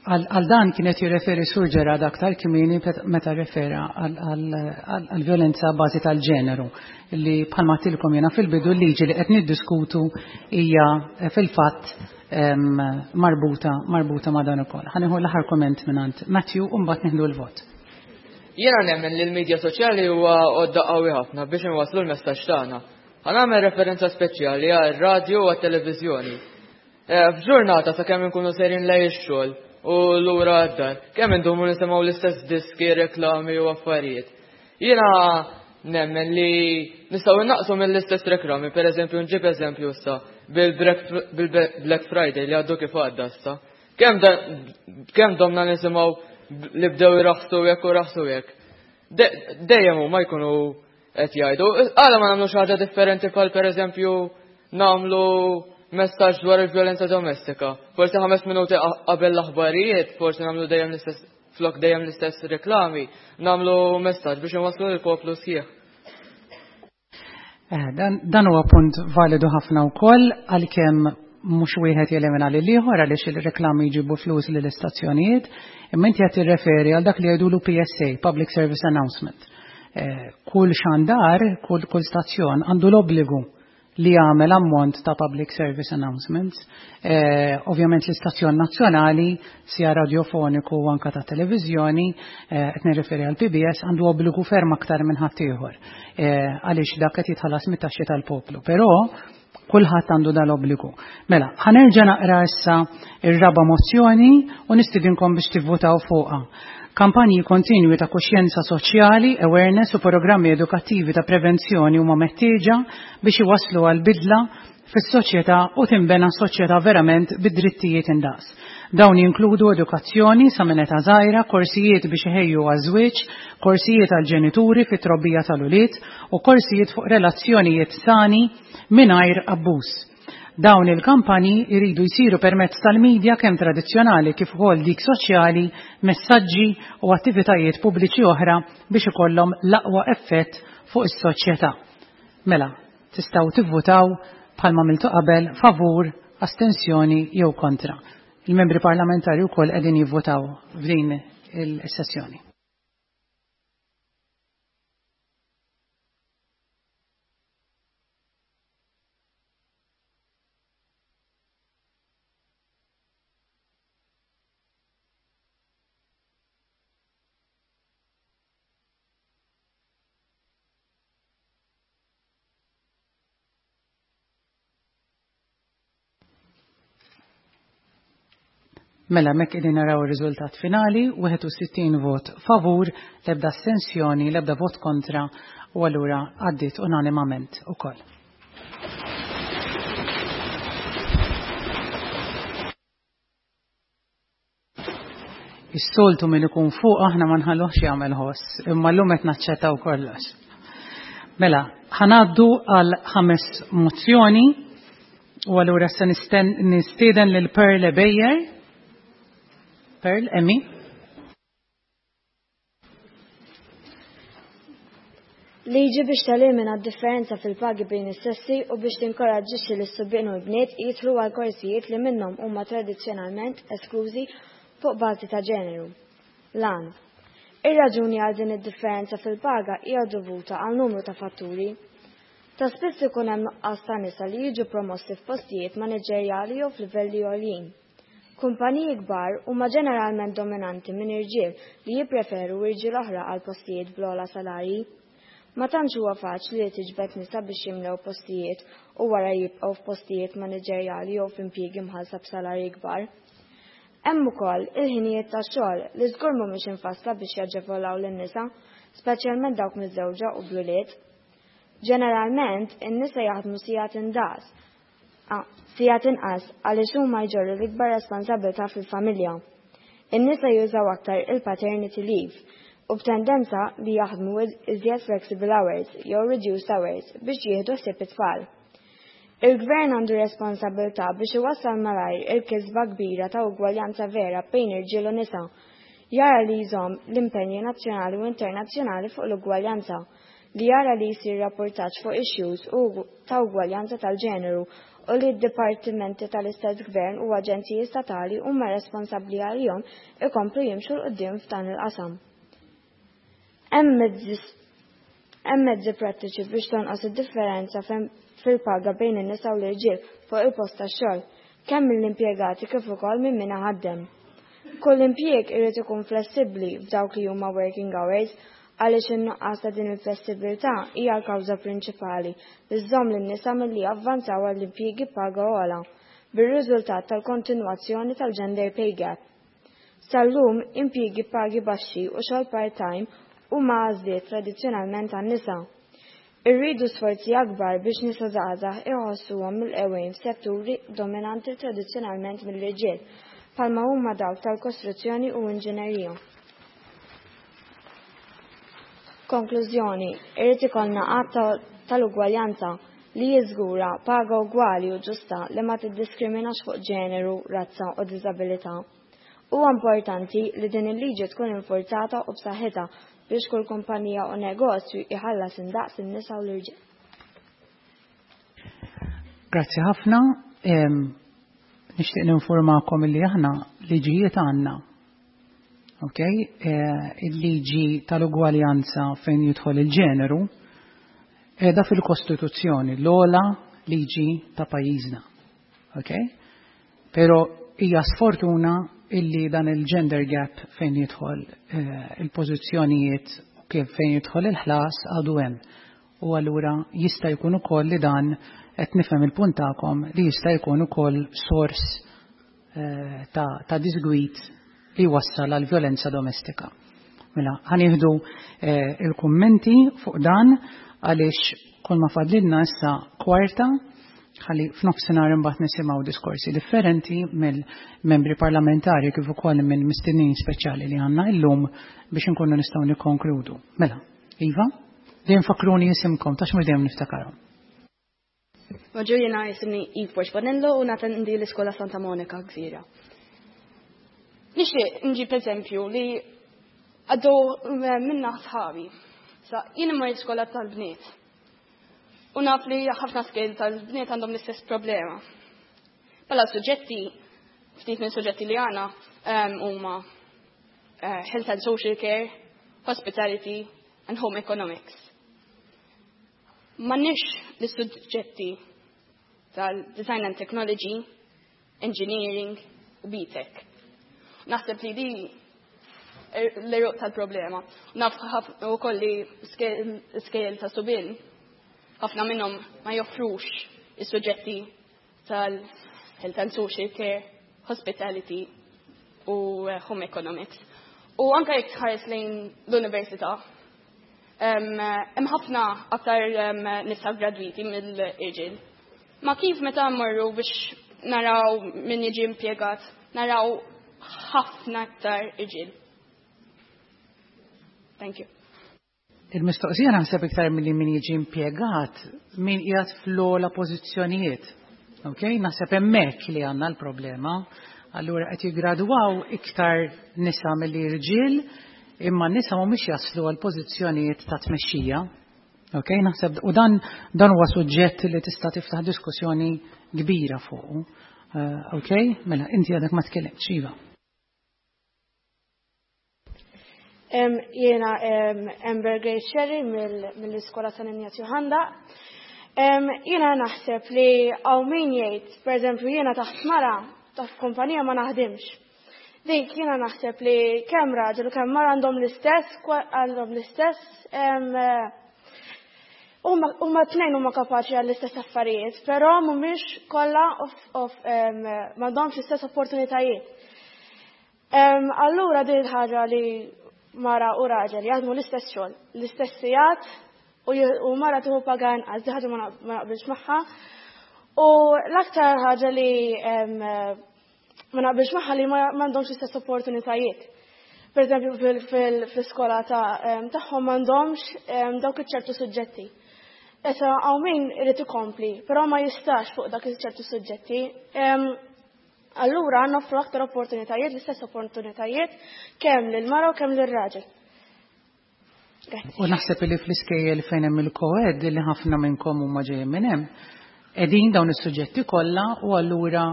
Għal dan kienet jirreferi Sur Ġerad aktar kmieni meta refera għal violenza bażi tal-ġeneru li bħalma għedtilkom jiena fil-bidu l-liġi li qed niddiskutu hija eh, fil-fatt marbuta marbuta ma' dan ukoll. Ħa nieħu l-aħħar komment mingħand Matthew u mbagħad nieħdu l-vot. Jiena nemmen li l-medja soċjali huwa għodda qawwi ħafna biex inwasslu l-messaġġ tagħna. Ħa nagħmel referenza speċjali għal radio u għat-televiżjoni. Eh, f'ġurnata sakemm inkunu sejrin lej ix-xogħol u lura għad-dar, kemm indumu nisimgħu l-istess diski, reklami u affarijiet. Jiena nemmen li nistgħu innaqsu mill-istess reklami, pereżempju nġib eżempju issa bil-Black Friday li għaddu kif għadda issa. Kemm kemm domna nisimgħu li bdew iraħsu hekk u raħsu hekk. Dejjem huma jkunu qed jgħidu, għala ma nagħmlu xi ħaġa differenti bħal pereżempju nagħmlu messaġġ dwar il-vjolenza domestika. Forsi ħames minuti qabel l-aħbarijiet, forsi nagħmlu dejjem l-istess flok dejjem l-istess reklami, nagħmlu messaġġ biex inwasslu lill-poplu sħiħ. Eh, dan huwa punt validu ħafna wkoll għalkemm mhux wieħed jelimina lil ieħor għaliex il-reklami jġibu flus lill istazzjonijiet, imma inti qed tirreferi għal dak li jgħidulu PSA, Public Service Announcement. Eh, kull xandar, kull, kull stazzjon għandu l-obbligu li jagħmel ammont ta' public service announcements. Eh, ovvjament l-istazzjon nazzjonali, sia radiofoniku u anka ta' televiżjoni, eh, qed nirreferi għal PBS, għandu obbligu ferm aktar minn ħaddieħor. Eh, għaliex dak qed jitħallas mit-taxxi tal-poplu. Però kulħadd għandu dal-obbligu. Mela, ħanerġa' naqra issa ir-raba' mozzjoni u nistidinkom biex tivvutaw fuqha. Kampanji kontinwi ta' kuxjenza soċjali, awareness u programmi edukattivi ta' prevenzjoni huma meħtieġa biex iwasslu għal bidla fis-soċjetà u tinbena soċjetà verament bid-drittijiet indaqs. Dawn jinkludu edukazzjoni sa minn età żgħira, korsijiet biex iħejju għaż-żwieġ, korsijiet għall-ġenituri fit-trobbija tal-ulied u korsijiet fuq relazzjonijiet sani mingħajr abbuż. Dawn il-kampanji jridu jsiru permezz tal-midja kemm tradizzjonali kif ukoll dik soċjali, messaġġi u attivitajiet pubbliċi oħra biex ikollhom l-aqwa effett fuq is-soċjetà. Mela, tistgħu tivvutaw bħalma għamiltu qabel favur, astensjoni jew kontra. Il-membri parlamentari wkoll qegħdin jivvutaw f'din il-sessjoni. Mela mek qegħdin naraw ir-riżultat finali, 61 vot favur, l-ebda astensjoni, l-ebda vot kontra u allura għaddiet unanimament ukoll. Is-soltu min ikun fuq aħna ma nħalluhx jagħmel ħoss, imma llum qed naċċettaw kollox. Mela, ħanaddu għal ħames mozzjoni u allura se nistieden lil Pearl Bejer. Pearl, Emmy. Liġi biex telimina d-differenza fil-pagi bejn is-sessi u biex tinkoraġġixxi lis-subien u l-bniet jidħlu għal korsijiet li minnhom huma tradizzjonalment esklużi fuq bażi ta' ġeneru. L-għan. Ir-raġuni għal din id-differenza fil-paga hija dovuta għal numru ta' fatturi. Ta' spiss ikun hemm nuqqas ta' nisa li jiġu promossi f'postijiet maniġerjali jew f'livelli għoljin. Kumpaniji kbar huma ġeneralment dominanti minn irġiel li jippreferu irġiel oħra għal postijiet bl-ogħla salarji. Ma tantx huwa faċli li tiġbed nisa biex jimlew postijiet u wara jibqgħu f'postijiet maniġerjali jew f'impjiegi mħallsa b'salarji kbar. Hemm ukoll il-ħinijiet tax-xogħol li żgur mhumiex imfassla biex jaġevolaw lin-nisa, speċjalment dawk miżżewġa u bl-ulied. Ġeneralment, in-nisa jaħdmu sigħat indaqs sigħat inqas għaliex huma jġorru l-ikbar responsabbiltà fil-familja. In-nisa jużaw aktar il-paternity leave u b'tendenza li jaħdmu iżjed flexible hours jew reduced hours biex jieħdu ħsieb it-tfal. Il-gvern għandu responsabbiltà biex iwassal malajr il-kisba kbira ta' ugwaljanza vera bejn irġiel u nisa, jara li jżomm l-impenji nazzjonali u internazzjonali fuq l-ugwaljanza, li jara li jsir rappurtaġġ fuq issues u ta' ugwaljanza tal-ġeneru u li d-dipartimenti tal-istess gvern u aġenziji statali huma responsabbli għalihom ikomplu jimxu 'l quddiem f'dan il-qasam. Hemm mezzi prattiċi biex tonqos id-differenza fil-paga bejn in-nisa u l-irġiel fuq il-post tax-xogħol, kemm mill-impjegati kif ukoll minn min iħaddem. Kull impjieg irid ikun flessibbli f'dawk li huma working hours għaliex in-nuqqas ta' din il-flessibbiltà hija l-kawża prinċipali li żżomm lin-nisa milli javvanzaw għal impjiegi b'paga ogħla. bir-riżultat tal-kontinwazzjoni tal-gender pay gap. Sal-lum, impjiegi b'pagi baxxi u xogħol part-time huma għażliet tradizzjonalment għan-nisa. Irridu sforzi akbar biex nisa żgħażagħ iħossuhom milqewgħin f'setturi dominanti tradizzjonalment mill-irġiel, bħalma huma dawk tal-kostruzzjoni u inġinerija. Konklużjoni, Irid ikollna Att tal-Ugwaljanza li jiżgura paga ugwali u ġusta li ma tiddiskriminax fuq ġeneru, razza u diżabilità. Huwa importanti li din il-liġi tkun infurzata u b'saħħitha biex kull kumpanija u negozju jħallas indaqs in-nisa u l-irġiel. Grazzi ħafna. Nixtieq ninformakom illi aħna liġijiet għandna. Ok? Eh, il-liġi tal-ugwaljanza fejn jidħol il-ġeneru qiegħda fil-Kostituzzjoni, l-ogħla liġi ta' pajjiżna. Ok? Pero hija sfortuna illi dan il-gender gap fejn jidħol eh, il-pożizzjonijiet u kif fejn jidħol il-ħlas għadu hemm. U allura jista' jkun ukoll li dan qed nifhem il-punt tagħkom li jista' jkun ukoll sors eh, ta', ta disgwit li wassal għal violenza domestika. Mela, ħanieħdu eh, il-kummenti fuq dan għaliex kull ma fadlilna issa kwarta ħalli f'nofsinhar imbagħad nisimgħu diskorsi differenti mill-membri parlamentari kif ukoll minn mistednin speċjali li għandna illum biex inkunu nistgħu nikkonkludu. Mela, Iva, dejjem fakruni jisimkom tax mhux dejjem niftakarhom. Bonġur jiena jisimni Eve Borg Bonello u natendi l-Iskola Santa Monica Gżira. Nixtieq nġib eżempju li għaddu eh, minna sħabi. Sa jien immur l-iskola tal-bniet. U naf li ħafna skejl tal-bniet għandhom l-istess problema. Pala suġġetti, ftit minn suġġetti li għana ehm, huma eh, health and social care, hospitality and home economics. M'għandniex l-suġġetti tal-design and technology, engineering u BTEC. Naħseb li di l-eruq tal-problema. Naf u kolli skejjel ta' subin, ħafna minnhom ma joffrux is-suġġetti tal-health and social care, hospitality u eh, home economics. U anka jekk tħares lejn l-università, hemm ħafna aktar nisa gradwiti mill-irġiel. Ma kif meta mmorru biex naraw min jiġi impjegat, naraw ħafna aktar irġiel. Thank you. Il-mistoqsija naħseb iktar milli min jiġi impjegat, min qiegħed fl-ogħla pożizzjonijiet. Ok, naħseb hemmhekk li għandna l-problema. Allura qed jiggradwaw iktar nisa milli irġiel, imma n-nisa mhumiex jaslu għal pożizzjonijiet ta' tmexxija. Ok, naħseb u dan dan huwa suġġett li tista' tiftaħ diskussjoni kbira fuq. Eh, ok, mela inti għadek ma tkellimtx, iva. Jiena Amber Grace Sherry mill-Iskola San Ignazju Ħandaq. Jiena naħseb li hawn min jgħid, pereżempju jiena taħt mara, taħt kumpanija ma naħdimx. Dik jiena naħseb li kemm raġel u kemm mara għandhom l-istess għandhom l-istess huma tnejn huma kapaċi għall-istess affarijiet, però mhumiex kollha m'għandhomx l-istess opportunitajiet. Allura din il-ħaġa li mara u raġel jaħdmu l-istess xogħol, l-istess sigħat u mara tieħu paga inqas, di ħaġa ma naqbilx magħha. U l-aktar ħaġa li ma naqbilx magħha li m'għandhomx l-istess opportunitajiet. Per eżempju fil-iskola tagħhom m'għandhomx dawk iċ-ċertu suġġetti. Issa hawn min irid ikompli, però ma jistax fuq dak iċ-ċertu suġġetti. Allura noffru aktar opportunitajiet, l-istess opportunitajiet kemm lil mara u kemm lir-raġel. U naħseb li fl-iskejjel fejn hemm il-koed li ħafna minnkom huma ġejjin minn hemm, qegħdin dawn is-suġġetti kollha u allura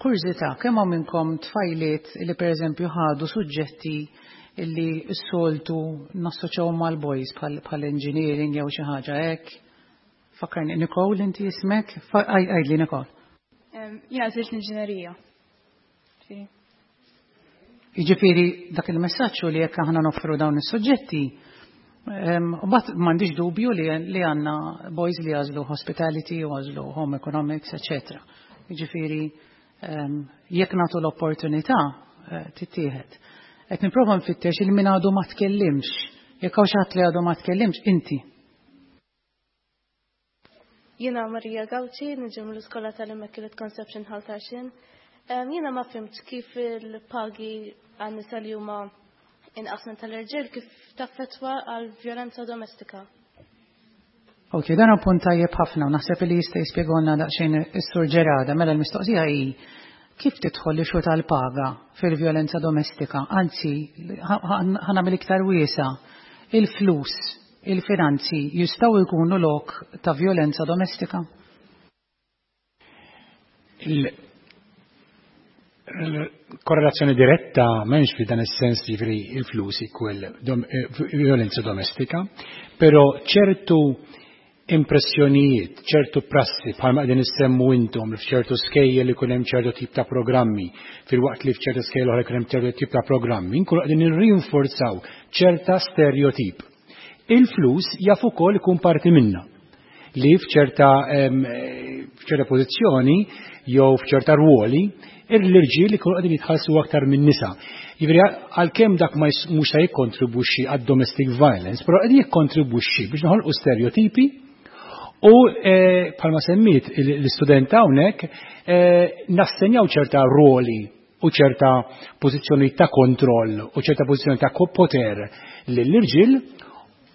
kurżità kemm hawn minnkom tfajliet li pereżempju ħadu suġġetti li s-soltu nassoċjaw mal-boys bħal engineering jew xi ħaġa hekk. Fakkarni, Nicole, inti ismek? Għajdli, Nicole. Jina għazilt l-inġinerija. Jiġifieri dak il-messaġġ li jekk aħna noffru dawn is-suġġetti, u bat m'għandix dubju li għandna boys li għażlu hospitality u għażlu home economics, etc. Jiġifieri jekk nagħtu l-opportunità eh, tittieħed. Qed nipprova nfittex il min għadu ma tkellimx. Jekk hawn xi ħadd li għadu ma tkellimx, inti. Jiena Maria Gauci, niġi mill-iskola tal-Immaculate Conception Ħal Tarxien. Jiena ma fimtx kif il-pagi għan-nisa li huma inqas minn tal-irġiel kif taffettwa għal vjolenza domestika. Ok, dan hu punt tajjeb ħafna u naħseb li jista' jispjegolna daqsxejn is-Sur Gerada. Mela l-mistoqsija hi kif tidħol l-issue tal-paga fil-vjolenza domestika? Anzi, ħa nagħmel iktar wiesa', il-flus, il-finanzi jistgħu jkunu lok ta' vjolenza domestika? Il-korrelazzjoni diretta m'hemmx fi dan is-sens jiġifieri il-flus equal violenza domestika, però ċertu impressjonijiet, ċertu prassi bħalma qegħdin issemmu intom li f'ċertu skejjel ikun hemm ċertu tip ta' programmi, filwaqt li f'ċertu skejjel oħra jkun hemm ċertu tip ta' programmi, nkunu qegħdin nirrinforzaw ċerta stereotip. Il-flus jaf ukoll ikun parti minna li f'ċerta f'ċerta pożizzjoni jew f'ċerta rwoli l-irġiel ikunu qegħdin jitħallsu aktar minn nisa. Jiġifieri għalkemm dak ma mhux se jikkontribwixxi għad-domestic violence, però qegħdin jikkontribwixxi biex noħolqu stereotipi u bħalma semmiet l-istudent hawnhekk nassenjaw ċerta rwoli u ċerta pożizzjoni ta' kontroll u ċerta pożizzjoni ta' poter lill-irġiel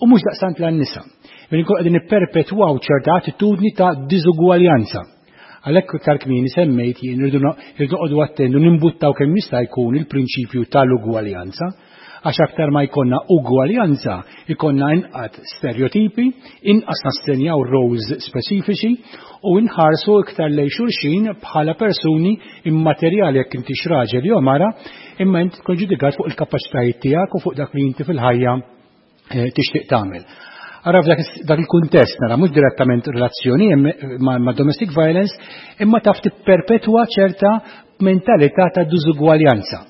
u mhux daqstant lin-nisa. Minn nkunu qegħdin nipperpetwaw ċerta attitudni ta' diżugwaljanza. Għalhekk iktar kmieni semmejt jien irridu noqogħdu attendu nimbuttaw kemm jista' jkun il-prinċipju tal-ugwaljanza, għax aktar ma jkollna ugwaljanza, jkollna inqas stereotipi, inqas nassenjaw roles speċifiċi u nħarsu iktar lejn xulxin bħala persuni immaterjali jekk intix raġel jew mara, imma inti tkun ġudikat fuq il-kapaċitajiet tiegħek u fuq dak li inti fil-ħajja tixtieq tagħmel. Ara f'dak il-kuntest nara mhux direttament relazzjoni ma' domestic violence, imma taf tipperpetwa ċerta mentalità ta' diżugwaljanza.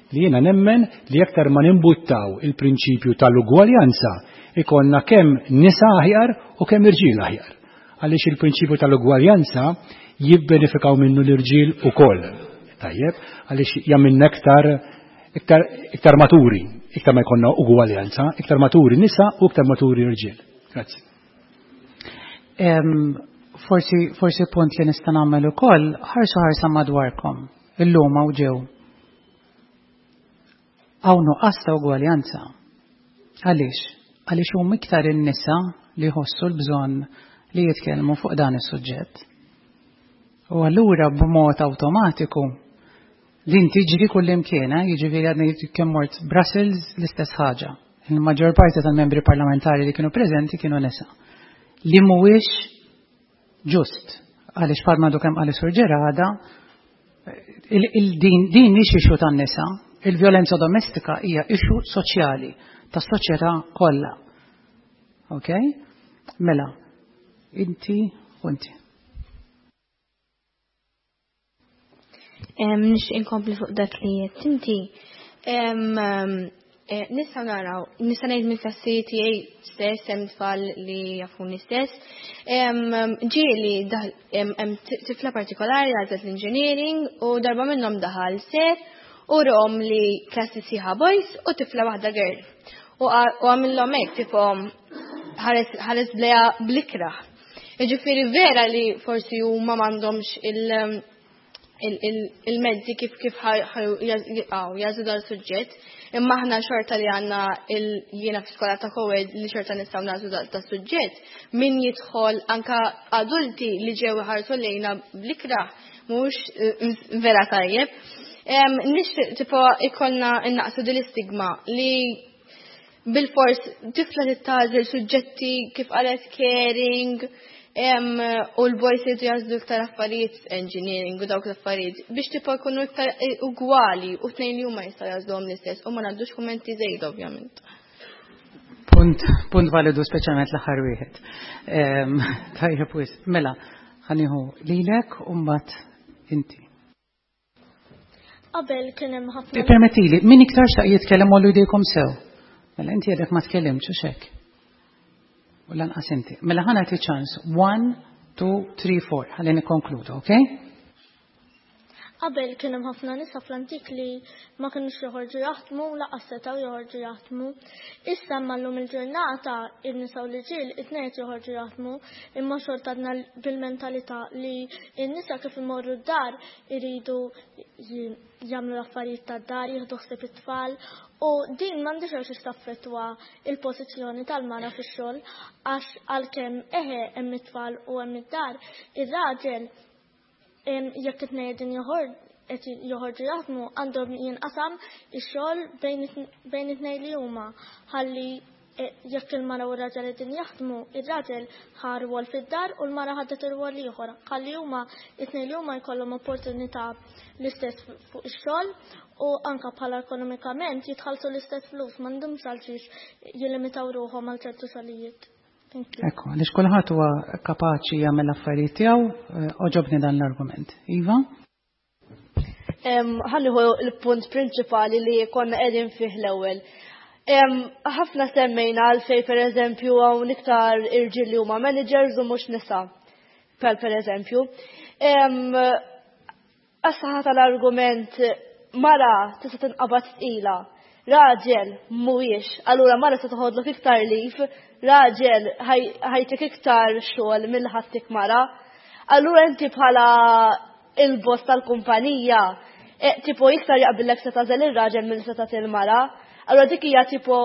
Li jiena nemmen li aktar ma nimbuttaw il-prinċipju tal-ugwaljanza ikonna kemm nisa aħjar u kemm irġiel aħjar. Għaliex il-prinċipju tal-ugwaljanza jibbenefikaw minnu l-irġiel ukoll. Tajjeb, għaliex jagħmilna iktar iktar iktar maturi, iktar ma jkollna ugwaljanza, iktar maturi nisa u iktar maturi irġiel. Grazzi. Forsi punt li nista' nagħmel ukoll, ħarsu ħarsa madwarkom, illum hawn ġew. Hawn nuqqas ta' ugwaljanza. Għaliex? Għaliex huma iktar in-nisa li jħossu l-bżonn li jitkellmu fuq dan is-suġġett. U allura b'mod awtomatiku din tiġri kullimkien, jiġifieri għadni kemm mort Brussels l-istess ħaġa. Il-maġġor parti tal-membri parlamentari li kienu preżenti kienu nisa. Li mhuwiex ġust, għaliex bħalma għadu kemm qal Sur Gerada, din mhix issue tan-nisa, il-vjolenza domestika hija issue soċjali tas-soċjetà kollha. Ok? Mela, inti u inti. Nix inkompli fuq dak li qed inti. Nistgħu naraw, nista' ngħid mill-klassi tiegħi stess hemm tfal li jafuni stess. Ġieli hemm tifla partikolari għażlet l-engineering u darba minnhom daħal sir u rom li klassi sħiħa boys u tifla waħda girl. U għamillhom hekk tipo ħares bleha bl-ikrah. Jiġifieri vera li forsi huma m'għandhomx il-mezzi kif jagħżlu dan suġġett, imma aħna xorta li għandna jiena f'iskola ta' co-ed li xorta nistgħu nagħżlu da suġġett, min jidħol anka adulti li ġew iħarsu lejna bl-ikrah mhux vera tajjeb. Nixtieq tipo ikollna innaqsu din l-istigma li bil-fors tifla tagħżel suġġetti kif qalet caring, u l-boys jridu jagħżlu iktar affarijiet engineering u dawk l-affarijiet biex tipo jkunu iktar ugwali u tnejn li huma jistgħu jagħżluhom l-istess u ma ngħaddux kummenti żejda ovvjament. Punt validu speċjalment l-aħħar wieħed. Tajjeb wisq. Mela, ħa nieħu lilek u mbagħad inti. Qabel kien hemm ħafna. Permettili, min iktar xtaq jitkellem għollu jdejkom sew. Mela inti għadek ma tkellimx u xek. U lanqas inti. Mela ħa nagħti ċans. 1, 2, 3, 4. Ħalli nikkonkludu, ok? Qabel kien hemm ħafna nisa fl-antik li ma kinux joħorġu jaħdmu u lanqas setgħu joħorġu jaħdmu. Issa imma llum il-ġurnata in-nisa u l-irġiel it-tnejn qed joħorġu jaħdmu imma xorta għadna bil-mentalità li n-nisa kif imorru d-dar iridu jagħmlu l-affarijiet tad-dar, jieħdu ħsieb it-tfal u din m'għandhiex għalxiex taffettwa il-pożizzjoni tal-mara fix-xogħol għax għalkemm eħe hemm it-tfal u hemm id-dar, ir-raġel jekk it-tnejn qegħdin qed joħorġu jaħdmu għandhom jinqasam ix-xogħol bejn it-tnejn li huma ħalli e, jekk il-mara u r-raġel qegħdin jaħdmu, ir-raġel ħa rwol fid-dar u l-mara ħadet ir-rwol ieħor. Ħalli huma it-tnejn li huma jkollhom opportunità l-istess fuq ix-xogħol u anka bħala ekonomikament jitħallsu l-istess flus m'għandhomx għalxiex jillimitaw ruħhom għal ċertu xogħlijiet. Ekku, għaliex kulħadd huwa kapaċi jagħmel affarijiet tiegħu, eh, oġobni dan l-argument. Iva? Ħanniħu l-punt prinċipali li konna qegħdin fih l-ewwel. Ħafna semmejna għalfej per eżempju hawn iktar irġiel li huma managers u mhux nisa. Per per eżempju. Għas-saħħa tal-argument mara tista' tinqabad tqila. Raġel mhuwiex, allura mara se toħodlok iktar lif, raġel ħajtik iktar xogħol mill ħattik mara. Allura inti bħala il-boss tal-kumpanija, e, tipo iktar jaqbillek se tażel ir-raġel mill se tagħti l-mara. Allura dik hija tipo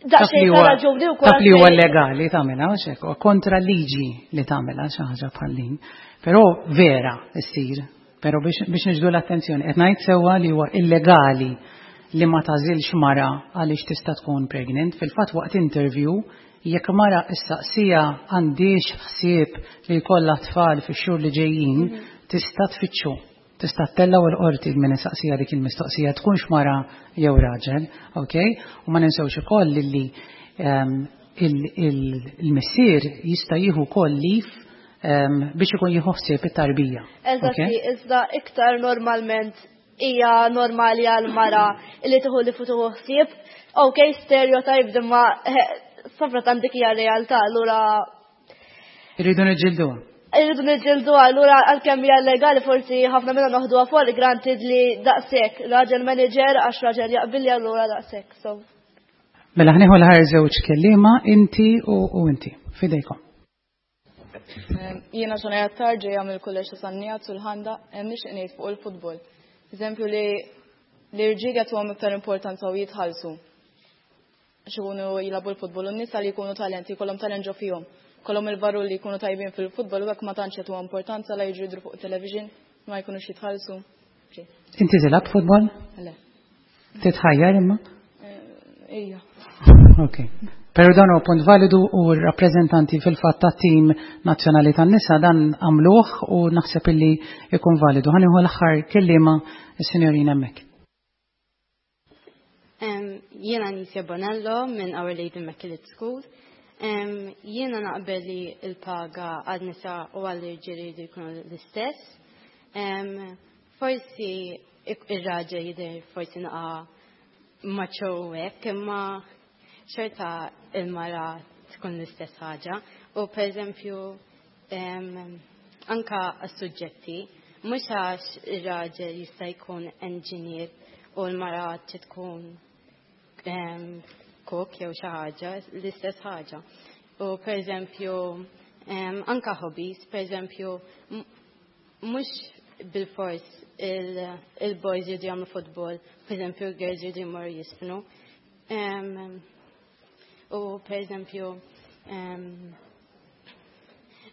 Taf li huwa legali tagħmilha xek, kontra liġi li tagħmilha xi ħaġa bħal din. Però vera ssir, però biex niġdu l-attenzjoni, qed ngħid sewwa li huwa illegali li ma tażilx mara għaliex tista' tkun pregnant. Fil-fatt waqt interview jekk mara issaqsija għandix ħsieb li jkollha tfal fix-xhur li ġejjin, mhm. tista' tfittxu. Tista' ttellgħu l-qorti min isaqsiha dik il-mistoqsija tkunx mara jew raġel, ok? U ma ninsewx ukoll li ehm, il-missier jista' jieħu wkoll lif ehm, biex ikun jieħu ħsieb it-tarbija. Eżatti, iżda iktar normalment hija normali għal mara li tieħu li futu ħsieb. Ok, stereotype imma eh, safra dik hija realtà, allura Irridu niġġilduha. Irridu niġġilduha, allura għalkemm hija legali forsi ħafna minna noħduha for granted li daqshekk raġel manager għax raġel jaqbilli allura daqshekk. So. Mela ħnieħu l-ħar żewġ kelliema inti u inti. Fidejkom. Jiena xona jattar ġejja mill-kulleġġ ta' San Nijat sul-ħanda hemm nixtieq ngħid fuq il-futbol. Eżempju li l-irġiel jagħtuhom iktar importanza u jitħallsu. Għax ikunu jilagħbu l-futbol u n-nisa li jkunu talenti, jkollhom talent ġo fihom. Kollhom il-varru li jkunu tajbin fil-futbol u hekk ma tantx jagħtuha importanza la jiġu jidhru fuq television, ma jkunux jitħallsu. Inti tilgħab futbol? Le. Titħajjar imma? Eh, ija. Ok. Pero dan huwa punt validu u r-rappreżentanti fil-fatt ta' tim nazzjonali tan-nisa dan għamluh u naħseb illi ikun validu. Ħanieħu l-aħħar kelliema is-sinjorina hemmhekk. Jiena Nisia Bonello minn Our Lady Immaculate School. Jiena naqbel li l-paga għal nisa u għall irġiel jridu jkunu l-istess. Forsi ir-raġel jidher forsi naqa' macho hekk, imma xorta il-mara tkun l-istess ħaġa. U pereżempju anka għas-suġġetti, mhux għax ir-raġel jista' jkun engineer u l-mara trid tkun cook jew xi ħaġa, l-istess ħaġa. U pereżempju anka hobbies, pereżempju mhux bil-fors il-boys jridu jagħmlu futbol, pereżempju l-girls jridu jmorru jisfnu. U pereżempju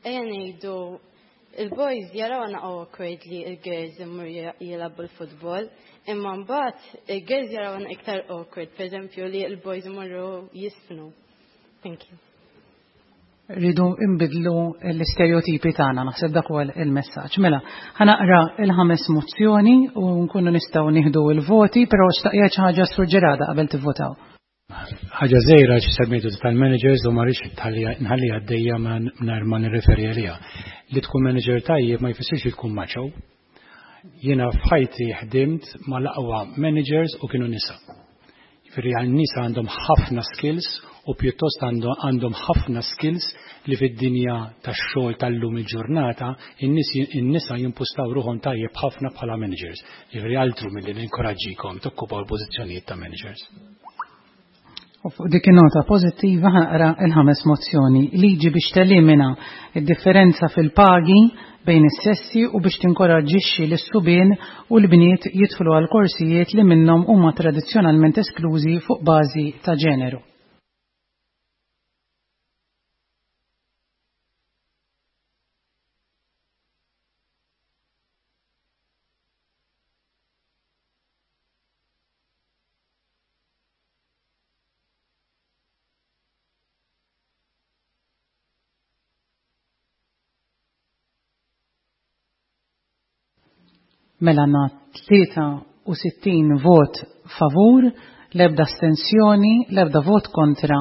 ejja ngħidu il-boys jaraw għana awkward li il-girls imur jilagħbu l-futbol, imma mbagħad il-girls jaraw għana iktar awkward, pereżempju li il-boys imorru jisfnu. Thank you. Rridu imbidlu l-istereotipi tagħna, naħseb dak huwa il-messaġġ. Mela, ħanaqra il-ħames mozzjoni u nkunu nistgħu nieħdu l-voti, però xtaqja xi ħaġa surġerada qabel tivvotaw. Ħaġa żgħira xi semmejtu tal-managers u ma rridx nħalli għaddejja mingħajr ma nirreferi għaliha. Li tkun manager tajjeb ma jfissirx li tkun macho. Jiena f'ħajti ħdimt mal-aqwa managers u kienu nisa. Jiġifieri għan-nisa għandhom ħafna skills u pjuttost għandhom ħafna skills li fid-dinja tax-xogħol tal-lum il-ġurnata in-nisa jimpustaw ruħhom tajjeb ħafna bħala managers. Jiġifieri altru milli ninkoraġġikom tokkupaw l-pożizzjonijiet ta' managers. U fuq dik in-nota pożittiva ħanqra il-ħames mozzjoni, liġi biex telimina id-differenza fil-pagi bejn is-sessi u biex tinkoraġġixxi lis-subien u l-bniet jidħlu għal korsijiet li minnhom huma tradizzjonalment esklużi fuq bażi ta' ġeneru. Mela għandna 63 vot favur, l-ebda astensjoni, l-ebda vot kontra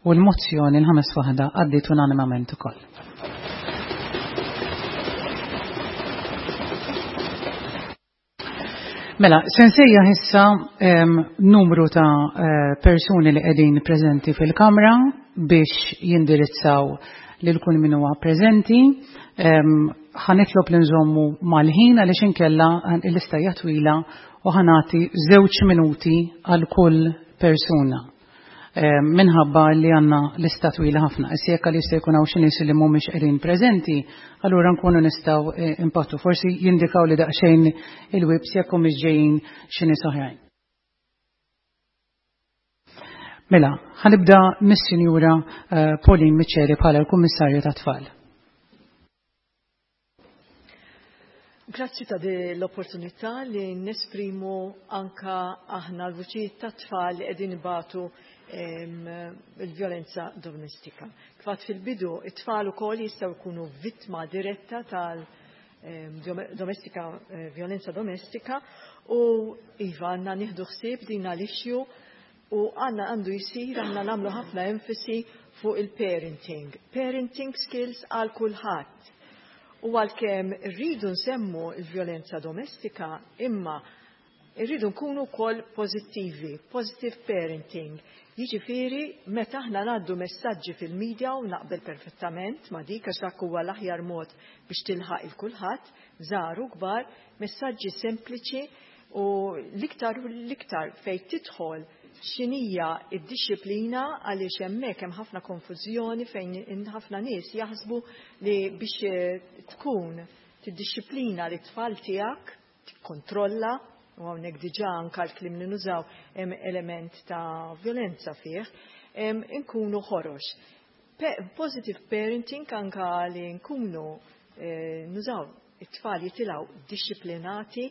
u l-mozzjoni l-ħames waħda għaddiet unanimament ukoll. Mela, se nsejjaħ issa numru ta' persuni li qegħdin preżenti fil-kamra biex jindirizzaw lil kull min huwa preżenti. Ħa nitlob li nżommu mal-ħin għaliex inkella l-lista hija twila u ħa nagħti żewġ minuti għal kull persuna. Minħabba li għandna lista twila ħafna. Issa jekk għaliex se jkun hawn xi nies li mhumiex qegħdin preżenti, allura nkunu nistgħu impattu. Forsi jindikaw li daqsxejn il-wibs jekk humiex ġejjin xi nies oħrajn. Mela, ħanibda mis-Sinjura Pauline Miceli bħala l-Kummissarju tat-Tfal. Grazzi ta' di l-opportunità li nesprimu anka aħna l-vuċijiet ta' tfal li qegħdin ibatu il-vjolenza domestika. Kif fil-bidu, it-tfal ukoll jistgħu jkunu vittma diretta tal domestika, vjolenza domestika u iva għandna nieħdu ħsieb din l-issue u għandna għandu jisir għandna nagħmlu ħafna enfasi fuq il-parenting. Parenting skills għal kulħadd. U għalkemm rridu nsemmu il-vjolenza domestika, imma rridu nkunu wkoll pożittivi, positive parenting. Jiġifieri meta aħna ngħaddu messaġġi fil-medja u naqbel perfettament ma' dik għax dak huwa l-aħjar mod biex tilħaq il kulħadd, żgħar u kbar, messaġġi sempliċi u l-iktar u l-iktar fejn tidħol x'inhija d-dixxiplina għaliex hemmhekk hemm ħafna konfużjoni fejn ħafna nies jaħsbu li biex tkun tiddixxiplina lit-tfal tiegħek, tikkontrolla, u hawnhekk diġà anke l-kliem li nużaw hemm element ta' vjolenza fih, inkunu ħorox. Positive parenting anke li nkunu nużaw it-tfal jitilgħu dixxiplinati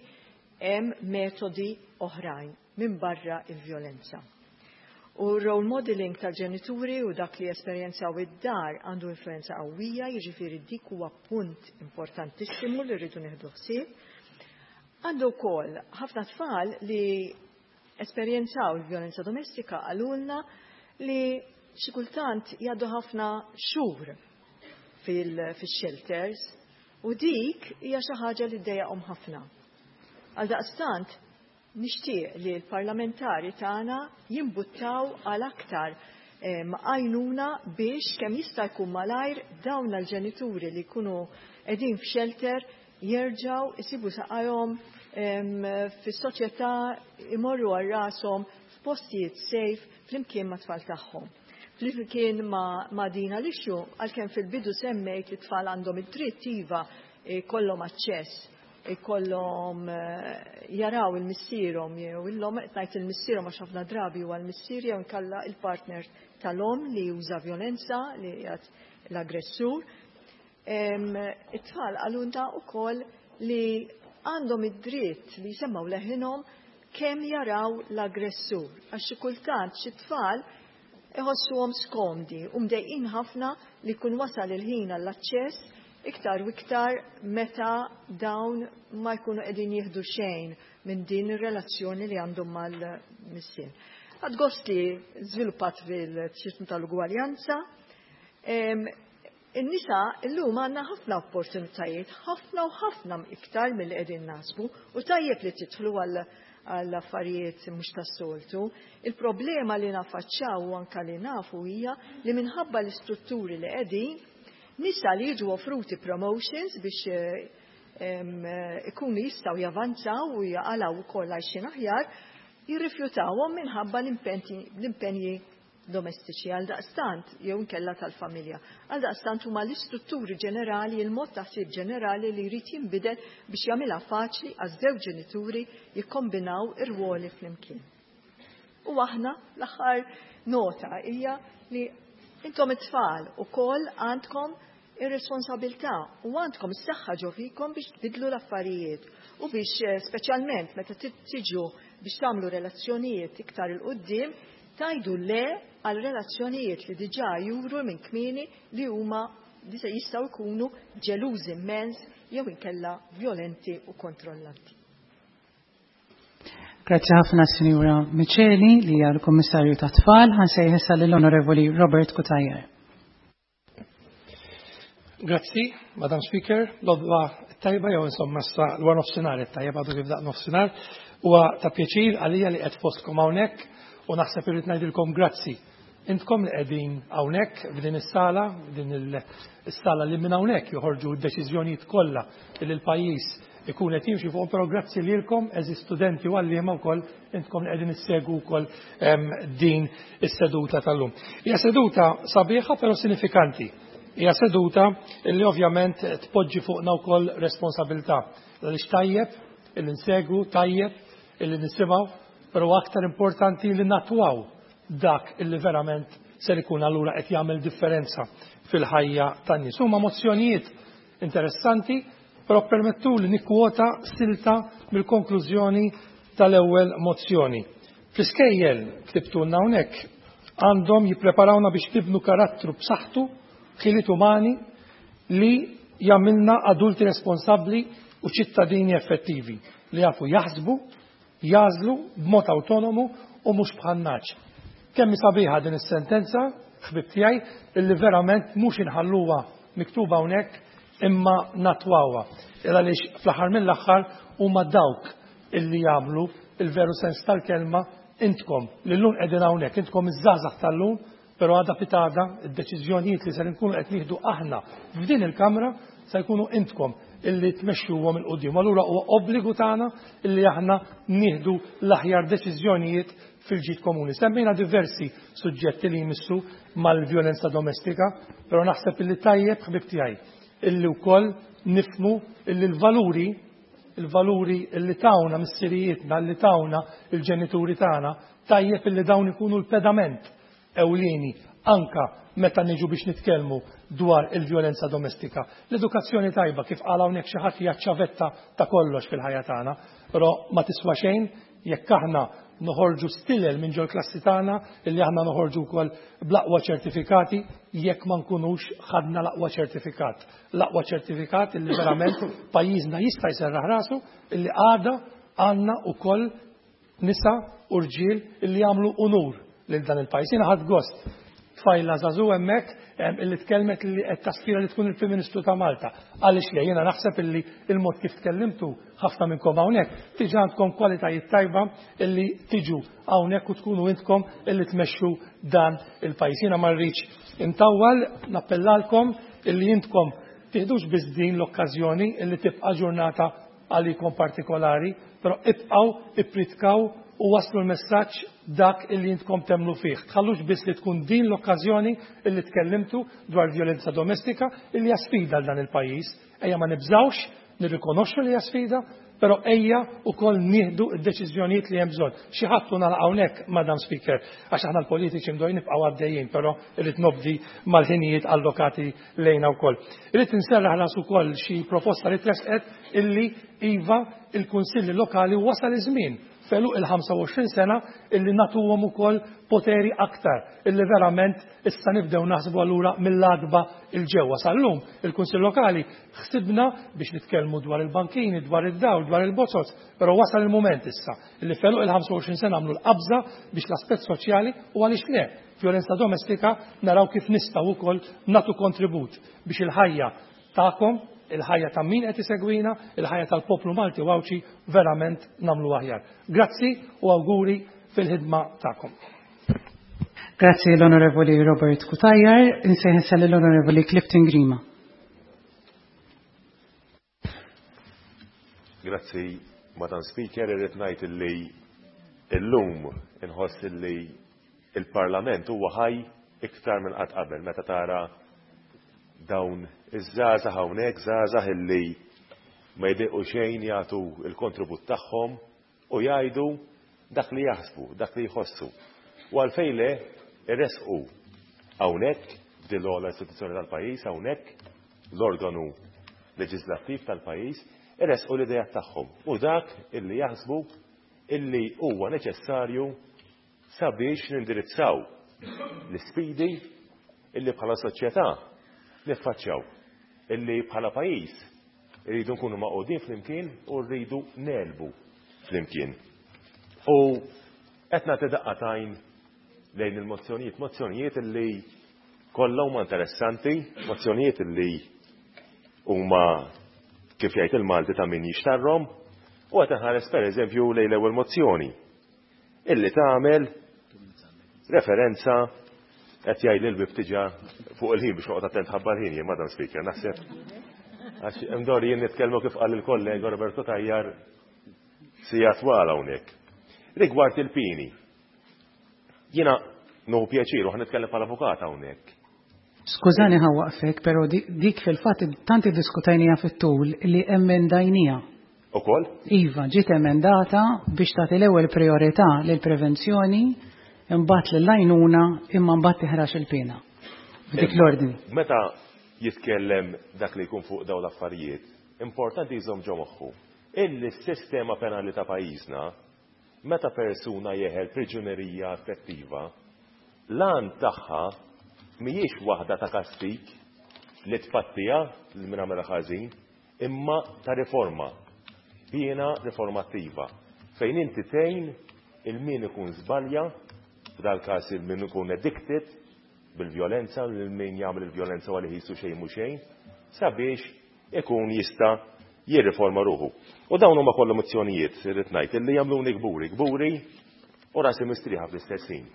hemm metodi oħrajn minn barra il-vjolenza. U role modeling tal-ġenituri u dak li esperjenzaw id-dar għandu influenza qawwija, jiġifieri dik huwa punt importantissimu li rridu nieħdu ħsieb. Għandu wkoll ħafna tfal li esperjenzaw il-vjolenza domestika qalulna li xi kultant jgħaddu ħafna xhur fil-shelters u dik hija xi ħaġa li ddejjaqhom ħafna. Għaldaqstant nixtieq li l-parlamentari tagħna jimbuttaw għal aktar għajnuna biex kemm jista' jkun malajr dawn l-ġenituri li jkunu qegħdin f'shelter jerġgħu jsibu saqajhom fis-soċjetà, imorru għal rashom f'postijiet safe flimkien mat-tfal tagħhom. Flimkien ma' dina l-issue, għalkemm fil-bidu semmejt li t-tfal għandhom id-dritt iva jkollhom aċċess, ikollhom jaraw il-missierhom jew illhom, qed ngħid il-missierhom għax ħafna drabi huwa l-missier jew inkella il-partner tal-omm li juża vjolenza li qiegħed l-aggressur. It-tfal qalulna wkoll li għandhom id-dritt li jsemmgħu leħinhom kemm jaraw l-aggressur, għax xi kultant xi tfal iħossuhom skomdi u mdejqin ħafna li jkun wasal il-ħin għall-aċċess iktar u iktar meta dawn ma jkunu qegħdin jieħdu xejn minn din ir-relazzjoni li għandhom mal-missier. Għad gost li żviluppat fil-ċirku tal-ugwaljanza. In-nisa illum għandna ħafna opportunitajiet, ħafna u ħafna iktar milli qegħdin naħsbu, u tajjeb li tidħlu għal affarijiet mhux tas-soltu. Il-problema li nafaċċaw u anka li nafu hija li minħabba l-istrutturi li qegħdin nisa li jiġu offruti promotions biex ikunu jistgħu javanzaw u jaqalgħu wkoll għajxin aħjar, jirrifjutawhom minħabba l-impenji domestiċi għaldaqstant jew inkella tal-familja. Għaldaqstant huma l-istrutturi ġenerali, il-mod ta' ħsieb ġenerali li jrid jinbidel biex jagħmilha faċli għaż-żewġ ġenituri jikkombinaw ir-rwoli flimkien. U aħna l-aħħar nota hija li intom it-tfal ukoll għandkom ir-responsabilità u għandkom is-saħħa ġo fikom biex tbidlu l-affarijiet u biex eh, speċjalment meta tiġu biex tagħmlu relazzjonijiet iktar 'il quddiem tgħidu le għal relazzjonijiet li diġà juru minn kmieni li huma li se jistgħu jkunu ġelużi immens jew inkella vjolenti u kontrollanti. Grazzi ħafna Sinjura Miceli li hija l-Kummissarju tat-Tfal, ħansejħ issa lill-Onorevoli Robert Cutajar. Grazzi, Madam Speaker, l-odwa tajba jew insomma issa l-wara nofsinhar it-tajjeb għadu kif daq nofsinhar. Huwa ta' pjaċir għalija li qed fostkom hawnhekk u naħseb irrid ngħidilkom grazzi. Intkom li qegħdin hawnhekk f'din is-sala, din is-sala li minn hawnhekk joħorġu d-deċiżjonijiet kollha li l-pajjiż ikun qed jimxi fuqhom, però grazzi lilkom eżis studenti u għalliema wkoll intkom li qegħdin issegwu wkoll din is-seduta tal-lum. Hija seduta sabiħa però sinifikanti. Hija seduta li ovvjament tpoġġi fuqna wkoll responsabilità. Għaliex tajjeb illi nsegwu, tajjeb illi nisimgħu, però aktar importanti li natwaw dak illi verament ser ikun allura qed jagħmel differenza fil-ħajja tan-nies. Huma mozzjonijiet interessanti, però permettuli nikkwota silta mill-konklużjoni tal-ewwel mozzjoni. Fl-iskejjel, ktibtulna hawnhekk, għandhom jippreparawna biex nibnu karattru b'saħħtu, ħiliet umani li jagħmilna adulti responsabbli u ċittadini effettivi li jafu jaħsbu, jagħżlu b'mod awtonomu u mhux bħan-nagħaġ. Kemm hi sabiħa din is-sentenza, ħbieb tiegħi, illi verament mhux inħalluha miktuba hawnhekk imma natwawha. Il għaliex fl-aħħar mill-aħħar huma dawk illi jagħmlu il-veru sens tal-kelma intkom li llum qegħdin hawnhekk, intkom iż-żgħażagħ tal-lum, però għada pitgħada id-deċiżjonijiet li ser inkunu qed nieħdu aħna f'din il-Kamra se jkunu intkom illi tmexxuhom 'il quddiem. Allura huwa obbligu tagħna illi aħna nieħdu l-aħjar deċiżjonijiet fil-ġid komuni. Semmejna diversi suġġetti li jmissu mal-vjolenza domestika, però naħseb illi tajjeb ħbieb tiegħi illi wkoll nifhmu illi l-valuri il-valuri illi tawna missirijietna, illi tawna il-ġenituri tagħna, tajjeb illi dawn ikunu l-pedament ewlieni anke meta niġu biex nitkellmu dwar il-vjolenza domestika. L-edukazzjoni tajba, kif qal hawnhekk xi ħadd, hija ċ-ċavetta ta' kollox fil-ħajja tagħna, però ma tiswa xejn jekk aħna noħorġu stilel minn ġol-klassi tagħna illi aħna noħorġu wkoll bl-aqwa ċertifikati jekk ma nkunux ħadna l-aqwa ċertifikat. L-aqwa ċertifikat illi verament pajjiżna jista' jserraħ rasu illi għada għandna wkoll nisa u rġiel illi jagħmlu unur lil dan il-pajjiż. Jiena ħadt gost tfajla żagħżugħ hemmhekk illi tkellmet li qed taspira li tkun il-Prim Ministru ta' Malta. Għaliex le, jiena naħseb illi il-mod kif tkellimtu ħafna minnkom hawnhekk diġà għandkom kwalitajiet tajba illi tiġu hawnhekk u tkunu intkom illi tmexxu dan il-pajjiż. Jiena ma rridx intawwal, nappellalkom illi intkom tiħdux biss din l-okkażjoni illi tibqa' ġurnata għalikom partikolari, però ibqgħu ippritkaw u wasslu l-messaġġ dak illi intkom temmnu fih. Tħallux biss li tkun din l-okkażjoni illi tkellimtu dwar vjolenza domestika illi hija sfida għal dan il-pajjiż. Ejja ma nibżgħux nirrikonoxxu li hija sfida, però ejja wkoll nieħdu d-deċiżjonijiet li hemm bżonn. Xi ħadd u nagħlaq hawnhekk, Madam Speaker, għax aħna l-politiċi mdorrijin nibqgħu għaddejjin, però rrid nobdi mal-ħinijiet allokati lejna wkoll. Irrid inserraħ ras ukoll xi proposta li tressqet illi iva il-kunsilli lokali wasal iż-żmien f'għeluq il-25 sena illi nagħtuhom ukoll poteri aktar illi verament issa nibdew naħsbu allura mill-għatba 'l ġewwa. Sal-lum il-Kunsill Lokali ħsibna biex nitkellmu dwar il-bankini, dwar id-dawl, dwar il-bozoz, però wasal il-mument issa illi f'għeluq il-25 sena nagħmlu l-qabża biex l-aspett soċjali u għaliex le vjolenza domestika naraw kif nistgħu wkoll nagħtu kontribut biex il-ħajja tagħkom, il-ħajja ta' min qed isegwina, il-ħajja tal-poplu Malti u Għawdxi verament nagħmlu aħjar. Grazzi u awguri fil-ħidma tagħkom. Grazzi l-Onorevoli Robert Cutajar, insejħ l-Onorevoli Clifton Grima. Grazzi, Madam Speaker, irrid ngħid illi illum inħoss illi il-Parlament huwa ħaj iktar minn qatt qabel meta tara dawn iż-żgħażagħ hawnhekk, żgħażagħ illi ma jdejqu xejn jagħtu l-kontribut tagħhom u jgħidu dak li jaħsbu, dak li jħossu. U għalfejn le iressqu hawnhekk f'din l-ogħla istituzzjoni tal-pajjiż, hawnhekk l-organu leġislattiv tal-pajjiż, iressqu l-ideat tagħhom u dak illi jaħsbu illi huwa neċessarju sabiex nindirizzaw l-isfidi illi bħala soċjetà niffaċċjaw, illi bħala pajjiż irridu nkunu magħqudin flimkien u rridu negħlbu flimkien. U qed nagħti daqqa t'għajn lejn il-mozzjonijiet, mozzjonijiet illi kollha huma interessanti, mozzjonijiet illi huma kif jgħid il-Malti ta' min jixtarrhom, u qed inħares pereżempju lejn l-ewwel mozzjoni illi tagħmel referenza qed jgħid li l-bib tiġa fuq il-ħin biex noqgħod attent ħabba l-ħin jien Madam Speaker naħseb. Għax imdor jien nitkellmu kif qal il-kollega Roberto Tajjar sija twal hawnhekk. Rigward il-pini. Jiena nuhu pjaċir u nitkellem bħala avukat hawnhekk. Skużani ħa waqfek, però dik fil-fatt tant iddiskutajnija fit-tul li emendajnija. Ukoll? Iva, ġiet emendata biex tagħti l-ewwel priorità lill-prevenzjoni, imbagħad lill-għajnuna, imma mbagħad tiħrax il-piena. F'dik l-ordni. Meta jitkellem dak li jkun fuq dawn l-affarijiet, importanti jżomm ġo moħħu illi s-sistema penali ta' pajjiżna meta persuna jeħel priġunerija effettiva, l-għan tagħha mhijiex waħda ta' kastig li tpattiha lil min għamilha ħażin, imma ta' riforma, piena riformattiva, fejn inti tgħin il min ikun żbalja, f'dal-każ il min ikun addicted bil-vjolenza, lil min jagħmel il-vjolenza u għalih qisu xejn mhu xejn, sabiex ikun jista' jirriforma ruħu. U dawn huma kollha mozzjonijiet, irrid ngħid, illi jagħmluni kburi, kburi u rasi mistrieħa fl-istess ħin,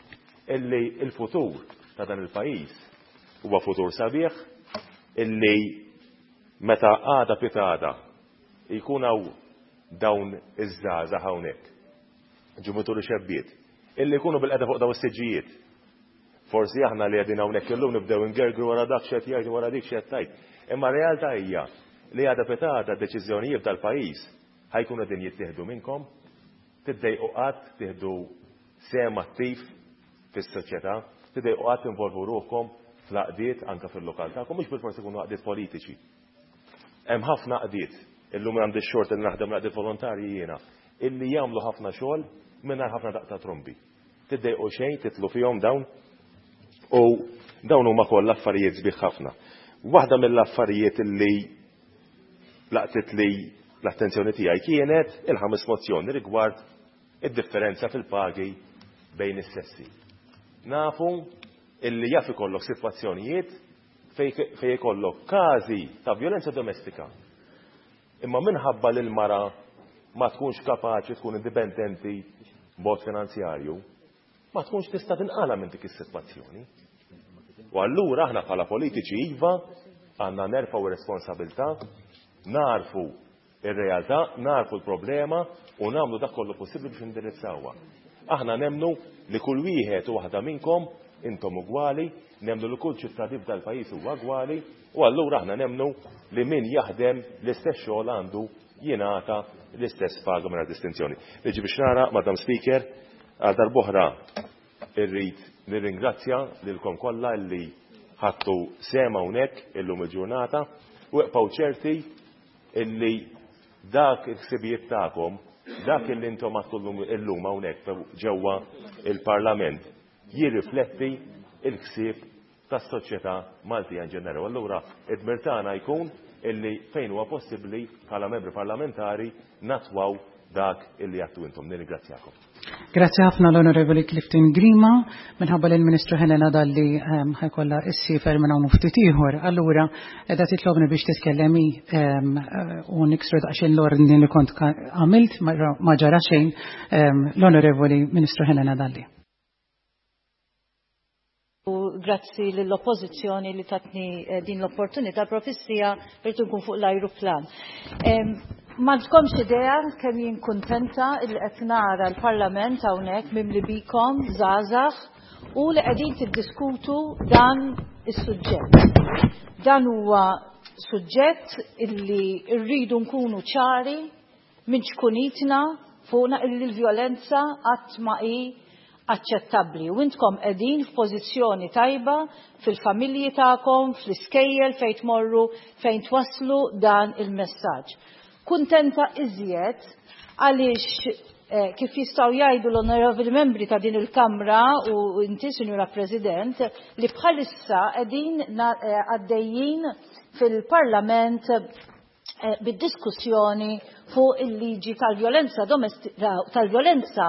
illi l-futur ta' dan il-pajjiż huwa futur sabiħ, illi Meta għada pitgħada jkun hawn dawn iż-żgħażagħ hawnhekk, ġumituri xebbiet, illi jkunu bilqiegħda fuq dawn is-siġġijiet. Forsi aħna li qegħdin hawnhekk illum nibdew ingergru wara dak x'qed jgħid u wara dik x'qed tgħid. Imma r-realtà hija li għada pitgħada d-deċiżjonijiet tal-pajjiż ħa jkunu qegħdin jittieħdu minnkom. Tiddejqu qatt tieħdu sehem attiv fis-soċjetà, tiddejqu qatt tinvolvu ruħkom fl-għaqdiet anke fil-lokal tagħkom, mhux bilfors ikunu għaqdiet politiċi. Hemm ħafna għaqdiet, illum għandi x-xorti li naħdem l-għaqdiet volontarji jiena, illi jagħmlu ħafna xogħol mingħajr ħafna daqq ta' trombi. Tiddejqu xejn titlu fihom dawn u dawn huma kollha affarijiet sbieħ ħafna. Waħda mill-affarijiet illi laqtitli l-attenzjoni tiegħi kienet il-ħames mozzjoni rigward id-differenza fil-pagi bejn is-sessi. Nafu illi jaf ikollok sitwazzjonijiet fejn ikollok każi ta' vjolenza domestika. Imma minħabba li l-mara ma tkunx kapaċi tkun indipendenti b'mod finanzjarju, ma tkunx tista' tinqala' minn dik is-sitwazzjoni. U allura aħna bħala politiċi iva għandna nerfgħu r-responsabilità, nagħrfu r-realtà, nagħrfu l-problema u nagħmlu dak kollu possibbli biex indirizzawha. Aħna nemmnu li kull wieħed u waħda minnkom intom ugwali, nemmnu li kull ċittadin f'dal-pajjiż huwa ugwali u allura aħna nemmnu li min jaħdem l-istess xogħol għandu jingħata l-istess paga mingħajr distinzjoni. Niġi biex nagħlaq, Madam Speaker, għal darb'oħra irrid nirringrazzja lilkom kollha li ħadtu sehem hawnhekk illum il-ġurnata u ibqgħu ċerti illi dak il-ħsibijiet tagħkom, dak illi intom għadtu illum hawnhekk ġewwa il-Parlament jirrifletti il-ħsieb tas-soċjetà Maltija in ġenerali. U allura id-dmir tagħna jkun illi fejn huwa possibbli bħala membri parlamentari nattwaw dak illi għattu intom. Nirringrazzjakom. Grazzi ħafna l-Onorevoli Clifton Grima, minħabba li l-Ministru Helena Dalli ħa jkollha ssiefer minn hawn u ftit ieħor. Allura qiegħda titlobni biex titkellem hi u niksru daqsxejn l-ordni li kont għamilt ma ġara xejn l-Onorevoli Ministru Helena Dalli. U grazzi lill-Oppożizzjoni li tatni eh, din l-opportunità profissija rrid nkun fuq l-ajruplan. M'għandkomx idea kemm jien kuntenta li qed nara l-Parlament hawnhekk mimli bikom żgħażagħ u li qegħdin tiddiskutu dan is-suġġett. Dan huwa suġġett illi rridu nkunu ċari minn ċkunitna fuqna illi l-vjolenza qatt ma hi aċċettabbli u intkom qegħdin f'pożizzjoni tajba fil-familji tagħkom, fl-iskejjel fejn tmorru, fejn twasslu dan il-messaġġ. Kuntenta iżjed għaliex eh, kif jistgħu jgħidu l-onorevoli membri ta' din il-Kamra u inti, Sinjura President, li bħalissa qegħdin eh, għaddejjin fil-Parlament Eh, bid-diskussjoni fuq il-liġi tal-vjolenza domestika tal-vjolenza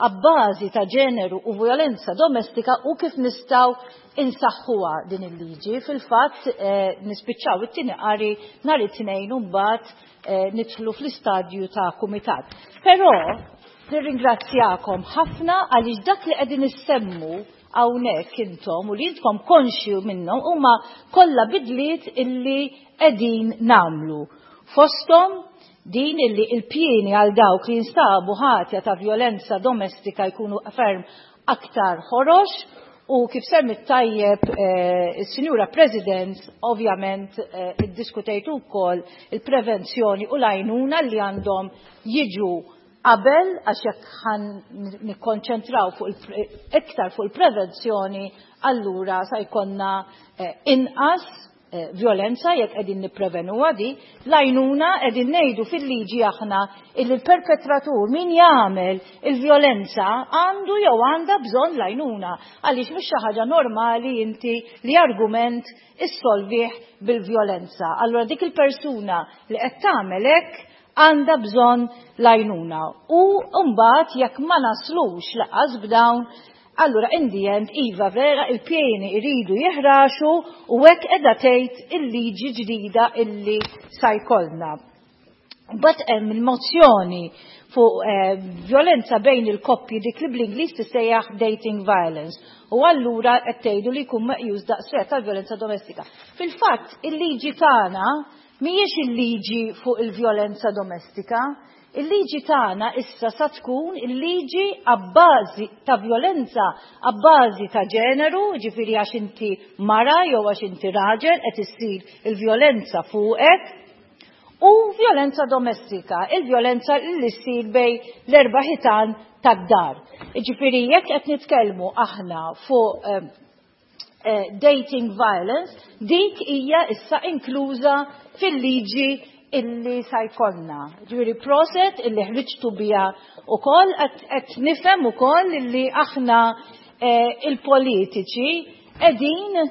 abbażi ta' ġeneru u vjolenza domestika u kif nistgħu insaħħuha din il-liġi. Fil-fatt eh, nispiċċaw it-tieni qari nhar it-tnejn u mbagħad eh, nidħlu fl-istadju ta' kumitat. Però nirringrazzjakom ħafna għaliex dak li qegħdin issemmu hawnhekk intom u li intkom konxju minnhom huma kollha bidliet illi qegħdin nagħmlu. Fosthom din illi il-pieni għal dawk li jinstabu ħatja ta' vjolenza domestika jkunu ferm aktar ħorox u kif semmit tajjeb eh, is-Sinjura President ovvjament eh, iddiskutejtu wkoll il-prevenzjoni u l-għajnuna li għandhom jiġu qabel għax jekk ħan nikkonċentraw fuq iktar fuq il-prevenzjoni allura sa jkollna eh, inqas eh, violenza jekk qegħdin nipprevenuha di, l-għajnuna qegħdin ngħidu fil-liġi aħna illi l-perpetratur min jagħmel il-violenza għandu jew għandha bżonn l-għajnuna għaliex mhux xi ħaġa normali inti li argument issolvih bil-violenza. Allura dik il-persuna li qed tagħmel hekk għandha bżonn l-għajnuna. U mbagħad jekk ma naslux laqas b'dawn, allura in the end iva vera il-pieni iridu jiħraxu u hekk qiegħda tgħid il-liġi ġdida illi sa jkollna. Mbagħad hemm il-mozzjoni fuq eh, violenza bejn il-koppji dik li bl-Ingliż tissejjaħ dating violence. U allura qed tgħidu li jkun meqjus daqshekk tal-violenza domestika. Fil-fatt il-liġi tagħna Mhijiex il-liġi fuq il-vjolenza domestika. Il-liġi tagħna issa sa tkun il-liġi abbażi ta' vjolenza abbażi ta' ġeneru, ġifieri għax inti mara jew għax inti raġel qed issir il-vjolenza fuqek, u vjolenza domestika, il-vjolenza li ssir bejn l-erba' ħitan tad-dar. Ġifieri jekk qed nitkellmu aħna fuq eh, Eh, dating violence, dik hija issa inkluża fil-liġi illi sa jkollna. Ġifieri proset illi ħriġtu biha ukoll qed nifhem ukoll illi aħna eh, il-politiċi qegħdin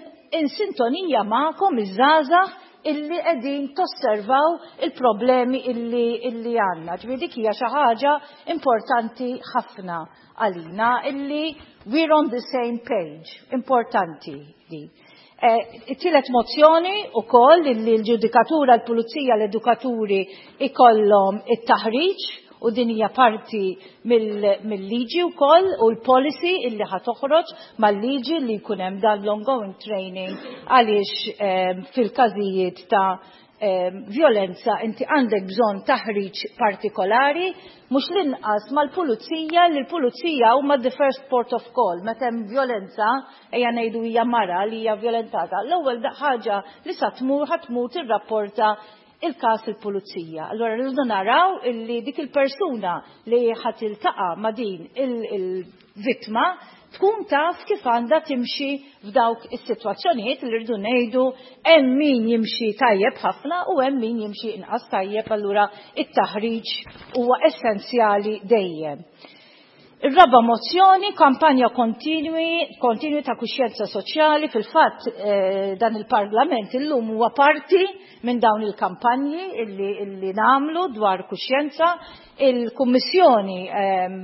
in sintonija magħkom iż-żgħażagħ illi qegħdin tosservaw il-problemi illi illi għandna. Ġifieri dik hija xi ħaġa importanti ħafna għalina illi we're on the same page. Importanti di. Eh, it-tielet mozzjoni ukoll illi l-ġudikatura, l-pulizija, l-edukaturi ikollhom it-taħriġ u din hija parti mill-liġi wkoll u l-policy illi ħa toħroġ mal-liġi li jkun hemm dan l-ongoing training għaliex eh, fil-każijiet ta' violenza inti għandek bżonn taħriġ partikolari, mhux l-inqas mal-pulizija li l-pulizija huma the first port of call. Meta hemm violenza, ejja ngħidu hija mara li hija violentata, l-ewwel ħaġa li sa tmur ħa tmur tirrapporta il-każ il-pulizija. Allura rridu naraw illi dik il-persuna li ħa tiltaqa' ma' din il-vittma tkun taf kif għandha timxi f'dawk is-sitwazzjonijiet li rridu ngħidu hemm min jimxi tajjeb ħafna u hemm min jimxi inqas tajjeb allura it-taħriġ huwa essenzjali dejjem. Ir-raba' mozzjoni, kampanja kontinwi, kontinwi ta' kuxjenza soċjali, fil-fatt eh, dan il-Parlament illum huwa parti minn dawn il-kampanji illi, illi nagħmlu dwar kuxjenza. Il-Kummissjoni ehm,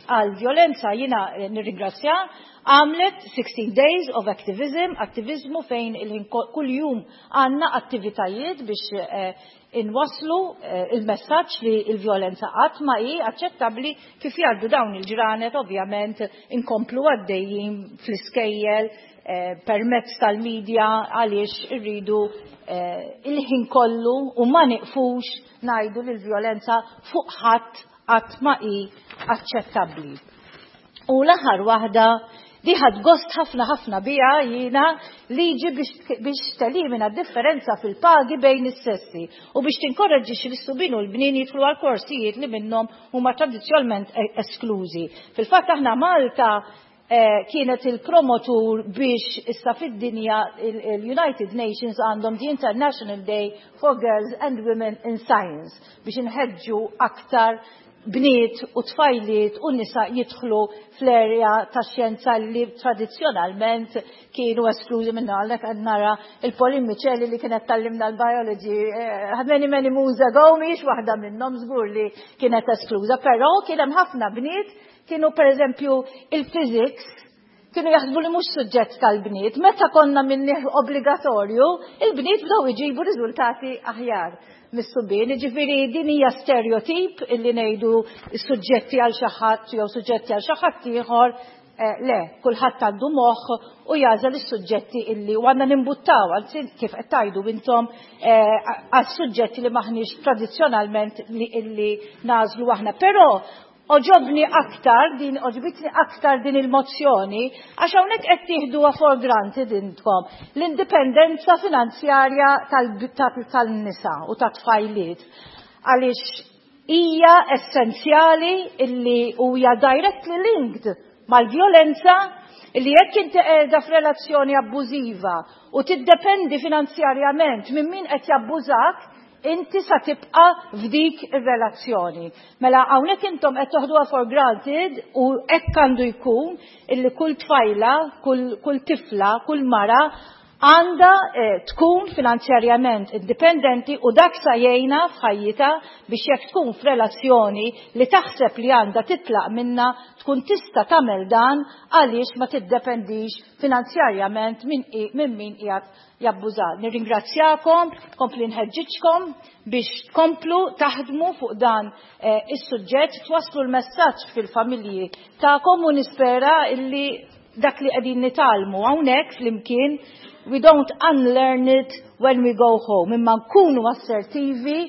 għal violenza jina eh, nirringrazzja għamlet 16 days of activism, attivizmu fejn il-ħin kull jum għanna attivitajiet biex eh, inwasslu il-messaġġ li l-vjolenza qatt ma hi aċċettabbli kif jgħaddu dawn il-ġranet ovvjament inkomplu għaddejjin fl-iskejjel permezz tal-medja għaliex irridu il-ħin kollu u ma niqfux ngħidu li l-vjolenza fuq ħadd qatt ma hi aċċettabbli. U l-aħħar waħda li ħadt gost ħafna ħafna biha jiena liġi biex telimina differenza fil-pagi bejn is-sessi u biex tinkoraġġixxi lis-subien u l-bnien jidħlu għal korsijiet li minnhom huma tradizzjonalment e-, esklużi. Fil-fatt aħna Malta eh, kienet il-promotur biex issa fid-dinja il-United Nations għandhom the International Day for Girls and Women in Science biex inħeġġu aktar bniet u tfajliet u nisa jidħlu fl-erja tax-xjenza li tradizzjonalment kienu esklużi minna għalhekk qed nara il-Pauline Miceli li kienet tallimna l-biology eh, many many moons ago mhijiex waħda minnhom żgur li kienet eskluża, però kien hemm ħafna bniet kienu pereżempju il-physics kienu jaħsbu li mhux suġġett tal-bniet. Meta konna minnih obbligatorju, il-bniet bdew iġibu riżultati aħjar mis-subien. Jiġifieri din hija stereotip illi ngħidu suġġetti għal xi ħadd jew suġġetti għal xi ħadd ieħor. Eh, le, kulħadd għandu moħħ u jażel is-suġġetti illi u għandna nimbuttaw, anzi kif qed tgħidu intom eh, għal suġġetti li maħniex tradizzjonalment li illi nażlu aħna. Però Għoġobni aktar din, għoġbitni aktar din il-mozzjoni, għax hawnhekk qed tieħduha for granted intkom l-indipendenza finanzjarja tan-nisa u tat-tfajliet. Għaliex hija essenzjali illi huja directly linked mal-vjolenza illi jekk inti qiegħda f'relazzjoni abbużiva u tiddependi finanzjarjament minn min qed jabbużak, inti sa tibqa' f'dik ir-relazzjoni. Mela hawnhekk intom qed toħduha for granted u hekk għandu jkun illi kull tfajla, kull, kull tifla, kull mara għandha eh, tkun finanzjarjament indipendenti u dak sa jgħinha f'ħajjitha biex jekk tkun f'relazzjoni li taħseb li għandha titlaq minna tkun tista' tagħmel dan għaliex ma tiddependix finanzjarjament minn min qiegħed jabbuża. Nirringrazzjakom, kompli nħeġġiġkom biex tkomplu taħdmu fuq dan eh, is-suġġett, twasslu l-messaġġ fil-familji tagħkom u nispera illi dak li qegħdin nitgħallmu hawnhekk flimkien we don't unlearn it when we go home, imma nkunu assertivi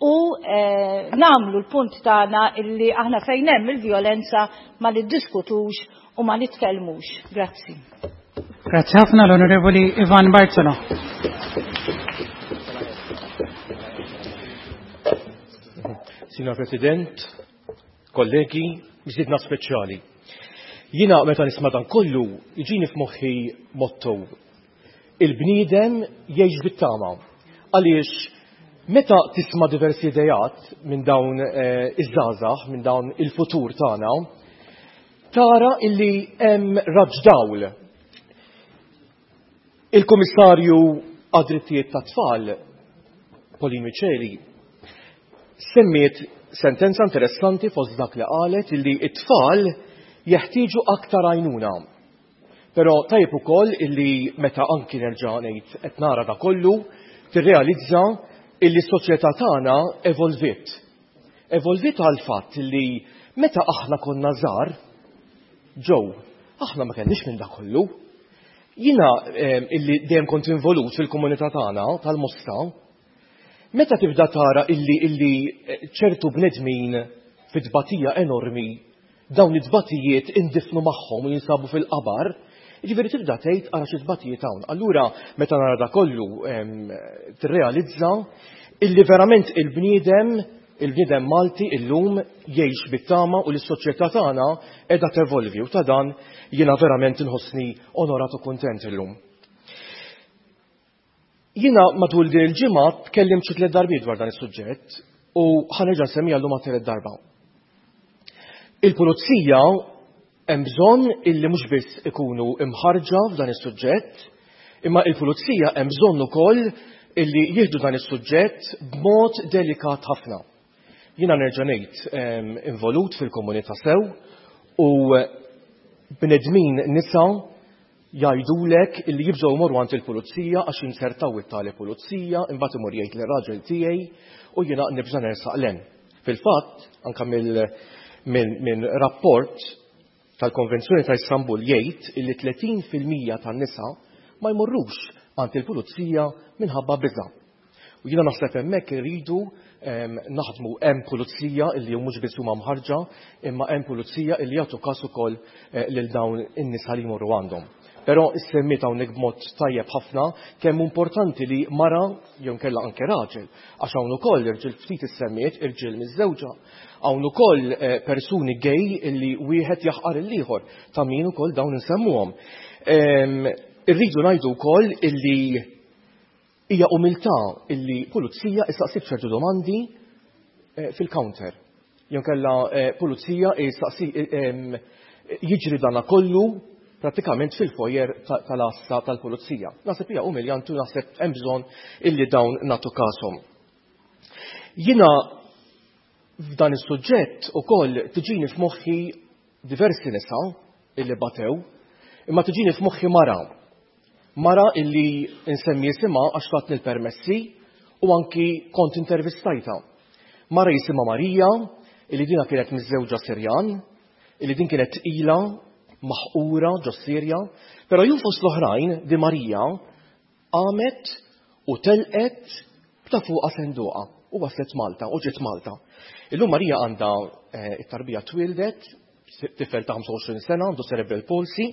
u eh, namlu l-punt tagħna illi aħna fejn hemm il-vjolenza ma niddiskutux u ma nitkellmux. Grazzi. Grazzi ħafna l-Onorevoli Ivan Bartolo. Signor President, kollegi, miżidna speċjali. Jina meta nisma' dan kollu, jiġini f'moħħi motto. Il-bniedem jgħix bit-tama. Għaliex meta tisma' diversi idejat minn dawn eh, iż-żgħażagħ, minn dawn il-futur tagħna, Tara illi hemm raġġ dawl. Il-Kummissarju għad-Drittijiet tat-Tfal, Pauline Miceli, semmiet sentenza interessanti fost dak li qalet illi it-tfal jeħtieġu aktar għajnuna. Però tajjeb ukoll illi meta anki nerġa' ngħid qed nara da kollu, tirrealizza illi s-soċjetà tagħna evolviet. Evolviet għall-fatt li meta aħna konna żgħar, Joe, aħna ma kellniex minn dak kollu. Jiena ehm, illi dejjem kont involut fil-komunità tagħna tal-Mosta, meta tibda tara illi illi eh, ċertu bnedmin fit-tbatija enormi Dawn it-tbatijiet indifnu magħhom u jinsabu fil-qabar, jiġifieri tibda tgħid ara xi tbatijiet hawn. Allura meta nara da kollu tirrealizza illi verament il-bniedem il-bniedem Malti illum jgħix bit-tama u l-soċjetà tagħna qiegħda tevolvi u ta' dan jiena verament inħossni onorat u kuntent illum. Jiena matul din il-ġimgħa tkellimt xi tliet darbiet dwar dan is-suġġett u ħa nerġa' nsemmiha llum għat-tielet darba. Il-pulizija Hemm bżonn illi mhux biss ikunu imħarġa f'dan is-suġġett, imma il-pulizija hemm bżonn ukoll illi jieħdu dan is-suġġett b'mod delikat ħafna. Jiena nerġa' ngħid involut fil-komunità sew u bnedmin nisa jgħidulek illi jibżgħu jmorru għand il-pulizija għax jinsertaw it-tali pulizija, imbagħad imur jgħid lir-raġel tiegħi u jiena nibża' nersaq 'l hemm. Fil-fatt, anke minn rapport tal-Konvenzjoni ta' Istanbul jgħid illi 30% tan-nisa ma jmorrux għand il-pulizija minħabba biża'. U jiena naħseb hemmhekk irridu naħdmu hemm pulizija illi mhux biss huma mħarġa, imma hemm pulizija illi jagħtu każ ukoll eh, lil dawn in-nisa li jmorru għandhom. Però issemmiet hawnhekk b'mod tajjeb ħafna kemm importanti li mara jew nkella anke raġel, għax hawn ukoll irġiel ftit issemmiet irġiel miżżewġa, hawn ukoll eh, persuni gay illi wieħed jaħqar il-ieħor ta' min ukoll dawn insemmuhom. Irridu ngħidu wkoll illi Hija umiltà illi pulizija issaqsik ċertu domandi eh, fil-counter. Jew kella eh, pulizija issaqsi eh, jiġri dana kollu pratikament fil-foyer tal-assa tal-pulizija. Naħseb hija umiljanti u naħseb hemm bżonn illi dawn nagħtu kasom. Jiena f'dan is-suġġett ukoll tiġini f'moħħi diversi nisa illi batew, imma tiġini f'moħħi mara Mara illi nsemmi isimha għax tatni l-permessi u anki kont intervistajtha. Mara jisimha Marija, illi dina kienet miżżewġa Sirjan, illi din kienet tqila, maħqura ġo Sirja, però jum fost l-oħrajn di Marija qamet u telqet b'ta' fuqha senduqa u waslet Malta u ġiet Malta. Illum Marija għandha eh, it-tarbija twildet, tifel ta' 25 sena, għandu cerebral palsy,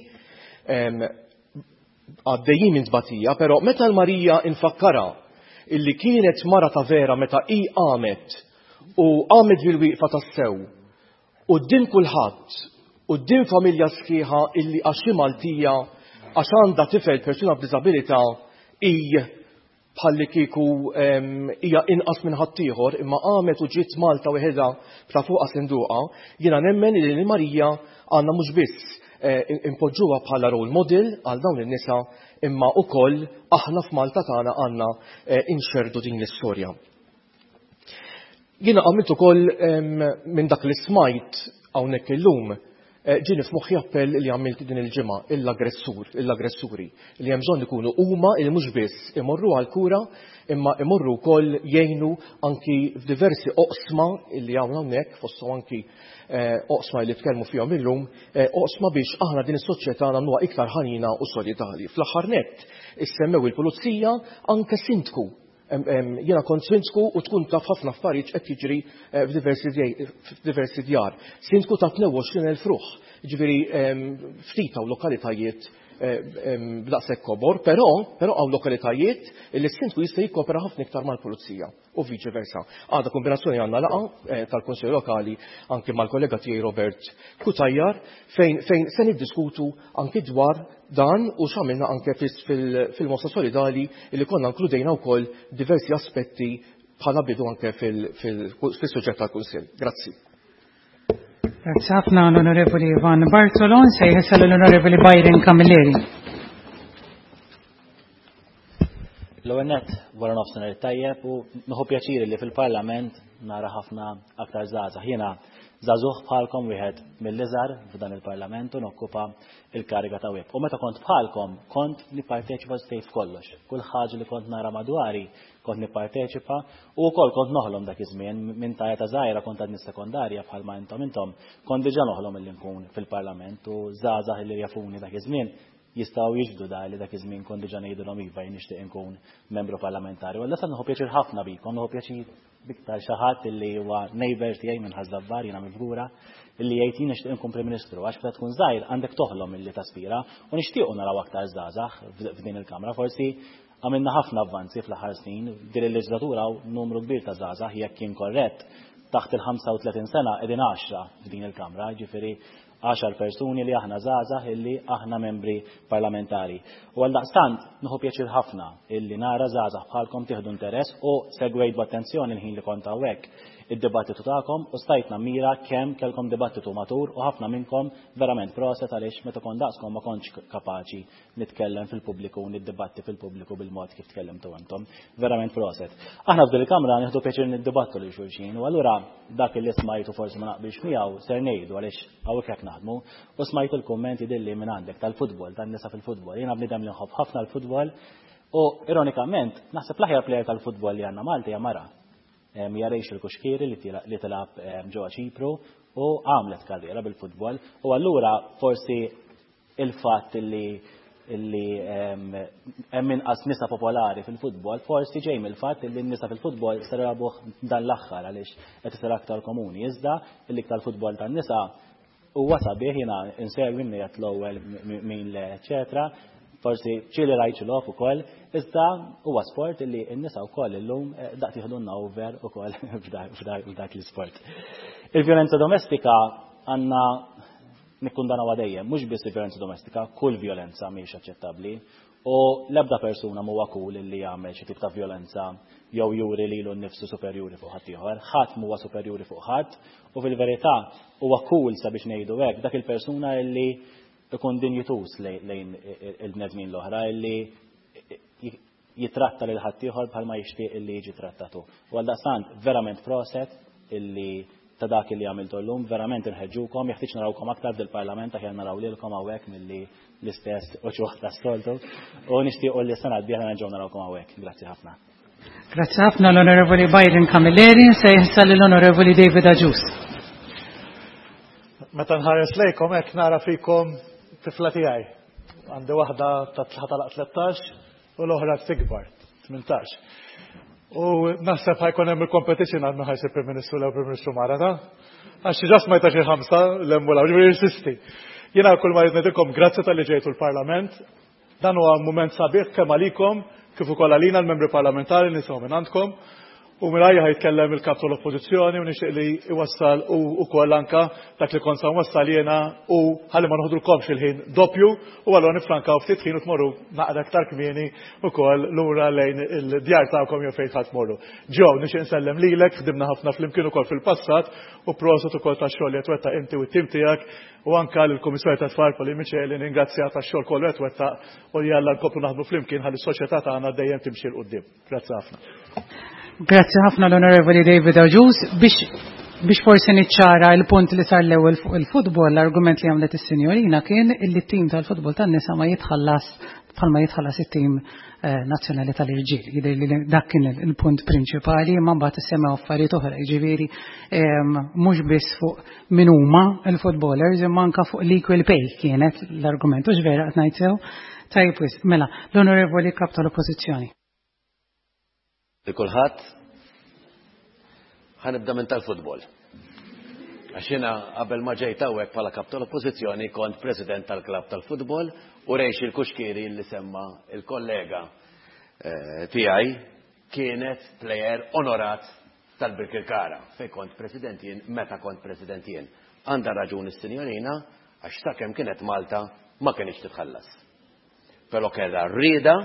għaddejjin minn tbatija, però meta l-Marija infakkara illi kienet mara ta' vera meta hi qamet u qamet bil-wieqfa tas-sew quddiem kulħadd, quddiem familja sħiħa illi għax hi Maltija, għax għandha tifel persuna b'diżabilità hi bħallikieku hija inqas minn ħaddieħor imma qamet u ġiet Malta weħidha b'ta' fuqha sinduqa, jiena nemmen li lil Marija għandna mhux biss eh, impoġġuha bħala role model għal dawn in-nisa imma wkoll aħna f'Malta tagħna għandna eh, inxerdu din l-istorja. Jiena għamilt ukoll minn dak li smajt hawnhekk illum eh, ġieni f'moħħi appell li għamilt din il-ġimgħa l-aggressur, l-aggressuri li hemm bżonn ikunu huma li mhux biss imorru għal kura imma imorru wkoll jgħinu anki f'diversi oqsma li hawn hawnhekk fosthom anki eh, oqsma li tkellmu fihom illum, eh, oqsma biex aħna din is-soċjetà nagħmluha iktar ħanina u solidali. Fl-aħħar nett issemmew il-pulizija anke sindku Jiena kont sindku u tkun taf ħafna affarijiet qed jiġri eh, f'diversi djar. Sindku ta' 22,000 ruħ, ġifieri ftit hawn lokalitajiet eh, b'daqshekk kobor, però però hawn lokalitajiet li s-sindku jista' jikkopera ħafna iktar mal-pulizija u viċi versa. Għadha kombinazzjoni għandna laqa eh, tal-Kunsill Lokali anke mal-kollega tiegħi Robert Kutajjar fejn fejn se niddiskutu anki dwar dan u x'għamilna anke fil-Mosta Solidali li konna inkludejna wkoll diversi aspetti bħala bidu anke fil-suġġett tal-Kunsill. Grazzi. Grazzi ħafna l-Onorevoli Ivan Bartolon, se jħessal l-Onorevoli Byron Camilleri. L-ewwel nett wara nofsinhar tajjeb u nieħu pjaċir li fil-Parlament nara ħafna aktar żgħażagħ. Jiena żagħżugħ bħalkom wieħed mill-iżgħar f'dan il-Parlament u nokkupa il-kariga ta' web. U meta kont bħalkom kont nipparteċipa stejt f'kollox. Kull ħaġa li kont nara madwari kont nipparteċipa u wkoll kont noħlom dak iż-żmien minn ta' eta żgħira kont għadni sekondarja bħalma intom intom kont diġà noħlom illi nkun fil-Parlament u żgħażagħ illi jafuni dak iż-żmien jistgħu jixhdu da li dak iż-żmien kont diġà ngħidilhom iva jien nixtieq inkun membru parlamentari. U għal nieħu pjaċir ħafna bikom, nieħu pjaċir biktar xi ħadd illi huwa neighbor tiegħi minn Ħaż-Żabbar jiena mill-Fgura, illi jgħid jien nixtieq inkun Prim Ministru għax meta tkun żgħir għandek toħlom illi taspira u nixtiequ naraw aktar żgħażagħ f'din il-Kamra. Forsi għamilna ħafna avvanzi fl-aħħar snin, din il-leġislatura hawn numru kbir ta' żgħażagħ jekk jien korrett taħt il-35 sena qegħdin għaxra f'din il-Kamra, ġifieri għaxar persuni li aħna żgħażagħ illi aħna membri parlamentari. U għaldaqstant nieħu pjaċir ħafna illi nara żgħażagħ bħalkom tieħdu interess u segwejt b'attenzjoni l-ħin li kont hawnhekk. id-dibattitu tagħkom u stajt nammira kemm kellkom dibattitu matur u ħafna minnkom verament proset għaliex meta kont daqskom ma kontx kapaċi nitkellem fil-pubbliku u niddibatti fil-pubbliku bil-mod kif tkellimtu intom. Verament proset. Aħna f'din il-kamra nieħdu pjaċir niddibattu lil xulxin u allura dak li smajtu forsi ma naqbilx miegħu ser ngħidu għaliex hawnhekk hekk naħdmu u smajtu l-kummenti dilli minn għandek tal-futbol, tan-nisa fil-futbol. Jiena bniedem li nħobb ħafna l-futbol u ironikament naħseb l-aħjar plejer tal-futbol li għandna Malta hija mara. Hija Rachel Cuschieri li tilgħab ġewwa Ċipru u għamlet karriera bil-futbol u allura forsi il-fatt li illi hemm inqas nisa popolari fil-futbol, forsi ġej mill-fatt li n-nisa fil-futbol ser jilagħbuh dan l-aħħar għaliex qed isir aktar komuni. Iżda l-iktar futbol tan-nisa huwa sabiħ jiena insegwi min qed l-ewwel min le, eċetera. Forsi ċili rajt xi logħob ukoll, iżda huwa sport li n-nisa wkoll illum eh, daqt jieħdulna over ukoll f'dak l-isport. Il-vjolenza domestika għandna Nikkundanawha dejjem, mhux biss il-vjolenza domestika, kull vjolenza mhijiex aċċettabbli. U l-ebda persuna mhuwa cool li jagħmel xi tip ta' vjolenza jew juri lilu nnifsu superjuri fuq ħaddieħor. Ħadd mhuwa superjuri fuq ħadd u fil-verità huwa cool sabiex ngħidu hekk dak il-persuna li ikun dinjituż lejn il-bnedmin l-oħra li jitratta lil ħaddieħor bħalma jixtieq illi jiġi trattat hu. U għaldaqstant verament proset illi ta' dak illi għamiltu llum, verament inħeġġukom, jeħtieġ narawkom aktar fil-Parlament aħjar naraw lilkom hawnhekk milli l-istess uċuħ tas-soltu. U nixtiequ li s-sena d-dieħla nerġgħu narawkom hawnhekk. Grazzi ħafna. Grazzi ħafna l-Onorevoli Byron Camilleri, se jinsa l-Onorevoli David Agius. Meta nħares lejkom hekk nara fikom tifla tiegħi. Għandi waħda ta' tlaħ 13 u l-oħra tikbar, 18. U naħseb ħajkun hemm il-competition għal min ħajsir Prim Ministru l Prim Ministru mara ta' għax ġas ma jtax il-ħamsa l-hemm u l jirsisti. Jiena kull ma rrid ngħidilkom grazzi talli ġejtu l-Parlament. Dan huwa mument sabiħ kemm għalikom kif ukoll għalina l-membri parlamentari nisimgħu minn għandkom. U mingħajja ħajtkellem il-Kap tal-Oppożizzjoni u nixtieq li iwassal u wkoll anka dak li kont sa nwassal jiena u ħalli ma noħdulkomx il-ħin doppju u allura nifrankaw ftit ħin u tmorru naqra aktar kmieni ukoll lura lejn il-djar tagħkom jew fejn ħadd tmorru. Joe, nixtieq insellem lilek, ħdimna ħafna flimkien ukoll fil-passat u proset ukoll tax-xogħol li qed twettaq inti u t-tim tiegħek u anka lill-Kummissarju tat-Tfal Pauline Miceli ningrazzja tax-xogħol kollu qed twettaq u jalla nkomplu naħdmu flimkien ħalli s-soċjetà tagħna dejjem timxi 'l quddiem. Grazzi ħafna. Grazzi ħafna l-Onorevoli David Agius. Biex biex forsi niċċara il-punt li sar l-ewwel fuq il-futbol, l-argument li għamlet is-sinjorina kien illi t-tim tal-futbol tan-nisa ma jitħallas bħalma jitħallas it-tim eh, nazzjonali tal-irġiel. Jidher li dak kien il-punt prinċipali, imma mbagħad issemmew affarijiet oħra, jiġifieri ehm, mhux biss fuq min huma il-footballers imma anka fuq l-equal pay kienet l-argument, u vera qed ngħid sew. Tajjeb wisq, mela, l-Onorevoli Kap tal-Oppożizzjoni. Li kulħadd ħa nibda minn tal-futbol. Għax jiena qabel ma ġejt hawnhekk bħala kap tal-Oppożizzjoni kont president tal-klabb tal-futbol u Rachel Cuschieri li semma il-kollega eh, tiegħi kienet plejer onorat tal-Birkirkara fejn kont president jien meta kont president jien. Għandha raġun is-sinjorina għax sakemm kienet Malta ma kinitx titħallas. Però kellha r-rieda,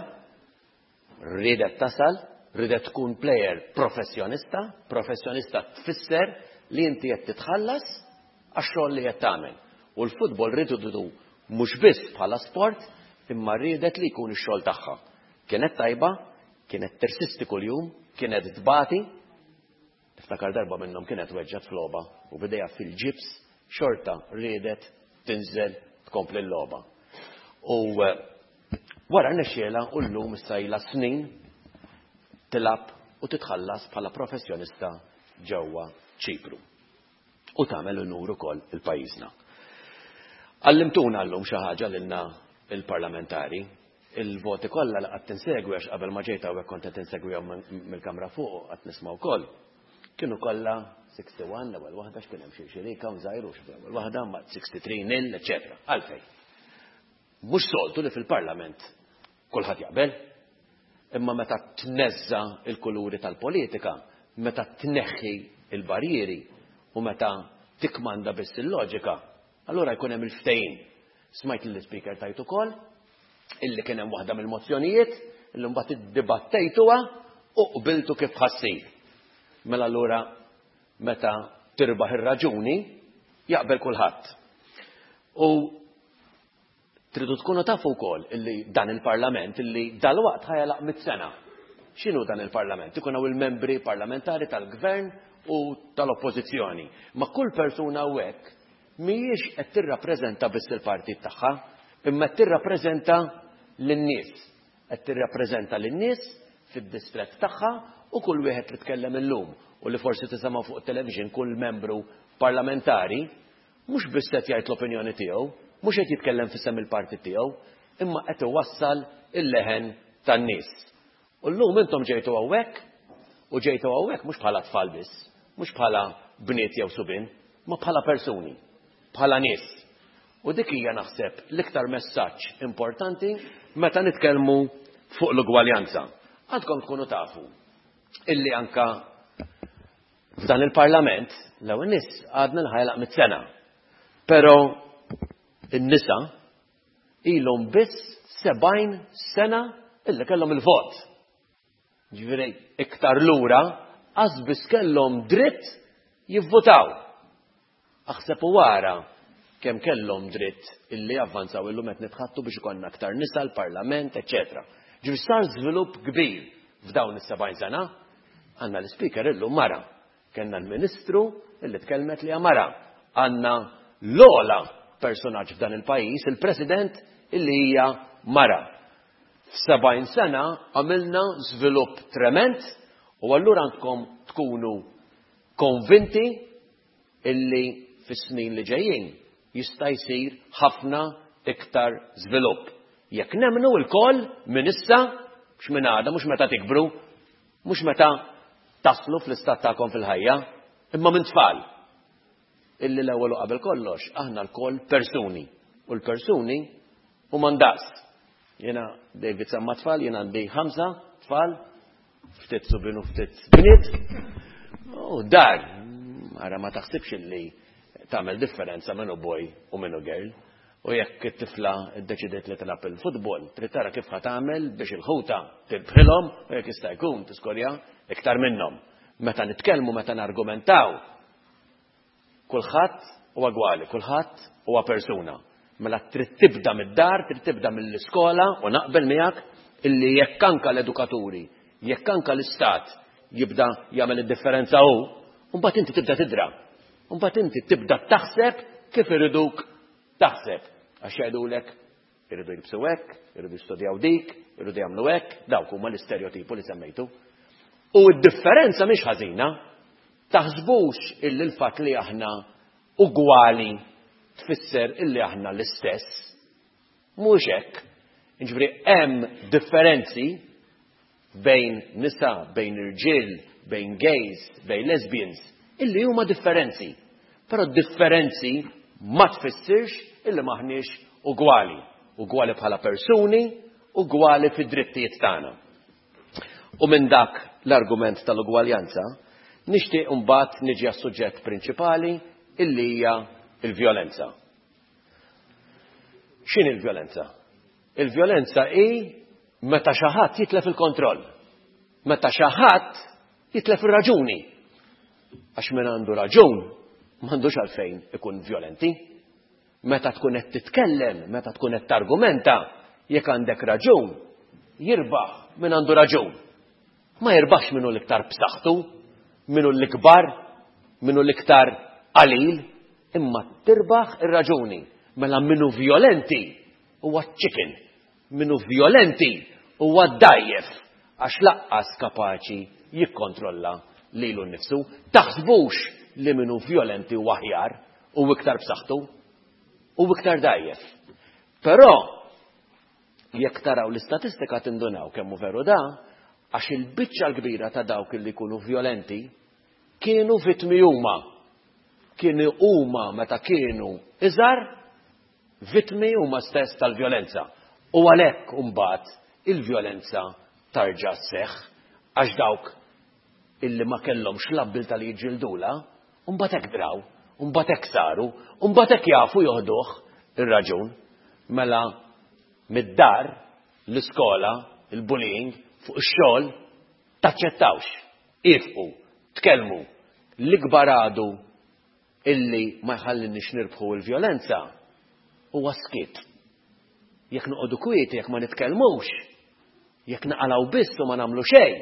riedet tasal, riedet tkun plejer professjonista, professjonista tfisser li inti qed titħallas għax-xogħol li qed tagħmel. U l-futbol riedu mhux biss bħala sport, imma riedet li jkun ix-xogħol tagħha. Kienet tajba, kienet tirsisti kuljum, kienet tbati. Niftakar darba minnhom kienet weġġgħet f'logħba u b'idejha fil-ġibs xorta riedet tinżel tkompli l-logħba. U eh, wara rnexxielha u llum issa ilha snin tilgħab u titħallas bħala professjonista ġewwa Ċipru. U tagħmel unur ukoll il-pajjiżna. Għallimtuna llum xi ħaġa lilna il-parlamentari. Il-voti kollha li qatt insegwi għax qabel ma ġejt hawnhekk kont qed insegwihom mill-kamra fuq u qatt nisma' wkoll. Kienu kollha 61 l-ewwel waħda x'kien hemm xi xi recount żgħir u xi l-ewwel waħda mbagħad 63 nil, eċetera. Għalfejn? Mhux soltu li fil-Parlament kulħadd jaqbel. Imma meta tneżża l-kuluri tal-politika, meta tneħħi l-barrieri u meta tikkmanda biss il-loġika, allura jkun hemm il-ftehim. Smajt lill-Ispeaker tgħid ukoll illi kien hemm waħda mill-mozzjonijiet illi mbagħad iddibattejtuha u qbiltu kif ħassir. Mela allura Meta tirbaħ ir-raġuni, jaqbel kulħadd. U tridu tkunu tafu wkoll illi dan il-Parlament illi dalwaqt ħa jagħlaq mit-sena. X'inhu dan il-Parlament? Ikun hawn il-membri parlamentari tal-Gvern u tal-Oppożizzjoni. Ma kull persuna hawnhekk mhijiex qed tirrappreżenta biss il-partit tagħha, imma qed tirrappreżenta lin-nies. Qed tirrappreżenta lin-nies fid-distrett tagħha u kull wieħed li tkellem illum u li forsi tisimgħu fuq it-television kull membru parlamentari mhux biss qed jgħid l-opinjoni tiegħu, mhux qed jitkellem f'isem il-partit tiegħu, imma qed iwassal il-leħen tan-nies. U llum intom ġejtu hawnhekk u ġejtu hawnhekk mhux bħala tfal biss, mhux bħala bniet jew subien, ma bħala persuni, bħala nies. U dik hija naħseb l-iktar messaġġ importanti meta nitkellmu fuq l-ugwaljanza. Għandkom tkunu tafu illi anka f'dan il-parlament l-ewwel nies għadna l-ħajlaq mit-sena. Però in-nisa ilhom biss 70 sena illi kellhom il-vot. Ġifieri iktar lura qas biss kellhom dritt jivvotaw. Aħseb u ara kemm kellhom dritt illi javvanzaw illum qed nitħattu biex ikollna aktar nisa l-parlament, eċċetera. Ġifieri sar żvilupp kbir f'dawn is-70 sena. Għandna l-ispeaker illum mara. Kellna l-Ministru illi tkellmet li mara. Għandna l-ogħla personaġġ f'dan il-pajjiż, il-President illi hija mara. F'sebgħin sena għamilna żvilupp trement u allura għandkom tkunu konvinti illi fis-snin li ġejjin jista' jsir ħafna iktar żvilupp. Jekk nemmnu lkoll minn issa, mhux minn għada, mhux meta tikbru, mhux meta taslu fl-istat tagħkom fil-ħajja, imma minn tfal. Illi l-ewwel u qabel kollox aħna lkoll persuni u l-persuni huma ndaqs. Jiena David semma tfal, jiena għandi ħamsa tfal, ftit subien u ftit bniet. U dar, ara ma taħsibx illi tagħmel differenza minnu boy u minnu girl. U jekk it-tifla ddeċidiet li tilgħab il-futbol, trid tara kif ħa tagħmel biex il-ħuta tirbħilhom u jekk jista' jkun tiskorja iktar minnhom. Meta nitkellmu, meta nargumentaw, Kulħadd huwa gwali, kulħadd huwa persuna. Mela trid tibda mid-dar, trid tibda mill-iskola u naqbel miegħek illi jekk anka l-edukaturi, jekk anka l-istat jibda jagħmel id-differenza hu, mbagħad inti tibda tidra. Mbagħad inti tibda taħseb kif iriduk taħseb. Għax jgħidulek Iridu jilbsu hekk, iridu jistudjaw dik, iridu jagħmlu hekk, dawk huma l-istereotipu li semmejtu. U d-differenza mhix ħażina. Taħsbux illi l-fatt li aħna ugwali tfisser illi aħna l-istess. Mhux hekk. Jiġifieri hemm differenzi bejn nisa, bejn irġiel, bejn gays, bejn lesbians, illi huma differenzi. Però differenzi ma tfissirx illi m'aħniex ugwali. Ugwali bħala persuni, ugwali fid-drittijiet tagħna. U minn dak l-argument tal-ugwaljanza, nixtieq imbagħad niġi għas-suġġett prinċipali illi hija l-vjolenza. X'inhi l-vjolenza? Il-vjolenza hi meta xi ħadd jitlef il-kontroll. Meta xi ħadd jitlef ir-raġuni. Għax min għandu raġun m'għandux għalfejn ikun vjolenti. Meta tkun qed titkellem, meta tkun qed targumenta, jekk għandek raġun, jirbaħ min għandu raġun. Ma jirbaħx min hu l-iktar b'saħħtu, min hu l-ikbar, min hu l-iktar qalil, imma tirbaħ ir-raġuni. Mela min hu vjolenti huwa chicken, min hu vjolenti huwa dgħajjef għax laqqas kapaċi jikkontrolla lilu nnifsu. Taħsbux li min hu vjolenti huwa aħjar u iktar b'saħħtu u iktar dgħajjef. Però Jekk taraw l-istatistika tindunaw kemm hu veru da, għax il-biċċa l-kbira ta' dawk li jkunu vjolenti kienu vittmi huma. Kienu huma meta kienu iżgħar vittmi huma stess tal-vjolenza. U għalhekk imbagħad il-vjolenza tarġa' sseħħ għax dawk illi ma kellhomx l-abbiltà li jiġġildulha, mbagħad hekk draw, mbagħad hekk saru, mbagħad hekk jafu joħduh ir-raġun. Mela mid-dar, l-iskola, il-bullying, fuq ix-xogħol, taċċettawx. Ifqu, tkellmu. L-ikbar għadu illi ma jħallinniex nirbħu l-vjolenza huwa s-skiet. Jekk noqogħdu kwieti, jekk ma nitkellmux, jekk naqalgħu biss u ma nagħmlu xejn,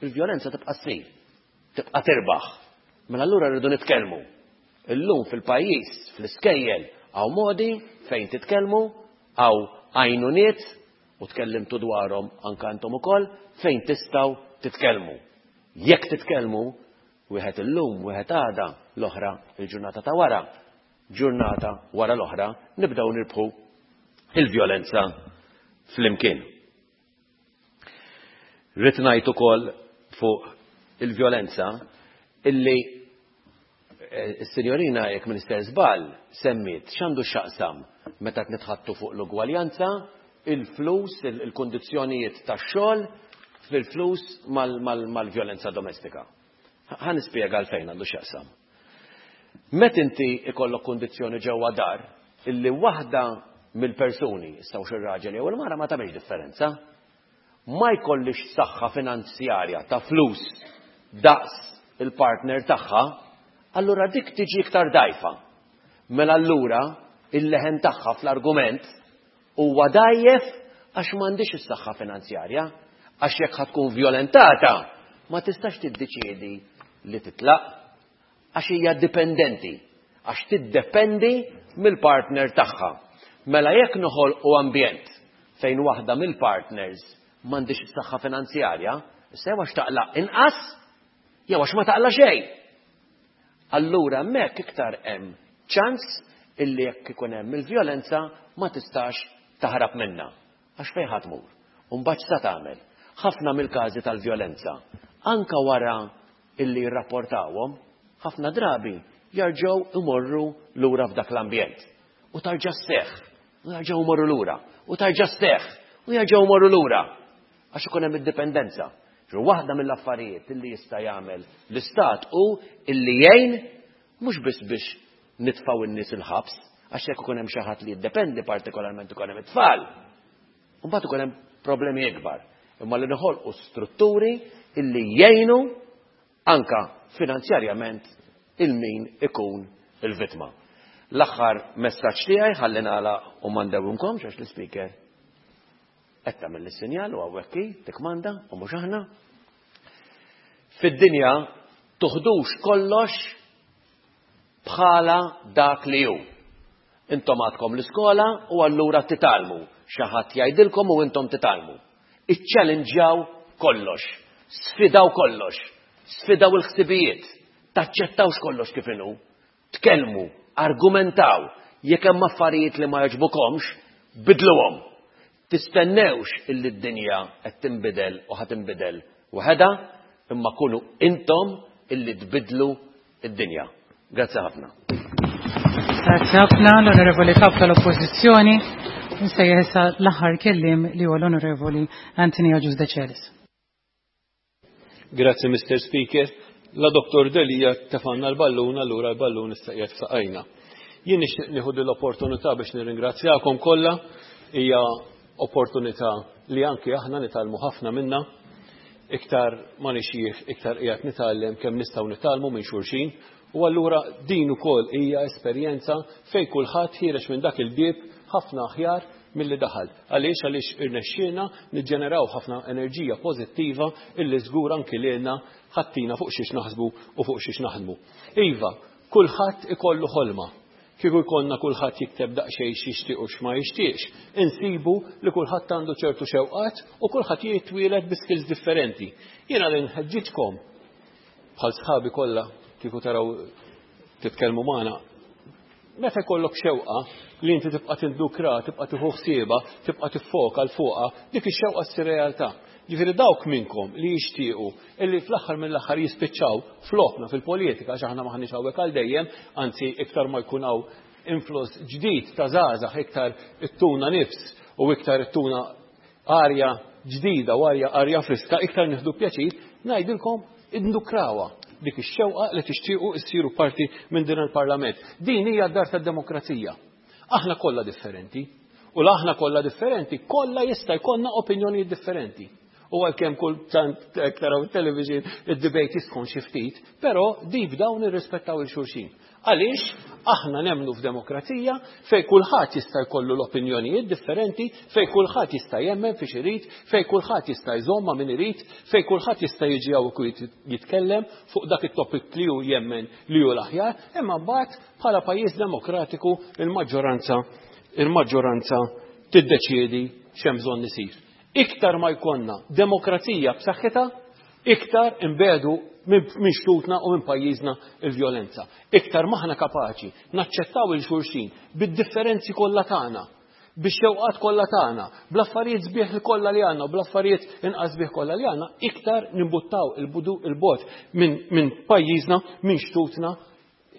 il-vjolenza tibqa' ssir, tibqa' tirbaħ. Mela allura rridu nitkellmu. Illum fil-pajjiż, fl-iskejjel, hawn modi fejn titkellmu, hawn għajnuniet u tkellimtu dwarhom anke intom ukoll fejn tistgħu titkellmu. Jekk titkellmu, wieħed illum, wieħed għada, l-oħra il-ġurnata ta' wara, ġurnata wara l-oħra, nibdew nirbħu il-vjolenza flimkien. Rrid ngħid ukoll fuq il-vjolenza illi eh, s-sinjorina jekk Minister żball semmiet x'għandu x'jaqsam meta qed nitħattu fuq l-ugwaljanza, il-flus, il-kundizzjonijiet tax-xogħol fil-flus mal-vjolenza domestika. Ħa nispjega għalfejn għandu x'jaqsam. Met inti ikollok kundizzjoni ġewwa dar illi waħda mill-persuni, issa hux ir-raġel jew il-mara ma tagħmilx differenza, ma jkollix saħħa finanzjarja ta' flus daqs il-partner tagħha, allura dik tiġi iktar dgħajfa. Mela allura il-leħen tagħha fl-argument huwa dgħajjef għax m'għandhiex is-saħħa finanzjarja, għax jekk ħa tkun vjolentata ma tistax tiddeċiedi li titlaq għax hija dipendenti, għax tiddependi mill-partner tagħha. Mela jekk noħolqu ambjent fejn waħda mill-partners m'għandhiex is-saħħa finanzjarja, issa jew għax taqla' inqas jew għax ma taqla' xejn. Allura hemmhekk iktar hemm ċans illi jekk ikun hemm il-vjolenza ma tistax taħrab minnha. Għax fejn ħa tmur? U mbagħad x'sa tagħmel? Ħafna mill-każi tal-vjolenza, anke wara illi jirrapportawhom, ħafna drabi jarġgħu imorru lura f'dak l-ambjent. U tarġa' sseħħ, u jarġgħu imorru lura, u tarġa' sseħħ, u jarġgħu imorru lura. Għax ikun hemm id-dipendenza. Ġu waħda mill-affarijiet illi jista' jagħmel l-istat hu illi jgħin mhux biss biex nitfgħu n-nies il-ħabs, għax jekk ikun hemm xi ħadd li jiddependi partikolarment ikun hemm it-tfal. Imbagħad ikun hemm problemi ikbar. Imma li noħolqu strutturi illi jgħinu anka finanzjarjament il-min ikun il-vittma. L-aħħar messaġġ tiegħi ħalli nagħlaq u ma ndewwimkomx għax l-ispeaker qed tagħmel is-sinjal u hawnhekk hi tikkmanda u mhux aħna. Fid-dinja tuħdux kollox bħala dak li hu. Intom għadkom l-iskola u allura titgħallmu. Xi ħadd jgħidilkom u intom titgħallmu. Iċċellinġjaw kollox, sfidaw kollox, sfidaw il-ħsibijiet, taċċettawx kollox kif inhu. Tkellmu, argumentaw, jekk hemm affarijiet li ma jogħġbukomx, bidluhom. Tistennewx illi d-dinja qed tinbidel u ħa tinbidel waħedha, imma kunu intom illi tbiddlu d-dinja. Grazzi ħafna. Grazzi ħafna l-Onorevoli Kap tal-Oppożizzjoni. Nsejjaħ issa l-aħħar kelliem li huwa l-Onorevoli Anthony Agius Decelis. Grazzi Mr. Speaker. La Dottor Delia tefanna l-ballun, allura l-ballun issa qiegħed f'saqajna. Jien nixtieq nieħu din l-opportunità biex nirringrazzjakom kollha. Hija opportunità li anki aħna nitgħallmu ħafna minnha. Iktar ma nixjieħ, iktar qiegħed nitgħallem kemm nistgħu nitgħallmu minn xulxin. U allura din ukoll hija esperjenza fejn kulħadd ħiereġ minn dak il-bieb ħafna aħjar milli daħal. Għaliex? Għaliex irnexxielna niġġeneraw ħafna enerġija pożittiva illi żgur anki lilna ħattina fuq xiex naħsbu u fuq xiex naħdmu. Iva, kulħadd ikollu ħolma. Kieku jkollna kulħadd jikteb daqsxejn x'jixtieq u x'ma jixtieqx, insibu li kulħadd għandu ċertu xewqat u kulħadd jitwieled bi skills differenti. Jiena li nħeġġiġkom bħal sħabi kollha kieku taraw titkellmu magħna Meta jkollok xewqa li inti tibqa' tindukra, tibqa' tieħu ħsiebha, tibqa' tiffoka l fuqha, dik ix-xewqa ssir realtà. Ġifieri dawk minnkom li jixtiequ illi fl-aħħar mill-aħħar jispiċċaw flokna fil-politika għax aħna m'aħniex hawnhekk għal dejjem, anzi iktar ma jkun hawn influss ġdid ta' żgħażagħ iktar ittuna nifs u iktar ittuna arja ġdida u arja arja friska, iktar nieħdu pjaċir, ngħidilkom indukrawha dik ix-xewqa li tixtiequ issiru parti minn din il-Parlament. Din hija d-dar tad-demokrazija. Aħna kollha differenti. U la aħna kollha differenti, kollha jista' jkollna opinjonijiet differenti. U għalkemm kultant taraw it-television id-debate jisħon xi ftit, però deep down nirrispettaw il xulxin. Għaliex aħna nemmnu f'demokrazija fejn kulħadd jista' jkollu l-opinjonijiet differenti, fejn kulħadd jista' jemmen fiex irid, fejn kulħadd jista' jżomm ma' min irid, fejn kulħadd jista' jiġi hawn u jitkellem fuq dak it-topic li hu jemmen li hu l-aħjar, imma mbagħad bħala pajjiż demokratiku il-maġġoranza il-maġġoranza tiddeċiedi x'hemm bżonn isir. Iktar ma jkollna demokrazija b'saħħitha, iktar inbiegħdu minn xtutna u minn pajjiżna il-vjolenza. Iktar m'aħna kapaċi naċċettaw il xulxin bid-differenzi kollha tagħna, bix-xewqat kollha tagħna, bl-affarijiet sbieħ kollha li għandna u bl-affarijiet inqas sbieħ kollha li għandna, iktar nimbuttaw il-bogħod minn pajjiżna, minn xtutna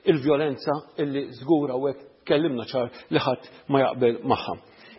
il-vjolenza illi żgur hawnhekk tkellimna ċar li ħadd ma jaqbel magħha.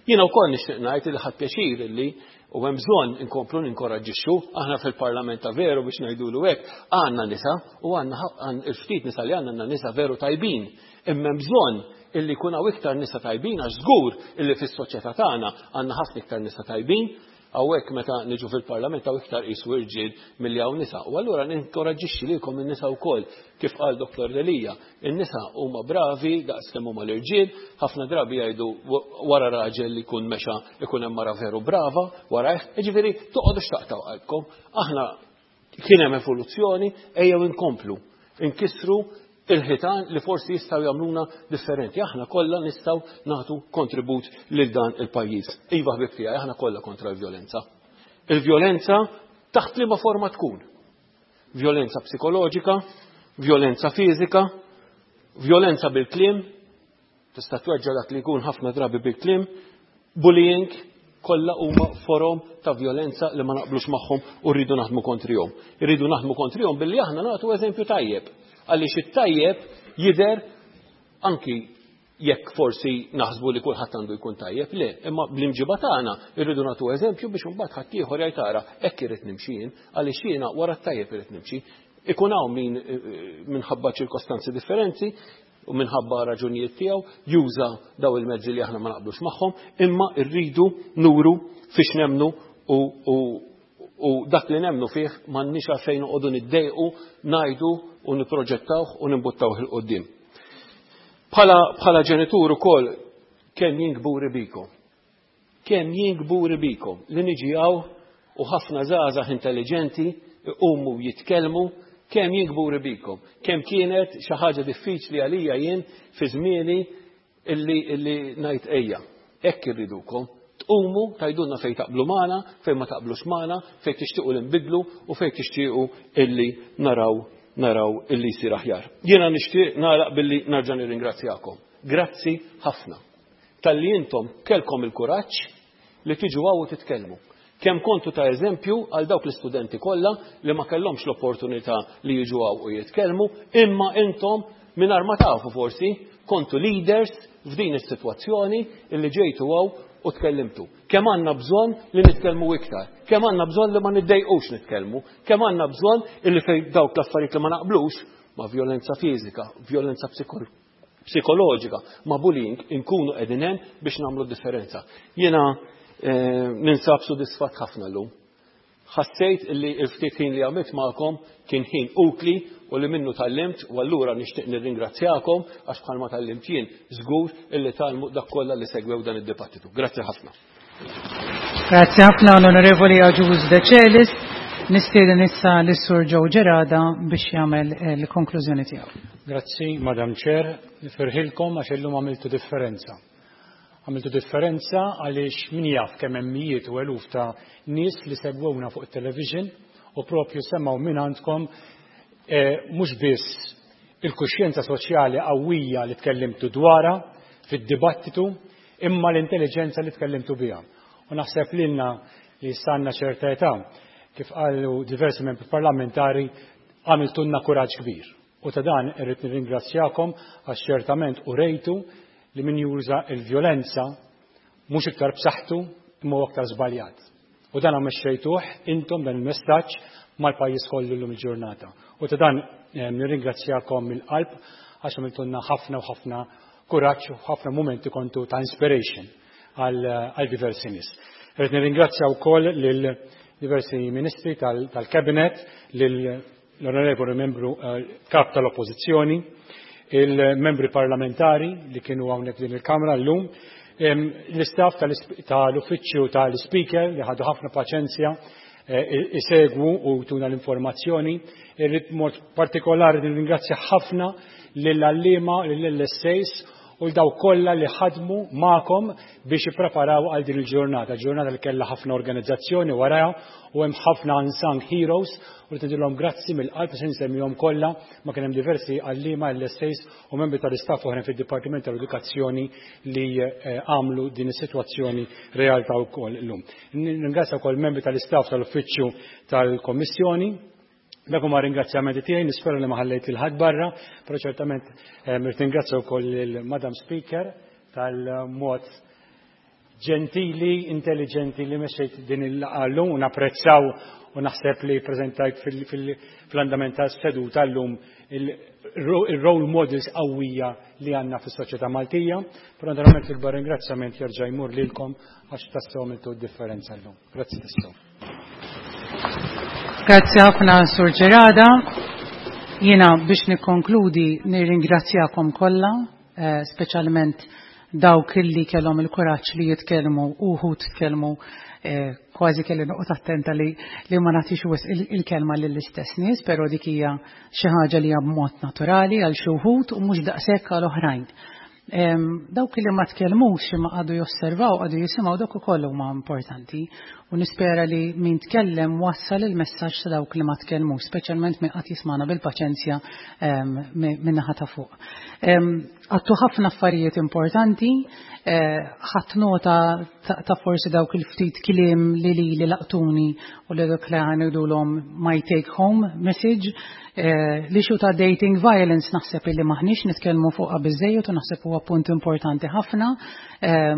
Jiena wkoll nixtieq ngħid li ħadd pjaċir illi u hemm bżonn inkomplu ninkoraġġixxu aħna fil-Parlament ta' veru biex ngħidulu hekk għandna nisa u għandna il-ftit nisa li għandna għandna nisa veru tajbin. Imma hemm bżonn illi jkun hawn iktar nisa tajbin għax żgur illi fis-soċjetà tagħna għandna ħafna iktar nisa tajbin Hawnhekk meta niġu fil-Parlament hawn iktar qisu irġiel milli hawn nisa. U allura ninkoraġġixxi lilkom in-nisa wkoll, kif qal Dottor Delia, in-nisa huma bravi daqs kemm huma l-irġiel, ħafna drabi jgħidu wara raġel li jkun mexa ikun hemm mara veru brava warajh, jiġifieri toqgħodux taqtgħu qalbkom. Aħna Kien hemm evoluzzjoni, ejjew inkomplu nkissru il-ħitan li forsi jistgħu jagħmluna differenti. Aħna kollha nistgħu nagħtu kontribut lil dan il-pajjiż. Iva ħbib tiegħi, aħna kollha kontra l-vjolenza. Il-vjolenza taħt liema forma tkun. Vjolenza psikoloġika, vjolenza fiżika, vjolenza bil-kliem, Tista' tweġġa' dak li jkun ħafna drabi bil-kliem, bullying, kollha huma forom ta' vjolenza li ma naqblux magħhom u rridu naħdmu kontrihom. Irridu naħdmu kontrihom billi aħna nagħtu eżempju tajjeb. Għaliex it-tajjeb jidher anki jekk forsi naħsbu li kulħadd għandu jkun tajjeb, le, imma bl-imġiba tagħna irridu nagħtu eżempju biex imbagħad ħaddieħor jgħid ara hekk irid nimxi jien, għaliex jiena wara t-tajjeb irid nimxi. Ikun hawn min eh, minħabba ċirkostanzi differenti u minħabba raġunijiet tiegħu juża daw il-mezzi li aħna ma naqblux magħhom, imma rridu nuru fiex nemnu u, u, u dak li nemnu fih m'għandniex għalfejn noqogħdu niddejqu, ngħidu u nipproġettawh u nimbuttawh il qudiem. Bħala, bħala ġenitur ukoll kemm jien kburi bikom. Kemm jien kburi bikom li niġi hawn u ħafna żgħażagħ intelliġenti iqumu jitkellmu, kemm jien kburi bikom. Kemm kienet xi ħaġa diffiċli għalija jien fi żmieni illi illi ngħid ejja, hekk irridukom. Tqumu tgħidulna fejn taqblu magħna, fejn ma taqblux magħna, fejn tixtiequ li nbiddlu u fejn tixtiequ illi naraw naraw illi jsir aħjar. Jiena nixtieq nagħlaq billi narġa' nirringrazzjakom. Grazzi ħafna. Talli intom kellkom il-kuraġġ li tiġu hawn u titkellmu. Kemm kontu ta' eżempju għal dawk l-istudenti kollha li ma kellhomx l-opportunità li jiġu hawn u jitkellmu, imma intom mingħajr ma tafu forsi kontu leaders f'din is-sitwazzjoni illi ġejtu hawn u tkellimtu. Kemm għandna bżonn li nitkellmu iktar, kemm għandna bżonn li ma niddejqux nitkellmu, kemm għandna bżonn illi fejn dawk l-affarijiet li ma naqblux ma' vjolenza fiżika, vjolenza psikoloġika ma' bullying inkunu qegħdin hemm biex nagħmlu differenza. Jiena eh, ninsab sodisfatt ħafna llum. Ħassejt li l-ftit ħin li għamilt magħkom kien ħin utli u li minnu tallimt u allura nixtieq nirringrazzjakom għax bħalma tallimt jien żgur illi tgħallmu dak kollha li segwew dan id-dibattitu. Grazzi ħafna. Grazzi ħafna l-Onorevoli Agius De Celis. Nistieden issa lis-Sur Joe Gerada biex jagħmel il-konklużjoni tiegħu. Grazzi, Madam Chair. Nifirħilkom għax illum għamiltu differenza. Għamiltu differenza għaliex min jaf kemm hemm mijiet u eluf ta' nies li segwewna fuq it-television u propju semgħu minn għandkom eh, mhux biss il-kuxjenza soċjali qawwija li tkellimtu dwarha fid-dibattitu imma l-intelliġenza li tkellimtu biha. U naħseb lilna li issa għandna ċerta età, kif qalu diversi membri parlamentari, għamiltulna kuraġġ kbir. U ta' dan irrid nirringrazzjakom għax ċertament urejtu li min juża l-vjolenza mhux iktar b'saħħtu imma huwa aktar żbaljat. U dan mexxejtuh intom dan il-messaġġ mal-pajjiż kollu llum il-ġurnata. U ta' dan eh, nirringrazzjakom mill-qalb għax għamiltulna ħafna u ħafna kuraġġ u ħafna mumenti kontu ta' inspiration għal diversi nies. Rrid nirringrazzja wkoll lil diversi ministri tal-Cabinet, l-Onorevoli Membru Kap tal-Oppożizzjoni, il-membri parlamentari li kienu hawnhekk din il-Kamra llum, l-istaff tal-uffiċċju tal-Speaker li ħadu ħafna paċenzja isegwu u tuna l-informazzjoni. Irrid mod partikolari nirringrazzja ħafna lill-għalliema, lill-LSAs u l-daw kollha li ħadmu magħkom biex ippreparaw għal din il-ġurnata, ġurnata li kellha ħafna organizzazzjoni warajha u hemm ħafna unsung heroes u li tidilhom grazzi mill-qalb se nsemmihom kollha, ma kien hemm diversi għalliema, LSAs u membri tal-istaff oħrajn fid-Dipartiment tal-Edukazzjoni li għamlu din is-sitwazzjoni realtà wkoll illum. Nringrazzja wkoll membri tal-istaff tal-Uffiċċju tal-Kommissjoni. Dak huma ringrazzjamenti tiegħi, nispera li ma ħallejt lil ħadd barra, però ċertament irrid ningrazzja wkoll lil Madam Speaker tal-mod ġentili, intelligenti li mexxejt din il-laqgħa llum u napprezzaw u naħseb li preżentajt fl-andament tas-seduta llum il-role models qawwija li għandna fis-soċjetà Maltija, però naturalment l-ikbar ringrazzjament jerġa' jmur lilkom għax tassew għamiltu d-differenza llum. Grazzi tassew. Grazzi ħafna Sur Ġerada. Jiena biex nikkonkludi nirringrazzjakom kollha, speċjalment dawk illi kellhom il-kuraġġ li jitkellmu u wħud tkellmu kważi kelli noqgħod attenta li li ma nagħtix wisq il-kelma lill-istess nies, però dik hija xi ħaġa li hija b'mod naturali għal xi wħud u mhux daqshekk għal oħrajn. Dawk li ma tkellmux imma qagħdu josservaw, qagħdu jisimgħu, dawk ukoll huma importanti. U nispera li min tkellem wassal il-messaġġ ta' dawk li ma tkellmux, speċjalment min qatt jismana bil-paċenzja min-naħa ta' fuq. Għattu ħafna affarijiet importanti, ħadd nota ta' forsi dawk il-ftit kliem li li laqtuni u li dak li ngħidulhom my take home message. L-issue ta' dating violence naħseb illi maħniex nitkellmu fuqha biżejjed u naħseb huwa punt importanti ħafna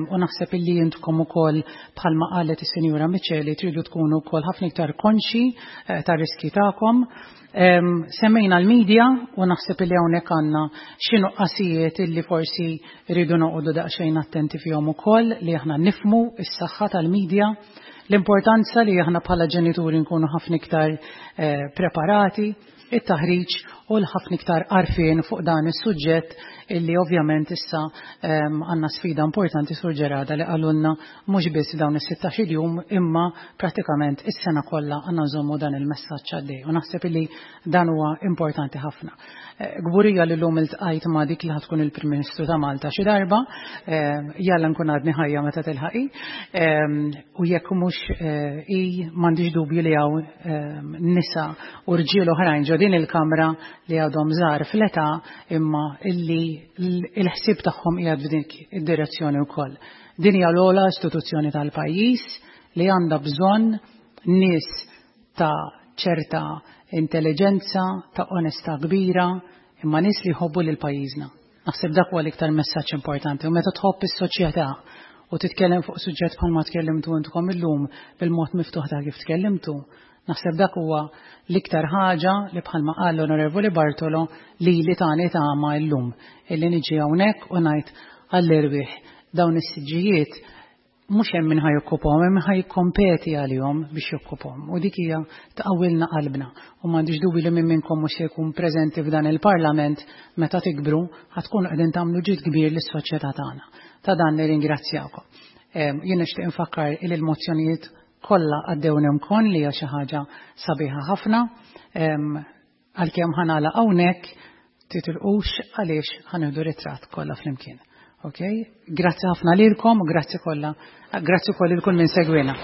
u naħseb illi intkom ukoll bħalma qalet is-Sinjura Micheli tridu tkunu wkoll ħafna iktar konxi tar-riski tagħkom. Semmejna l-media u naħseb illi hawnhekk għandna xi nuqqasijiet illi forsi rridu noqogħdu daqsxejn attenti fihom ukoll li aħna nifmu s-saħħa tal-media, l-importanza li aħna bħala ġenituri nkunu ħafna iktar preparati, it-taħriġ u l-ħafna iktar għarfien fuq dan is-suġġett illi ovvjament issa għandna sfida importanti Sur Ġerada li qalulna mhux biss dawn is-16 jum imma pratikament is-sena kollha għandna nżommu dan il-messaġġ għaddej u naħseb illi dan huwa importanti ħafna. Kburija li llum iltqajt ma' dik li ħatkun il-Prim Ministru ta' Malta xi darba, jalla nkun għadni ħajja meta tilħaqi, u jekk mhux hi m'għandix dubju li hawn nisa u rġiel oħrajn ġo din il-kamra li għadhom żgħar fl-età imma illi l-ħsieb tagħhom qiegħed f'dik id-direzzjoni wkoll. Din hija l-ogħla istituzzjoni tal-pajjiż li għandha bżonn nies ta' ċerta intelligenza, ta' onestà kbira, imma nies li jħobbu lil pajjiżna. Naħseb dak huwa l-iktar messaġġ importanti. U meta tħobb is-soċjetà u titkellem fuq suġġett bħalma tkellimtu intkom illum bil-mod miftuħ ta' kif tkellimtu, naħseb dak huwa l-iktar ħaġa li bħalma qal l-Onorevoli Bartolo li li tani tama llum illi niġi hawnhekk u ngħid għall-erwieħ dawn is-siġġijiet mhux hemm min ħa jokkupahom, hemm min ħa jikkompeti għalihom biex jokkupahom. U dik hija tqawwilna qalbna. U m'għandix dubju li min minnkom mhux se jkun preżenti f'dan il-Parlament meta tikbru ħa tkunu qegħdin tagħmlu ġid kbir lis-soċjetà tagħna. Ta' dan nirringrazzjakom. Jien nixtieq infakkar li l-mozzjonijiet kollha għaddew nemkon li hija xi ħaġa sabiħa ħafna. Għalkemm ħa nagħlaq hawnhekk, titilqux għaliex ħa nieħdu ritratt kollha flimkien. Ok? Grazzi ħafna lilkom u grazzi kollha, grazzi wkoll lil kull min segwina.